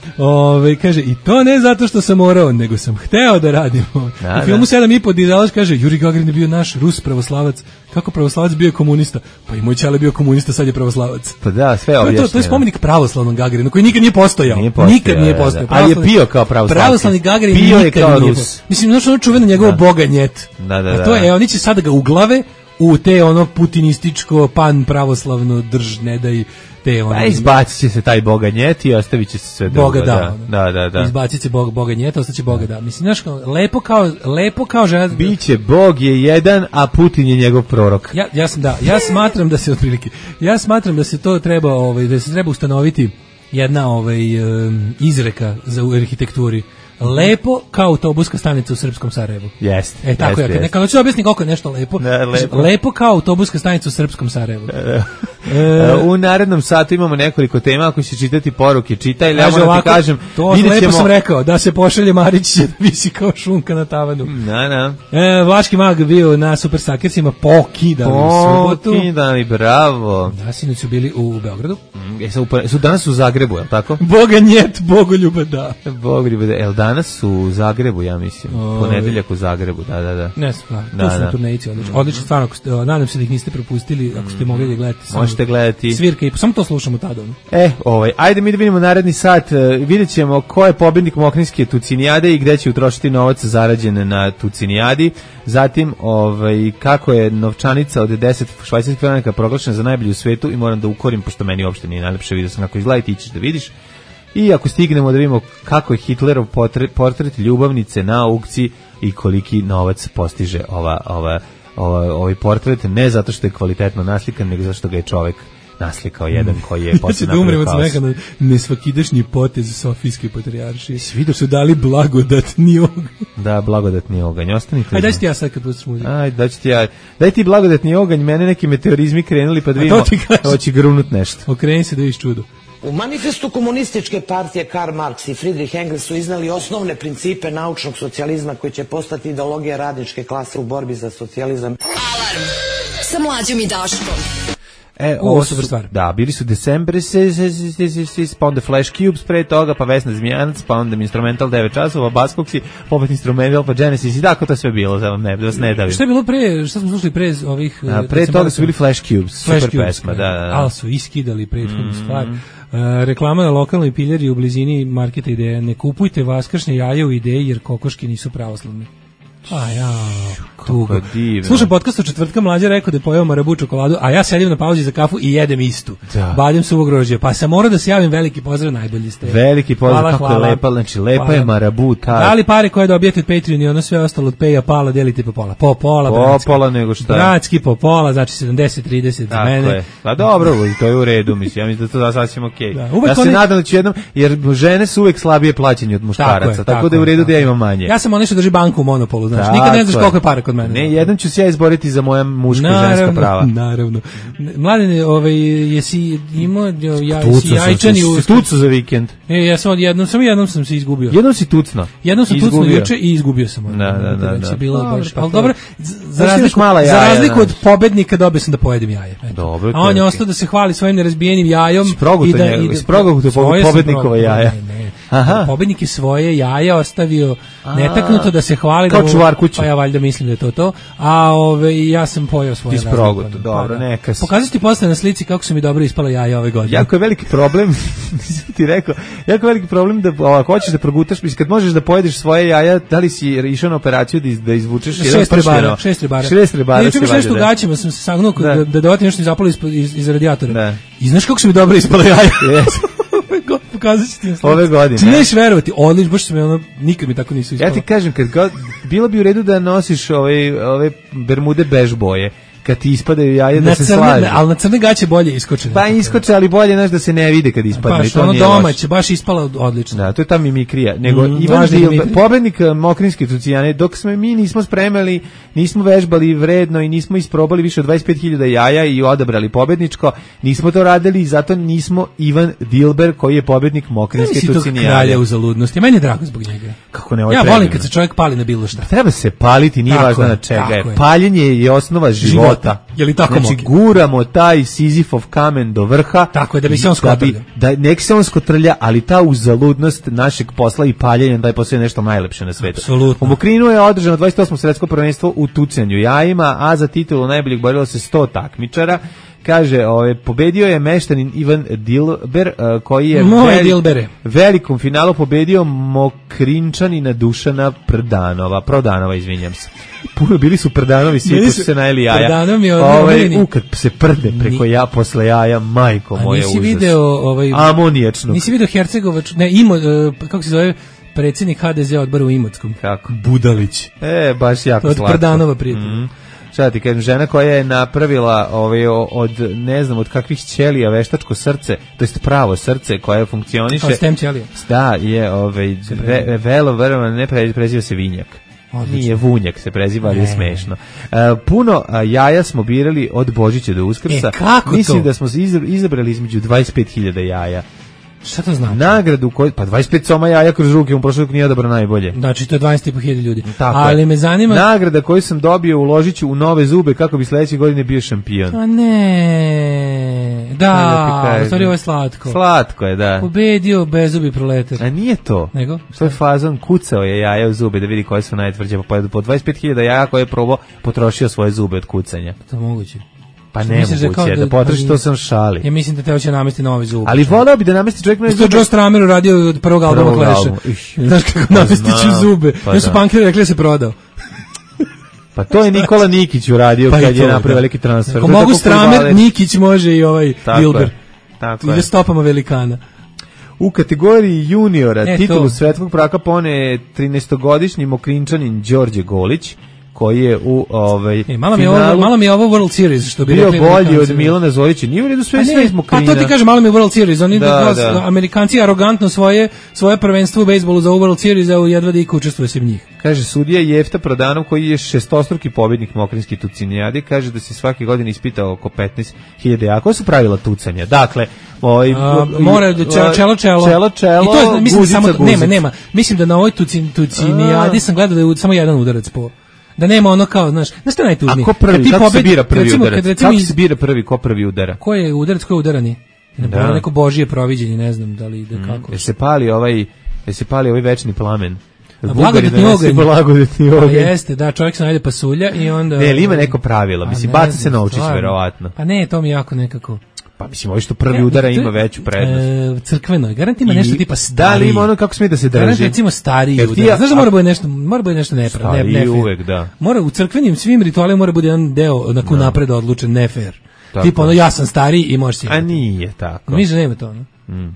Kaže, i to ne zato što sam morao, nego sam hteo da radim. U filmu 7,5 dizelaš kaže, Juri Gagarin je bio naš Rus pravoslavac. Kako pravoslavac bio komunista? Pa i moj ćale bio komunista, sad je pravoslavac. Pa da, sve objašnjeno. To je spomenik pravoslavnom Gagarinu, koji nikad nije postojao. Nikad nije postojao. Ali je bio kao pravoslavac. Pravoslavni Gagarin nikad nije postojao. Mislim, znaš ono čuveno njegovo boga njet. Da. To je, oni će sada ga uglave u te putinističko pan pravoslavno ne daj te Pa izbacit će se taj boga njet i ostavit će se sve drugo. Boga da. Da. Izbacit će boga njet, ostaće boga da. Mislim, znaš, lepo kao žena. Biće Bog je jedan, a Putin je njegov prorok. Ja smatram da se otprilike, da se to treba, da se treba ustanoviti jedna izreka za u arhitekturi. Lepo kao autobuska stanica u srpskom Sarajevu. Jeste. Tako ja kad hoću objasniti koliko je nešto lepo. Lepo kao autobuska stanica u srpskom Sarajevu. U narednom satu imamo nekoliko tema, ako će čitati poruke, čitaj, ja moram ti kažem, to lepo sam rekao, da se pošalje Marić će da visi kao šunka na tavanu. Da. Vlaški mag bio na Super Sakersima, pokidali u subotu. Pokidali, bravo. Da, sinoć su bili u Beogradu. Su danas u Zagrebu, je li tako? Boga njet, Bogoljuba, da. Bogoljuba, da. Jel danas su u Zagrebu, ja mislim. Ponedeljak u Zagrebu, da. Ne znam, to su turnejici, odlično, stvarno, nadam se da ih niste propustili, ako ste mogli da gledate. Možete gledati. Svirka i samo to slušamo tada. Ajde mi da vidimo naredni sat, vidjet ćemo ko je pobjednik Mokrinjske tucinijade i gde će utrošiti novac zarađen na tucinijadi. Zatim, kako je novčanica od 10 švajcarskih franaka proglašena za najbolju u svetu i moram da ukorim, pošto meni uopšte nije najlepše, vidio sam kako izgleda i ti ćeš da vidiš. I ako stignemo da vidimo kako je Hitlerov portret ljubavnice na aukciji i koliki novac postiže ovaj portret, ne zato što je kvalitetno naslikan, nego zato što ga je čovek naslikao jedan koji je poslije napravio kaos. Ja ću da umrem od smeka na nesvakidašnji potez Sofijske patrijaršije. Svi su dali blagodatni oganj. Da, blagodatni oganj. Ostanite. Ajde, daj ti ja sad kad pustiš muziku. Daj ti blagodatni oganj, mene neki meteorizmi krenuli pa da vidimo, hoće grunut nešto. Okreni se da vidiš čudo. U manifestu komunističke partije Karl Marx i Friedrich Engels su iznali osnovne principe naučnog socijalizma koji će postati ideologija radničke klase u borbi za socijalizam. Alarm sa Mlađom i Daškom. Ovo super stvar. Da, bili su December, pa onda Flash Cubes pre toga, pa Vesna Zmijanac, pa onda Instrumental 9 časova, Baskoksi, popet Instrumental, pa Genesis i tako to sve bilo, da vas ne davim. Šta je bilo pre, šta smo slušali pre ovih... Pre toga su bili Flash Cubes, super pesma, da. Ali su iskidali prethodnu stvar. Reklama na lokalnoj piljari u blizini marketa Ideja. Ne kupujte vaskršnje jaje u Ideji jer kokoški nisu pravoslavni. Tugo. Slušam podcast od četvrtka, Mlađa rekao da je pojeo marabu čokoladu, a ja sedim na pauzi za kafu i jedem istu. Badem suvog grožđa. Pa sam morao da se javim, veliki pozdrav, najbolji ste. Veliki pozdrav, kako je lepa, znači lepa je marabu. Da li pare koje dobijete od Patreon i ono sve ostalo od Pay-a Pala delite po pola? Po pola, nego šta? Bratski po pola, znači 70-30 za mene. Je. Pa dobro, to je u redu, mislim, ja mislim da to sasvim okej. Ja se nadam da ću jednom, jer žene su uvek slabije plaćene od muškaraca, tako da je u redu da ja imam manje. Ja sam onaj što drži banku u Monopolu, znači nikad ne znaš koliko je para kod mene. Ne, jednom ću se ja izboriti za moja muška i ženska prava. Naravno. Mladene, jesi imao jajčani u tucu za vikend? Ja sam jednom sam se izgubio. Jednom si tucno. Jednom sam tucno juče i izgubio sam. Da. Bilo baš. Al dobro, za razliku od pobednika dobio sam da pojedem jaje. Dobro. A on je ostao da se hvali svojim nerazbijenim jajom i da proguto pobednikova jaja. Aha. Pobednik je svoje jaja ostavio netaknuto da se hvali kao čuvar kuće. Pa ja valjda mislim da je to. A ja sam pojeo svoje jaja. Isproguto, dobro, neka. Pokazati posle na slici kako su mi dobro ispala jaja ove godine. Jako je veliki problem, ti rekao, jako veliki problem da ako hoćeš da progutaš, mislim kad možeš da pojedeš svoje jaja, da li si išao na operaciju da izvučeš jedan pršljeno? 6 ribara. Neću nešto u gaćima, sam se sagnuo da dovati nešto zapalo iz radijatora. I znaš kako su mi dobro ispala jaja? Pokazat ću ti na slici. Ove godine. Ti neš verovati, odlično, baš se mi nikad mi tako nisu ispala. Ja ti kažem, bilo bi u redu da nosiš ove bermude bež boje. Kad ti ispadaju jaje da se slaže. Ali na crne gaće bolje iskoče. Pa iskoče, ali bolje znaš da se ne vide kad ispadne. Baš ono domaće, baš ispala odlično. Da, to je ta mimikrija. Nego Ivan Dilber, pobednik Mokrinske tucijane, dok mi nismo spremali, nismo vežbali vredno i nismo isprobali više od 25.000 jaja i odabrali pobedničko, nismo to radili i zato nismo Ivan Dilber koji je pobednik Mokrinske tucijane. Nisi tog kralja u zaludnosti. Meni je drago zbog njega. Kako ne, ja volim kad se čovjek pali na bilo šta. Treba se paliti, nije važno na čega je. Paljenje je osnova života. Je li tako znači guramo taj Sizifov kamen do vrha. Tako je, da bi se on skotrlja. Nek se on skotrlja, ali ta uzaludnost našeg posla i paljenja da je postoje nešto najlepše na svetu. Apsolutno. U Mokrinu je održano 28. svetsko prvenstvo u tucanju jajima, a za titulu najboljeg borilo se 100 takmičara. Kaže, pobedio je meštanin Ivan Dilber, koji je velikom finalu pobedio Mokrinčanina Dušana Prodanova, izvinjam se. Puno bili su Prdanovi, svi su se najeli jaja. Prdanovi kad se prde preko posle jaja, majko moje užas. A nisi video amonijačnog. Nisi video Hercegovač, kako se zove predsjednik HDZ odbora u Imotskom? Kako? Budalić. Baš jako slatko. Od Prdanova prijatelja. Šta ti kažem, žena koja je napravila od ne znam od kakvih ćelija veštačko srce, to jest pravo srce koje funkcioniše. Kao stem ćelija. Da, je verovatno ne preziva se Vinjak. Odlično. Nije Vunjak se preziva, ali je smešno. Puno jaja smo birali od Božića do Uskrsa. Mislim da smo izabrali između 25.000 jaja. Šta to znači? Nagradu koju, pa 25 soma jaja kroz ruke, prošle nije odabrao najbolje. Znači to je 12.500 ljudi. Tako ali je. Me zanima... Nagrada koju sam dobio uložit ću u nove zube kako bi sledeće godine bio šampion. A ne. Da, u stvari ovo je slatko. Slatko je, da. Pobedio bezubi proletar. A nije to. Nego? To je fazon, kucao je jaja u zube da vidi koje su najtvrđe. Po 25.000 jaja koje je probao, potrošio svoje zube od kucanja. To moguće. Pa ne moguće, da potroši, to sam šali. Ja mislim da te hoće namesti novi zub. Ali voleo bi da namesti čovjek novi zube. To je Joe Stramer uradio od prvog albuma Clash-a. Znaš kako namestiću zube. Ja su punkeri rekli da se prodao. Pa to je Nikola Nikić uradio kad je napravio veliki transfer. Ako mogu Stramer, Nikić može i Dilber. Ide stopama velikana. U kategoriji juniora titulu svetskog prvaka pone 13-godišnji Mokrinčanin Đorđe Golić, koji je u finalu... Malo mi je ovo World Series, što bi rekli. Bio bolji od Milana Zorića. Nije u redu sve iz Mokrina. Pa to ti kaže, malo mi je World Series. Oni Amerikanci arogantno svoje prvenstvo u bejsbolu za World Series, a jedva da iko učestvuje se v njih. Kaže, sudija Jefta Prodanov, koji je šestostruki pobjednik Mokrinske tucinijade, kaže da se svake godine ispitao oko 15.000 jaja. Koja su pravila tucanja? Dakle, Mora čelo. I to mislim samo nema. Mislim da na ovoj tucinijadi sam gledao da je samo jedan udarac po. Da nema ono kao, znaš šta najtužnije. A ko prvi, kako se bira prvi udarac? Kako se bira prvi, ko prvi udara? Ko je udarac, ko je udarani? Neko božije proviđenje, ne znam da li ide kako. Se pali ovaj večni plamen. Blagodetni oganj. Jeste, da, čovjek se najde pasulja i onda... Ne, ili ima neko pravilo, mislim, baca se novčić, verovatno. Pa ne, to mi jako nekako... Pa mislim, ovo što prvi udara ima veću prednost. Crkveno je, garant ima nešto tipa stariji. Da li ima ono kako smije da se drži? Garant recimo stariji udar. Znaš da mora bude nešto nefair. Stariji uvek, da. Mora u crkvenim svim ritualima mora bude jedan deo nakon napred odlučen nefair. Tipa ono, ja sam stariji i možeš si imati. A nije tako. Mi nema to, ono.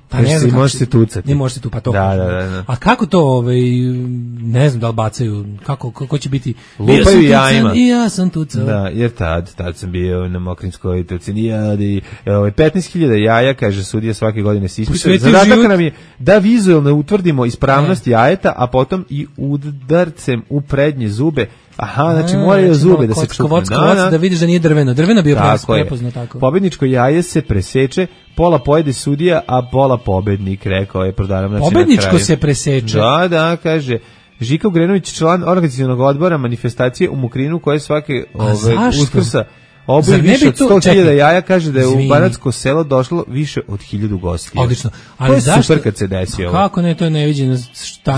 Pa ne znam, možeš se tucati. Ne možeš se tu, pa to. Da. A kako to, ne znam da li bacaju, kako će biti? Lupaju jajima. I ja sam tucao. Da, jer tad sam bio na Mokrinskoj tucinijadi. 15.000 jaja, kaže sudija, svake godine se ispituje. Zadatak nam je da vizualno utvrdimo ispravnost jajeta, a potom i udarcem u prednje zube. Aha, znači moraju zube da se čupne. Da vidiš da nije drveno. Drveno bio prepoznao tako. Pobedničko jaje se preseče, pola pojede sudija, a pola pobednik, rekao je Prodaram. Znači, pobedničko se preseče? Da, kaže. Žika Ugrenović, član organizacionog odbora manifestacije u Mokrinu, koje svake Uskrsa obuji više od 100.000 jaja, kaže da je u Banatsko selo došlo više od 1.000 gostija. Odlično. Ali to je super kad se desi ovo. Kako ne, to je neviđeno.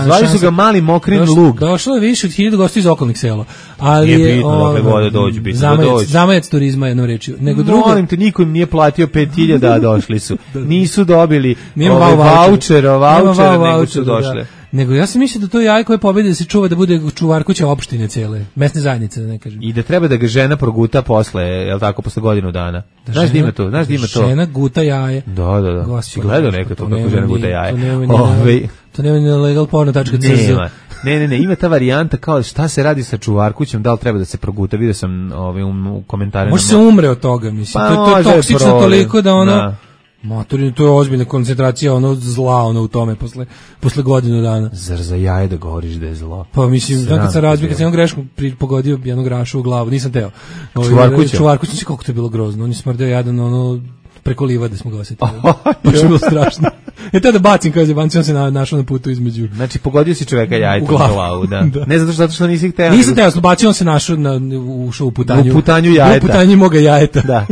Zvali su ga Mali Mokrin Lug. Došlo je više od 1.000 gostija iz okolnih sela. Ali nije bitno dokle vode dođu, bitno da dođu. Zamajac turizma, jednom rečju. Molim te, niko im nije platio 5.000, a došli su. Nisu dobili vouchere, nego su došle. Nego ja sam mislio da to jaje koje pobedi da se čuva da bude čuvar kuće opštine cele, mesne zajednice, da ne kažem. I da treba da ga žena proguta posle, jel tako, posle godinu dana. Znaš da ima to, Žena guta jaje. Da. Si gledao nekad to kako žena guta jaje? To nema ni legalporno.cz. Ne, ima ta varijanta kao šta se radi sa čuvarkućem, da li treba da se proguta, vidio sam u komentarima. Može se umre od toga, mislim. To je toksično toliko da ono... Maturino, to je ozbiljna koncentracija zla u tome posle godinu dana. Zar za jaje da govoriš da je zlo? Pa mislim, kad sam razbio, kad sam jednom greškom pogodio jednog grašu u glavu, nisam teo. Čuvarkuća, kako to je bilo grozno. On je smrdeo jadan, preko livade smo ga osjetili. Baš je bilo strašno. Tada bacim, kaže Banci, on se našao na putu između. Znači, pogodio si čoveka jajtom u glavu, da. Ne zato što nisi hteo. Nisam hteo, bacio, on se našao, ušao u putanju. U putanju jajeta. U putanju moga jajeta. Da.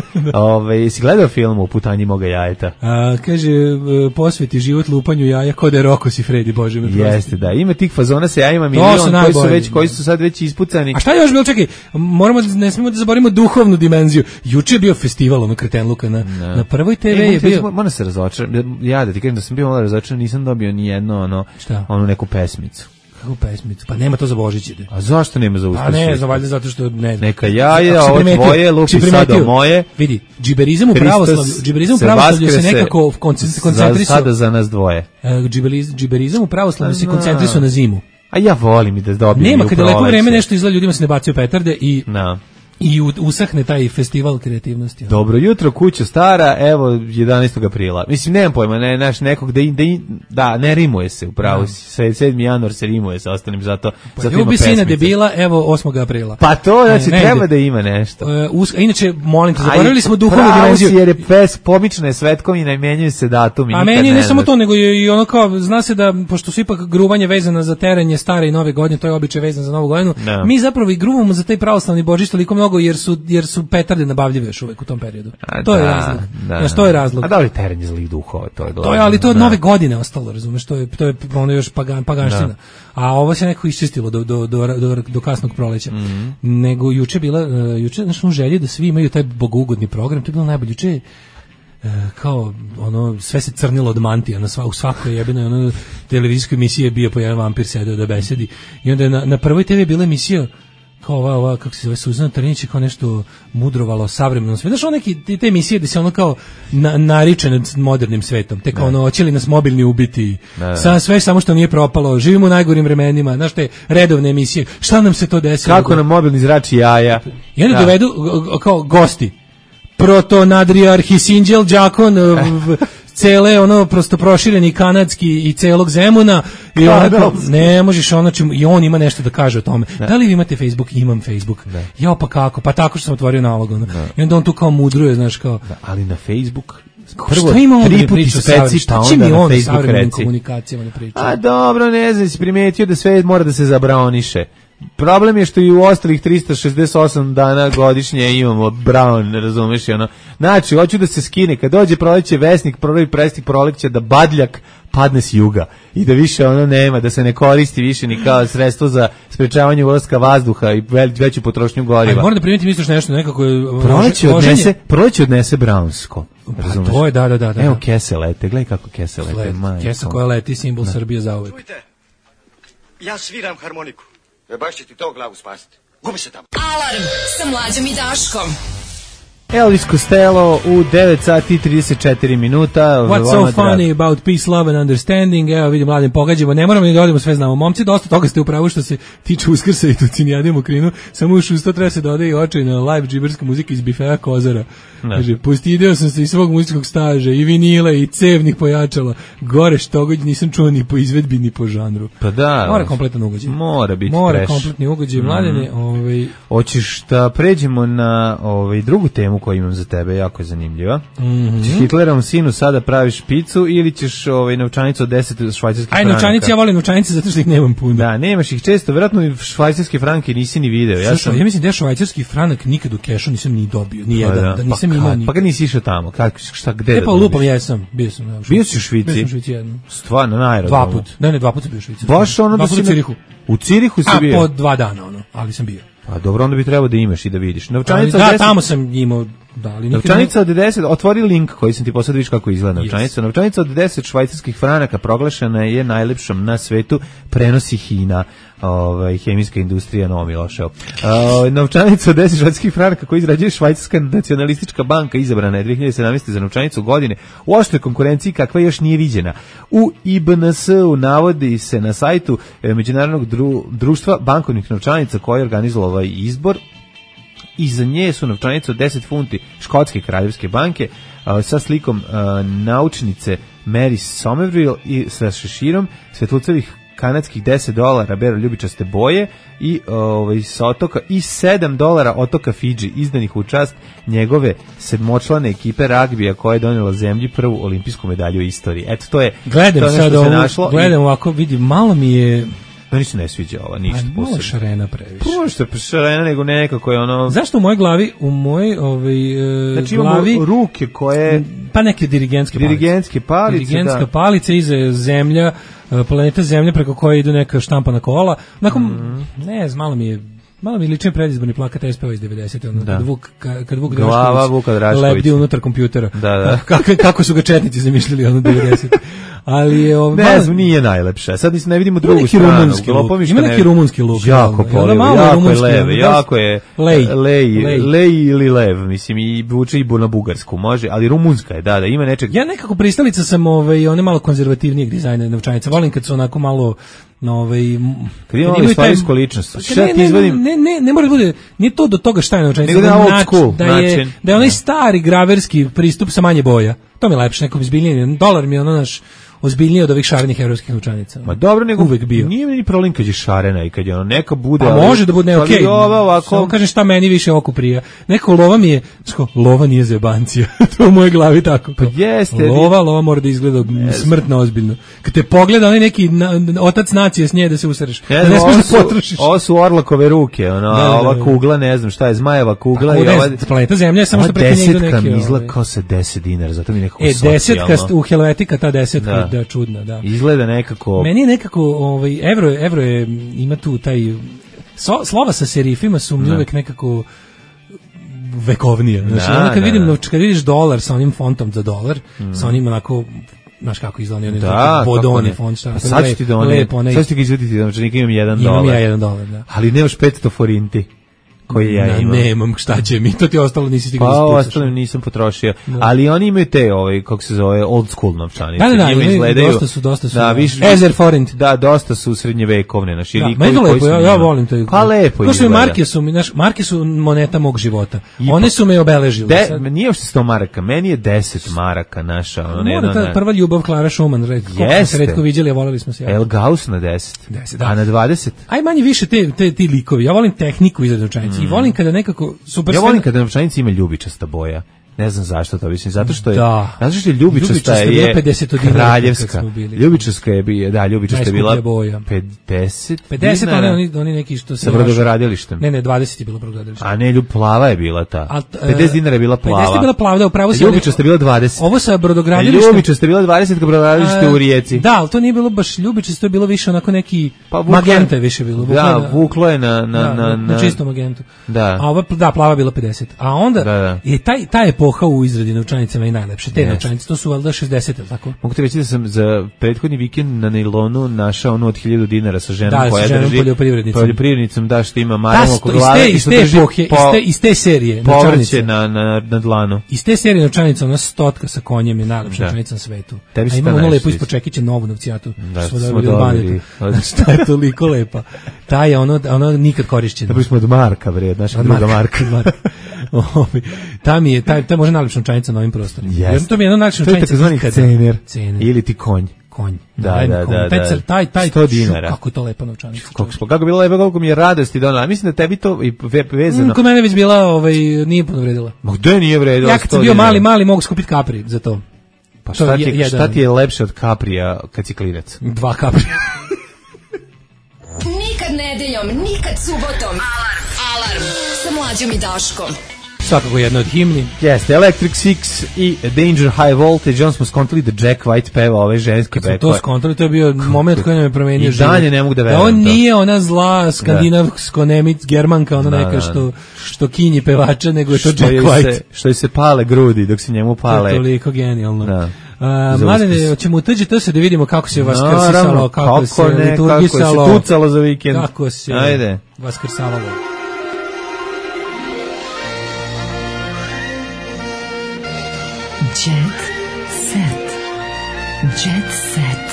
Jesi gledao film u putanji moga jajeta? Kaže, posveti život lupanju jaja, kod je Roko si Fredi, Bože me prosti. Jeste, da. Ima tih fazona sa jajima milion koji su sad već ispucani. A šta je još bilo? Čekaj, ne smemo da zaboravimo duhovnu dimenziju. Juče je bio festival Kretenluka na Prvoj TV je bio. Moram se razočaram. Ja da ti kažem da sam bio malo razočaran, nisam dobio ni jedno neku pesmicu. Kako pesmicu? Pa nema to za Božić ide. A zašto nema za Uskrs? A ne, znam, valjda zato što ne znam. Neka jaje, ovo tvoje, lupi sada moje. Vidi, džiberizam u pravoslavlju se nekako koncentrisu. Sada za nas dvoje. Džiberizam u pravoslavlju se koncentrisu na zimu. A ja volim i da dobijem. Nema, kada je lepo vreme nešto izgleda, ljudima se ne bacio petarde i usahne taj festival kreativnosti. Dobro jutro, kuća stara, evo 11. aprila. Mislim, nemam pojma, nekog ne rimuje se, upravo 7. januar se rimuje sa ostalim, zato ima ljubi sina debila, evo 8. aprila. Pa to, znači, treba da ima nešto. Inače, molim te, zaboravili smo duhovnu dimenziju. Jer je pomična je svetkovina i menjaju se datumi. A meni ne samo to, nego i ono kao, zna se da, pošto su ipak gruvanje vezano za terenje stare i nove godine, to je običaj vezan za novu godinu, mi zapravo i gruvamo za taj pravoslavni Božić toliko mnogo jer su petarde nabavljive još uvek u tom periodu. To je razlog. Znaš, to je razlog. A da li teren je zlih duhova, to je glavno. To je, ali to od nove godine ostalo, razumeš, to je ono još paganština. A ovo se nekako iščistilo do kasnog proleća. Nego juče znaš, želje da svi imaju taj bogougodni program, to je bilo najbolje. Juče kao sve se crnilo od mantija u svakoj jebenoj televizijskoj emisiji je bio po jedan vampir sedeo da besedi i onda je na Prvoj TV bila emisija kao ova kako se zove, Suzana Trnić, kao nešto mudrovalo o savremenom svijetu. Znaš, te emisije gde se ono kao nariče nad modernim svetom, te kao hoće li nas mobilni ubiti, sve samo što nije propalo, živimo u najgorim vremenima, znaš, te redovne emisije, šta nam se to desilo? Kako nam mobilni zrači jaja? I onda dovedu kao gosti, protonadrijarhi Sinđel Đakon, cele prosto prošireni kanadski i celog Zemuna i ne možeš i on ima nešto da kaže o tome. Da li vi imate Facebook? Imam Facebook. Ja pa kako? Pa tako što sam otvorio nalog. I onda on tu kao mudruje, znaš kao. Ali na Facebook Prvo, tri puta ispeci, pa onda na Facebook reci. Komunikacijama ne priča. A dobro, ne znam, si primetio da sve mora da se zabraoniše. Problem je što i u ostalih 368 dana godišnje imamo brown, razumeš, ono. Znači, hoću da se skine, kad dođe proleće Vesnik, prvi presnik proleće da badljak padne s juga i da više ono nema, da se ne koristi više ni kao sredstvo za sprečavanje ulaska vazduha i veću potrošnju goriva. Moram da primetim isto nešto nekako proleće odnese brownsko. Pa to je, da. Evo kese lete, gledaj kako kese lete. Kesa koja leti, simbol Srbije za uvek. Čujte, ja sviram harmoniku. Baš će ti to glavu spasiti. Gubi se tamo. Alarm sa Mlađom i Daškom. Elvis Costello u 9 sati i 34 minuta. What's so funny about peace, love and understanding? Evo vidim, mladim pogađamo. Ne moramo ni da odemo, sve znamo. Momci, dosta toga ste upravo što se tiče Uskrsa i Tucinijade Mokrinu. Samo još uz to treba se dodaje i očajna live džiberska muzika iz bifeja Kozara. Kaže, postideo sam se iz svog muzičkog staža, i vinila, i cevnih pojačala. Gore štogod nisam čuo ni po izvedbi, ni po žanru. Pa da. Mora kompletan ugođaj. Mora biti Mora kompletni ugođaj. Mladene, Hoćeš da pređemo na drugu temu koju imam za tebe, jako je zanimljiva. Ćeš Hitlerovom sinu sada praviš picu ili ćeš novčanicu od 10 švajcarskih franaka? Novčanice, ja volim novčanice zato što ih nemam puno. Da, nemaš ih često, vjerojatno švajcarske franke nisi ni video. Ja mislim da švajcarski franak nikad u kešu nisam ni dobio, ni jedan, da nisam imao ni. Pa kad nisi išao tamo, šta, gde? Pa lupam, jesam, bio sam. Bio si u Švici? Bio sam u Švici jednom. Stvarno, na aerodromu? 2 puta, ne, 2 puta sam bio u Švici. Baš ono da si... U Cirihu. U Cirihu si bio? Po 2 dana, ali sam bio. Pa dobro, onda bi trebao da imaš i da vidiš. Novčanica od 10... tamo sam imao. Novčanica od 10, otvori link koji sam ti poslao, vidiš kako izgleda novčanica. Novčanica od 10 švajcarskih franaka proglašena je najlepšom na svetu, prenosi Hina, hemijska industrija Novo Miloševo. Novčanica od 10 švajcarskih franaka koju izrađuje Švajcarska nacionalistička banka, izabrana je 2017. za novčanicu godine u oštroj konkurenciji kakva još nije viđena. U IBNS-u navodi se na sajtu Međunarodnog društva bankovnih novčanica koji je organizovao ovaj izbor. Iza nje su novčanice od 10 funti Škotske kraljevske banke sa slikom naučnice Mary Somerville i sa šeširom svetlucevih kanadskih $10 bero ljubičaste boje i sa otoka i $7 otoka Fidži izdanih u čast njegove sedmočlane ekipe ragbija koja je donijela zemlji prvu olimpijsku medalju u istoriji. Eto, to je gledam sad ovo, gledam ovako, vidim, malo mi je. Meni se ne sviđa ova, ništa posebno. Malo šarena previše. Prvo što je šarena, nego nekako je ono... Zašto u mojoj glavi, znači glavi... imamo ruke koje... Pa neke dirigentske palice. Dirigentska palica, iza zemlja, planeta Zemlja preko koje idu neka štampana kola. Onako, ne znam, malo mi liči predizborni plakat SPO iz 90. Kad Vuk Drašković lebdi unutar kompjutera. Da. Kako su ga četnici zamišljali 90. Ali je ne znam, nije najlepše. Sad ne vidimo drugu stranu. Ima neki rumunski luk. Jako polivo, jako je lev, jako je lej ili lev, mislim, i vuče i na bugarsku, može, ali rumunska je, da, ima nečeg. Ja nekako pristalica sam one malo konzervativnijeg dizajna novčanica. Volim kad su onako malo kad imamo istorijsku ličnost. Ne mora da bude, nije to do toga šta je novčanica, da je onaj stari graverski pristup sa manje boja. To mi je lepše, neko izbiljnije. Dolar mi je ono naš ozbiljnije od ovih šarenih evropskih novčanica. Ma dobro, nego uvek bio. Nije mi ni problem kad je šarena i kad je ono neka bude. Pa može da bude okej. Samo kažem šta meni više oko prija. Neko lova mi je, lova nije zebancija. To u mojoj glavi tako. Pa jeste. Lova mora da izgleda smrtno ozbiljno. Kad te pogleda onaj neki otac nacije s nje da se usereš. Da ne smiješ da potrošiš. Ovo su Orlakove ruke, ova kugla, ne znam šta je, zmajeva kugla i ova planeta Zemlja, samo što preko nje idu neki. Desetka mi izgleda kao sa $10, zato mi nekako socijalno. Desetka u Helvetika, ta desetka. Da, čudna, da. Izgleda nekako... Meni je nekako, evro je, ima tu taj... Slova sa serifima su mi uvek nekako vekovnije. Znači, kad vidiš dolar sa onim fontom za dolar, sa onim onako... Znaš kako izgleda onim bodoni font. Sad ću ti da sad ću ti ga izvediti, znači nikad imam $1. Imam ja $1, da. Ali nemaš 500 forinti. Koji ja imam. Nemam, šta će mi, to ti ostalo nisi stigao da spucaš. Pa ostalo nisam potrošio, ali oni imaju te, kako se zove, old school novčanice. Da, dosta su. Da, Ezer forint. Da, dosta su srednjevekovne, naši likovi. Meni to lepo, ja volim to. Pa lepo izgleda. Marke su moneta mog života. One su me obeležile. Nije uopšte 100 maraka, meni je 10 maraka naša. Mora ta prva ljubav Klara Schumann, koliko se retko viđali, a voleli smo se. El Gauss na 10, a na 20? Aj manje više ti likovi, ja volim tehniku izrade novčanice. I volim kada nekako super. Ja volim kada novčanica ima ljubičasta boja. Ne znam zašto to, mislim, zato što je ljubičasta je kraljevska. Ljubičasta je bila 50 oni neki što se sa brodogradilištem. Ne, 20 je bilo brodogradilište. A ne, plava je bila ta. 50 dinara je bila plava. 50 je bila plava, da, upravo se. Ljubičasta je bila 20. Ovo sa brodogradilištem. Ljubičasta je bila 20 kad brodogradilište u Rijeci. Da, al to nije bilo baš ljubičasto, je bilo više onako neki magenta je više bilo. Da, vuklo je na čisto magentu. Da. A ova plava bila 50. A onda je ta epoha u izradi novčanica i najlepše. Te novčanice, to su valjda 60, tako? Mogu ti reći da sam za prethodni vikend na nailonu našao onu od 1000 dinara sa ženom koja drži poljoprivrednicom, da, što ima maram oko glave i što drži iz te serije povrće na dlanu. Iz te serije novčanica, ona stotka sa konjem je najlepša novčanica na svetu. A ima ono lepo ispod čekića novu novcijatu. Smo dobili. Šta je toliko lepa. Ta je ono nikad korišćena. Da smo od Marka, vred, naša druga Marka. Ta je možda najlepša novčanica na ovim prostorima. To mi je jedna najlepša novčanica. To je takozvani cener. Ili ti konj. Da. Taj 100 dinara. Kako je to lepa novčanica. Kako bilo lepo, koliko mi je radosti donela. Mislim da tebi to i vezano. Kod mene već bila, nije puno vredila. Ma gde nije vredila? Ja kad sam bio mali mogu skupiti kapri za to. Pa šta ti je lepše od kaprija kad si klinac? 2 kaprija. Nikad nedeljom, nikad subotom. Alarm sa Mlađom i Daškom. Svakako jedno od himni. Jeste, Electric Six i Danger High Voltage. On smo skontali da Jack White peva ove ženske bekove. To skontali, to je bio moment koji nam je promenio život. I dalje ne mogu da verujem. On nije ona zla skandinavsko-nemic germanka, ona neka što kinji pevača, nego je to Jack White. Što se pale grudi dok se njemu pale. To je toliko genijalno. Mladene, ćemo uteđi to se da vidimo kako se vaskrsisalo, kako se liturgisalo, kako se tucalo za vikend. Kako se vaskrsavalo. Jet set. Jet set.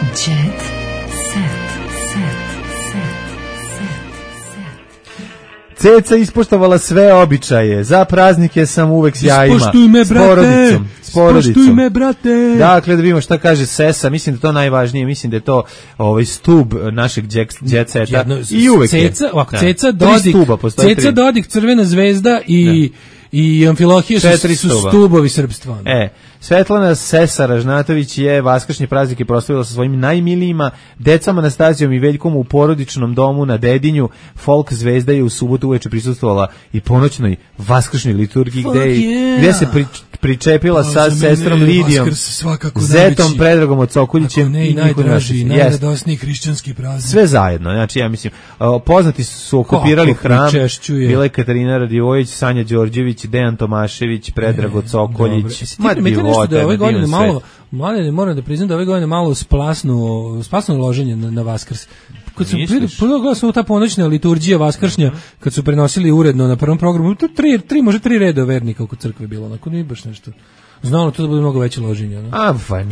Jet set. Ceca ispoštovala sve običaje. Za praznike sam uvek s jajima. Ispoštuj me, brate. S porodicom. Ispoštuj me, brate. Dakle, da vidimo šta kaže Sesa. Mislim da to najvažnije. Mislim da je to stub našeg jet seta. I uvek Ceca, Dodik, Crvena zvezda i Amfilohije su stubovi srpstva. Svetlana Sesa Ražnatović je vaskršnje praznike proslavila sa svojim najmilijima, decama Anastasijom i Veljkom u porodičnom domu na Dedinju. Folk zvezda je u subotu uveče prisustvovala i ponoćnoj vaskršnoj liturgiji gde se pričepila sa sestrom Lidijom, zetom Predragom od Sokoljićem i najradosniji hrišćanski praznik. Sve zajedno, znači ja mislim, poznati su okupirali hram, bila je Katarina Radivojević, Sanja Đorđević, Dejan Tomašević, Predrag od Sokoljić. Da je ove godine malo, mlade, moram da priznam da ove godine malo splasno loženje na Vaskrs. Kad sam pogledao sam ta ponoćna liturgija vaskršnja, kad su prenosili uredno na prvom programu, može tri reda vernika oko crkve bilo, onako nije baš nešto. Znalo to da bude mnogo veće loženje.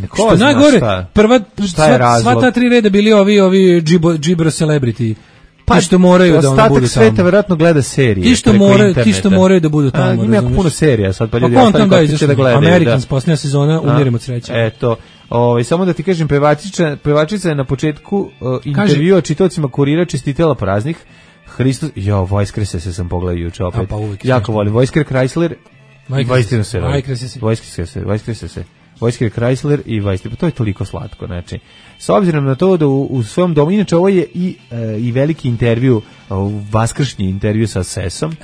Ko zna šta? Sva ta 3 reda bili ovi Gibro Celebrity. Ti što moraju da ono budu tamo. Sveta verovatno gleda serije. Ti što moraju da budu tamo. Ima jako puno serija sad, pa ljudi ostali ko će da gledaju. Americans, posljednja sezona, umirim od sreće. Eto, samo da ti kažem, pevačica je na početku intervjua čitaocima Kurira čestitela praznik. Hristos, Vojskrese se sam pogledao juče opet. Jako volim. Vojsker Chrysler. Vojsker Chrysler i Vajster, to je toliko slatko, znači. S obzirom na to da u svom domu, inače ovo je i veliki intervju, vaskršnji intervju sa Sesom.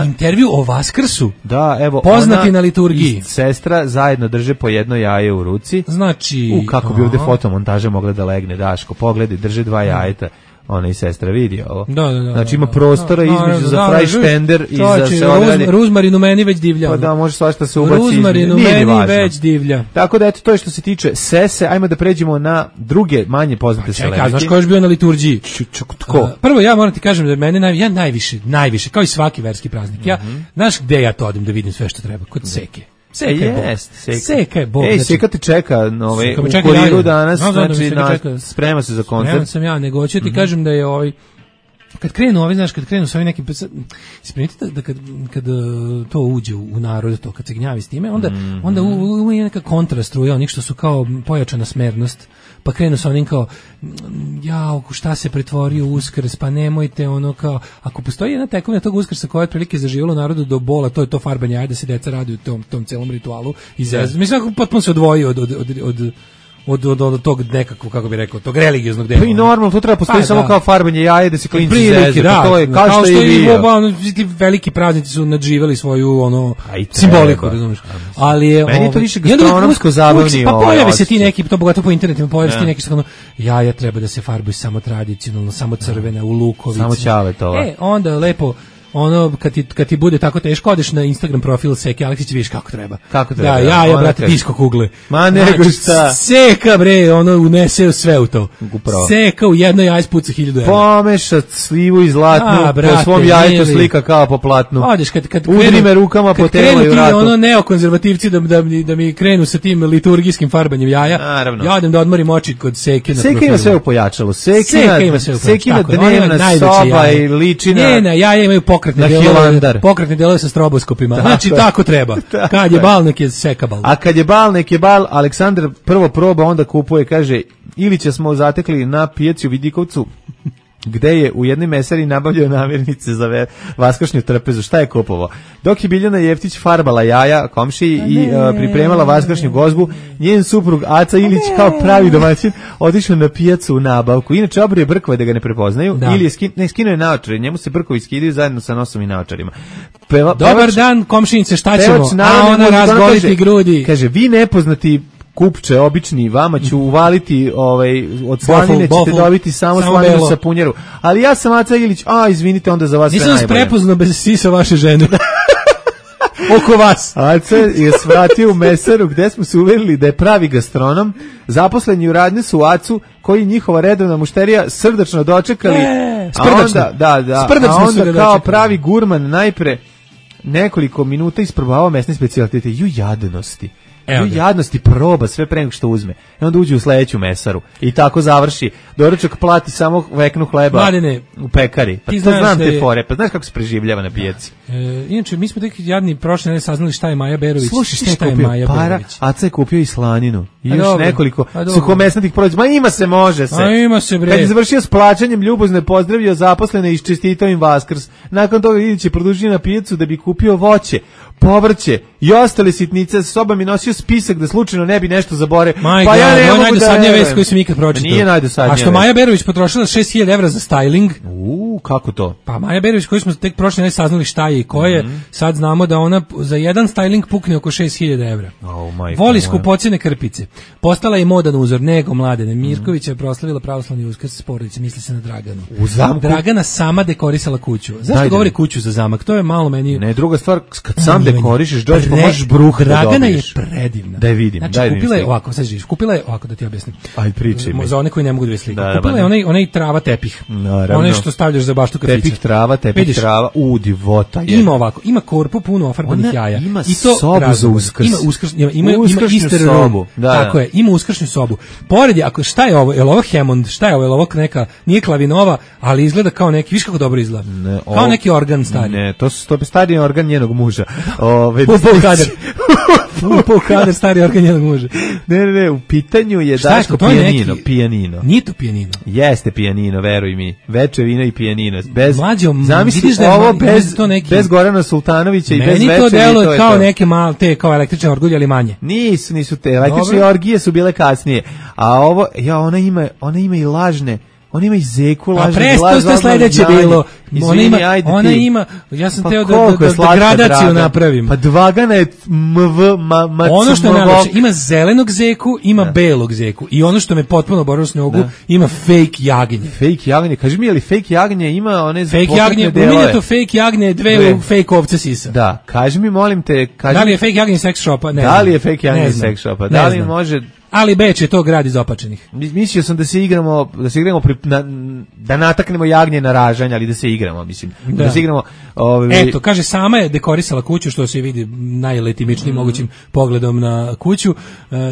Intervju o Vaskrsu? Da, evo. Poznati na liturgiji. I sestra zajedno drže po jedno jaje u ruci. Znači. Kako bi ovde fotomontaža mogla da legne, Daško, pogledaj, drže 2 jajeta. Ona i sestra vidi ovo. Znači ima prostora između za frajštender i za sve odrede. Ruzmarin u meni već divlja. Pa da, može svašta se ubaci. Ruzmarin u meni već divlja. Tako da, eto, to je što se tiče Sese. Ajmo da pređemo na druge manje poznate celebrity. Znaš ko je bio na liturgiji? Tko? Prvo, ja moram ti kažem da mene ja najviše, kao i svaki verski praznik. Znaš gde ja to odim da vidim sve što treba? Kod Seke. Seka je Bog. Seka te čeka u Kuriru danas, znači sprema se za koncert. Spreman sam ja, nego hoću ti kažem da je kad krenu ovi, znaš, kad krenu sa ovim nekim, primetite da kad to uđe u narod, to kad se gnjavi s time, onda je neka kontrastruja, onih što su kao pojačana smernost, pa krenu sa onim kao, jao, šta se pretvorio Uskrs, pa nemojte ono kao, ako postoji jedna tekovina tog Uskrsa koja je otprilike zaživjela u narodu do bola, to je to farbanje jaja, da se deca radi u tom celom ritualu, mislim, potpuno se odvoji od tog nekakvog, kako bi rekao, tog religioznog dela. Pa i normalno, to treba postoji samo kao farbanje jaje, da se klinci zezu, da, to je kao što je bio. Ti veliki praznici su nadživeli svoju simboliku, razumiješ. Ali je meni je to više gastronomsko zabavnije. Pa pojave se ti neki, to bogato po internetima, pojave se ti neki što jaja treba da se farbuju samo tradicionalno, samo crvena, u lukovici. Samo ćavetova. Onda lepo ono, kad ti bude tako teško, odeš na Instagram profil Seke Aleksić, vidiš kako treba. Kako treba? Da, jaja, brate, disko kugle. Ma nego šta. Seka, bre, ono, unese sve u to. Upravo. Seka u jedno jaje spuca 1000 evra. Pomešat slivu i zlatnu, po svom jajetu slika kao po platnu. Odeš, kad udri me rukama po telu i vratu. Kad krenu ti neokonzervativci da mi krenu sa tim liturgijskim farbanjem jaja, naravno. Ja odem da odmorim oči kod Seke na profilu. Seka ima sve u pojačalu. Sekina dnevna soba i ličina. Njena jaja imaju pokretne delove sa stroboskopima. Znači tako treba. Kad je bal, nek je Seka bal. A kad je bal, nek je bal. Aleksandar prvo proba, onda kupuje, kaže, Ilića smo zatekli na pijaci u Vidikovcu, gde je u jednoj mesari nabavljao namirnice za vaskršnju trpezu. Šta je kupovao? Dok je Biljana Jeftić farbala jaja komšiji i pripremala vaskršnju gozbu, njen suprug Aca Ilić kao pravi domaćin otišao na pijacu u nabavku. Inače obrije brkove da ga ne prepoznaju, ili je skinuo je naočare, njemu se brkovi skidaju zajedno sa nosom i naočarima. Dobar dan, komšinice, šta ćemo? A ona razgoliti grudi. Kaže, vi nepoznati kupče, obični, vama ću uvaliti od slanine, ćete dobiti samo slaninu sa punjeru. Ali ja sam Aca Ilić, izvinite, onda za vas sve najbolje. Nisam prepoznao bez sisa vaše žene. Oko vas. Aca je svratio u mesaru gde smo se uverili da je pravi gastronom. Zaposleni u radnju su Acu, koji njihova redovna mušterija srdačno dočekali. A onda kao pravi gurman najpre nekoliko minuta isprobavao mesne specijalitete. Jadnosti. Jadnosti proba sve pre nego što uzme. I onda uđe u sledeću mesaru. I tako završi. Doručak plati samo veknu hleba. Mladine, u pekari. Pa to znam te fore. Pa znaš kako se preživljava na pijaci. Inače, mi smo tek jadni prošle nedelje saznali šta je Maja Berović. Slušaj, šta je Maja Berović? Aca je kupio i slaninu. I još nekoliko suhomesnatih proizvoda. Ma ima se, može se. Ima se, bre. Kad je završio s plaćanjem, ljubazno je pozdravio zaposlene i čestitao im Vaskrs. Nakon toga Ilić je produžio na pijacu da bi kupio voće, povrće i ostale sitnice. Sa sobom je nosio spisak da slučajno ne bi nešto zabore. Pa ja ne mogu najdosadnija vest koju sam ikad pročitao. Nije najdosadnija. A što Maja Berović potrošila 6.000 evra za styling. Kako to? Pa Maja Berović, koju smo tek prošle nedelje saznali šta je i ko je, sad znamo da ona za jedan styling pukne oko 6.000 evra. Voli skupocjene krpice. Postala je modan uzor, nego Mladene Mirković je proslavila pravoslavni Uskrs s porodicom, misli se na Draganu. U zamku? Dragana sama dekorisala kuću. Zašto govori kuću za zamak? To je malo meni... Ne, druga stvar, kad sam dekorišeš, dođeš pa možeš bruh da dobiješ. Dragana je predivna. Da je vidim. Znači, kupila je ovako, sad živiš, kupila je ovako da ti objasnim. Aj, pričaj mi. Za one koji ne mogu da vidi sliku. Kupila je onaj trava tepih. Onaj što stavljaš za baštu kafića. Tepih trava, divota je. Ima ovako, ima korpu puno ofarbanih jaja. Ima sobu za Uskrs. Ima Easter sobu. Tako je, ima uskršnju sobu. Pored je, ako šta je ovo? Je li ovo Hammond? Šta je ovo? Je li ovo neka, nije klavinova, ali izgleda kao neki, viš kako dobro izgleda. Kao neki organ stari. Ne, to je stari organ njenog muža. Pol kader stari organ njenog muža. Ne, u pitanju je Daško pijanino. Nije to pijanino. Jeste pijanino, veruj mi. Veče vina i pijanino. Zamisli ovo bez Gorana Sultanovića i bez veče. Meni to deluje kao neke male, te kao električne orgulje, ali manje. Nisu te. Električne orgije su bile kasnije. A ovo, ona ima i lažne. Ona ima i zeku, lažne. A presto ste sledeće bilo. Ona ima, ja sam teo da gradaciju napravim. Pa Dvagana je ono što je najlepše, ima zelenog zeku, ima belog zeku. I ono što me potpuno borilo s njogu, ima fake jagnje. Fake jagnje, kaži mi, je li fake jagnje ima one fake jagnje, pominje to fake jagnje, dve fake ovce sisa. Da, kaži mi, molim te. Da li je fake jagnje sex shopa? Da li je fake jagnje sex shopa? Da li može... Ali Beč je to grad iz opačenih. Mislio sam da se igramo, da nataknemo jagnje na ražanje, ali da se igramo igramo, mislim. Da se igramo... Eto, kaže, sama je dekorisala kuću, što se vidi najletimičnijim mogućim pogledom na kuću.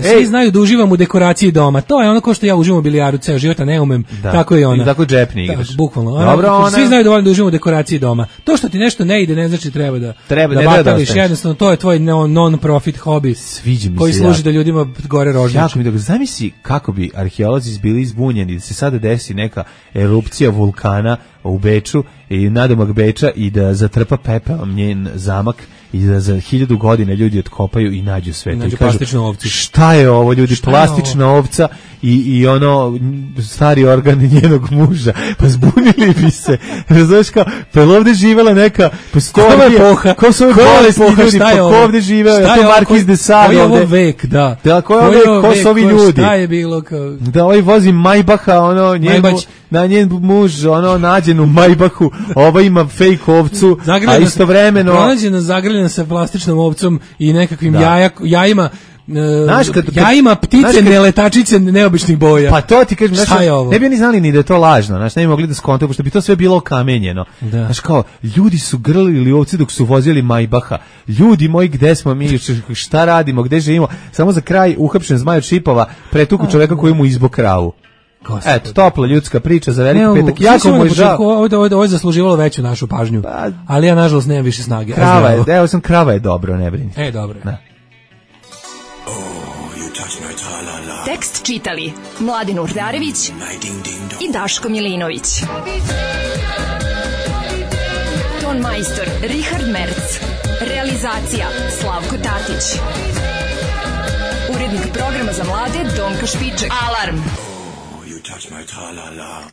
Svi znaju da uživam u dekoraciji doma. To je ono ko što ja uživam u bilijaru ceo život, a ne umem. Tako je ona. I tako džepni igraš. Bukvalno. Dobro, svi znaju da volim da uživam u dekoraciji doma. To što ti nešto ne ide, ne znači treba da batališ. Jednostavno, to je tvoj non-profit hobi koji služi da ljudima gore rožniče. Jako mi dobro. Zamisli kako bi arheolozi bili izbunjeni da se sada desi neka erupcija vulkana u Beču i nadomak Beča i da zatrpa pepelom njen zamak i da za 1000 godina ljudi otkopaju i nađu sve. Nađu plastičnu ovcu. Šta je ovo, ljudi? Plastična ovca i ono stari organ njenog muža. Pa zbunili bi se. Razumeš kao, pa ovde živela neka epoha. Ko su ove bolesti ljudi? Pa ko ovde živeo? Je to Markiz de Sade? Koji je ovo vek, da. Ko je ovo vek? Ko su ovi ljudi? Šta je bilo kao... Da ovaj vozi Majbaha, ono, na njen muž, ono, nađen u Majbahu, ova ima fake ovcu, a istovremeno... Pronađena zagrljena sa plastičnom ovcom i nekakvim jajima, jajima ptice neletačice neobičnih boja. Pa to ti kažem, ne bi oni znali ni da je to lažno, znaš, ne bi mogli da skontaju, pošto bi to sve bilo okamenjeno. Znaš, kao, ljudi su grlili ovci dok su vozili Majbaha. Ljudi moji, gde smo mi, šta radimo, gde živimo? Samo za kraj uhapšen Zmaj od Šipova pretuku čoveka koji mu izbo kravu. Eto, topla ljudska priča za veliki petak. Jako mu je žao. Ovo je zasluživalo veću našu pažnju, ali ja nažalost nemam više snage. Krava je dobro, ne brini. Dobro. Tekst čitali Mladin Urdarević i Daško Milinović. Ton majstor Richard Merc. Realizacija Slavko Tatić. Urednik programa za mlade Donka Špiček. Alarm! You touch my tra-la-la.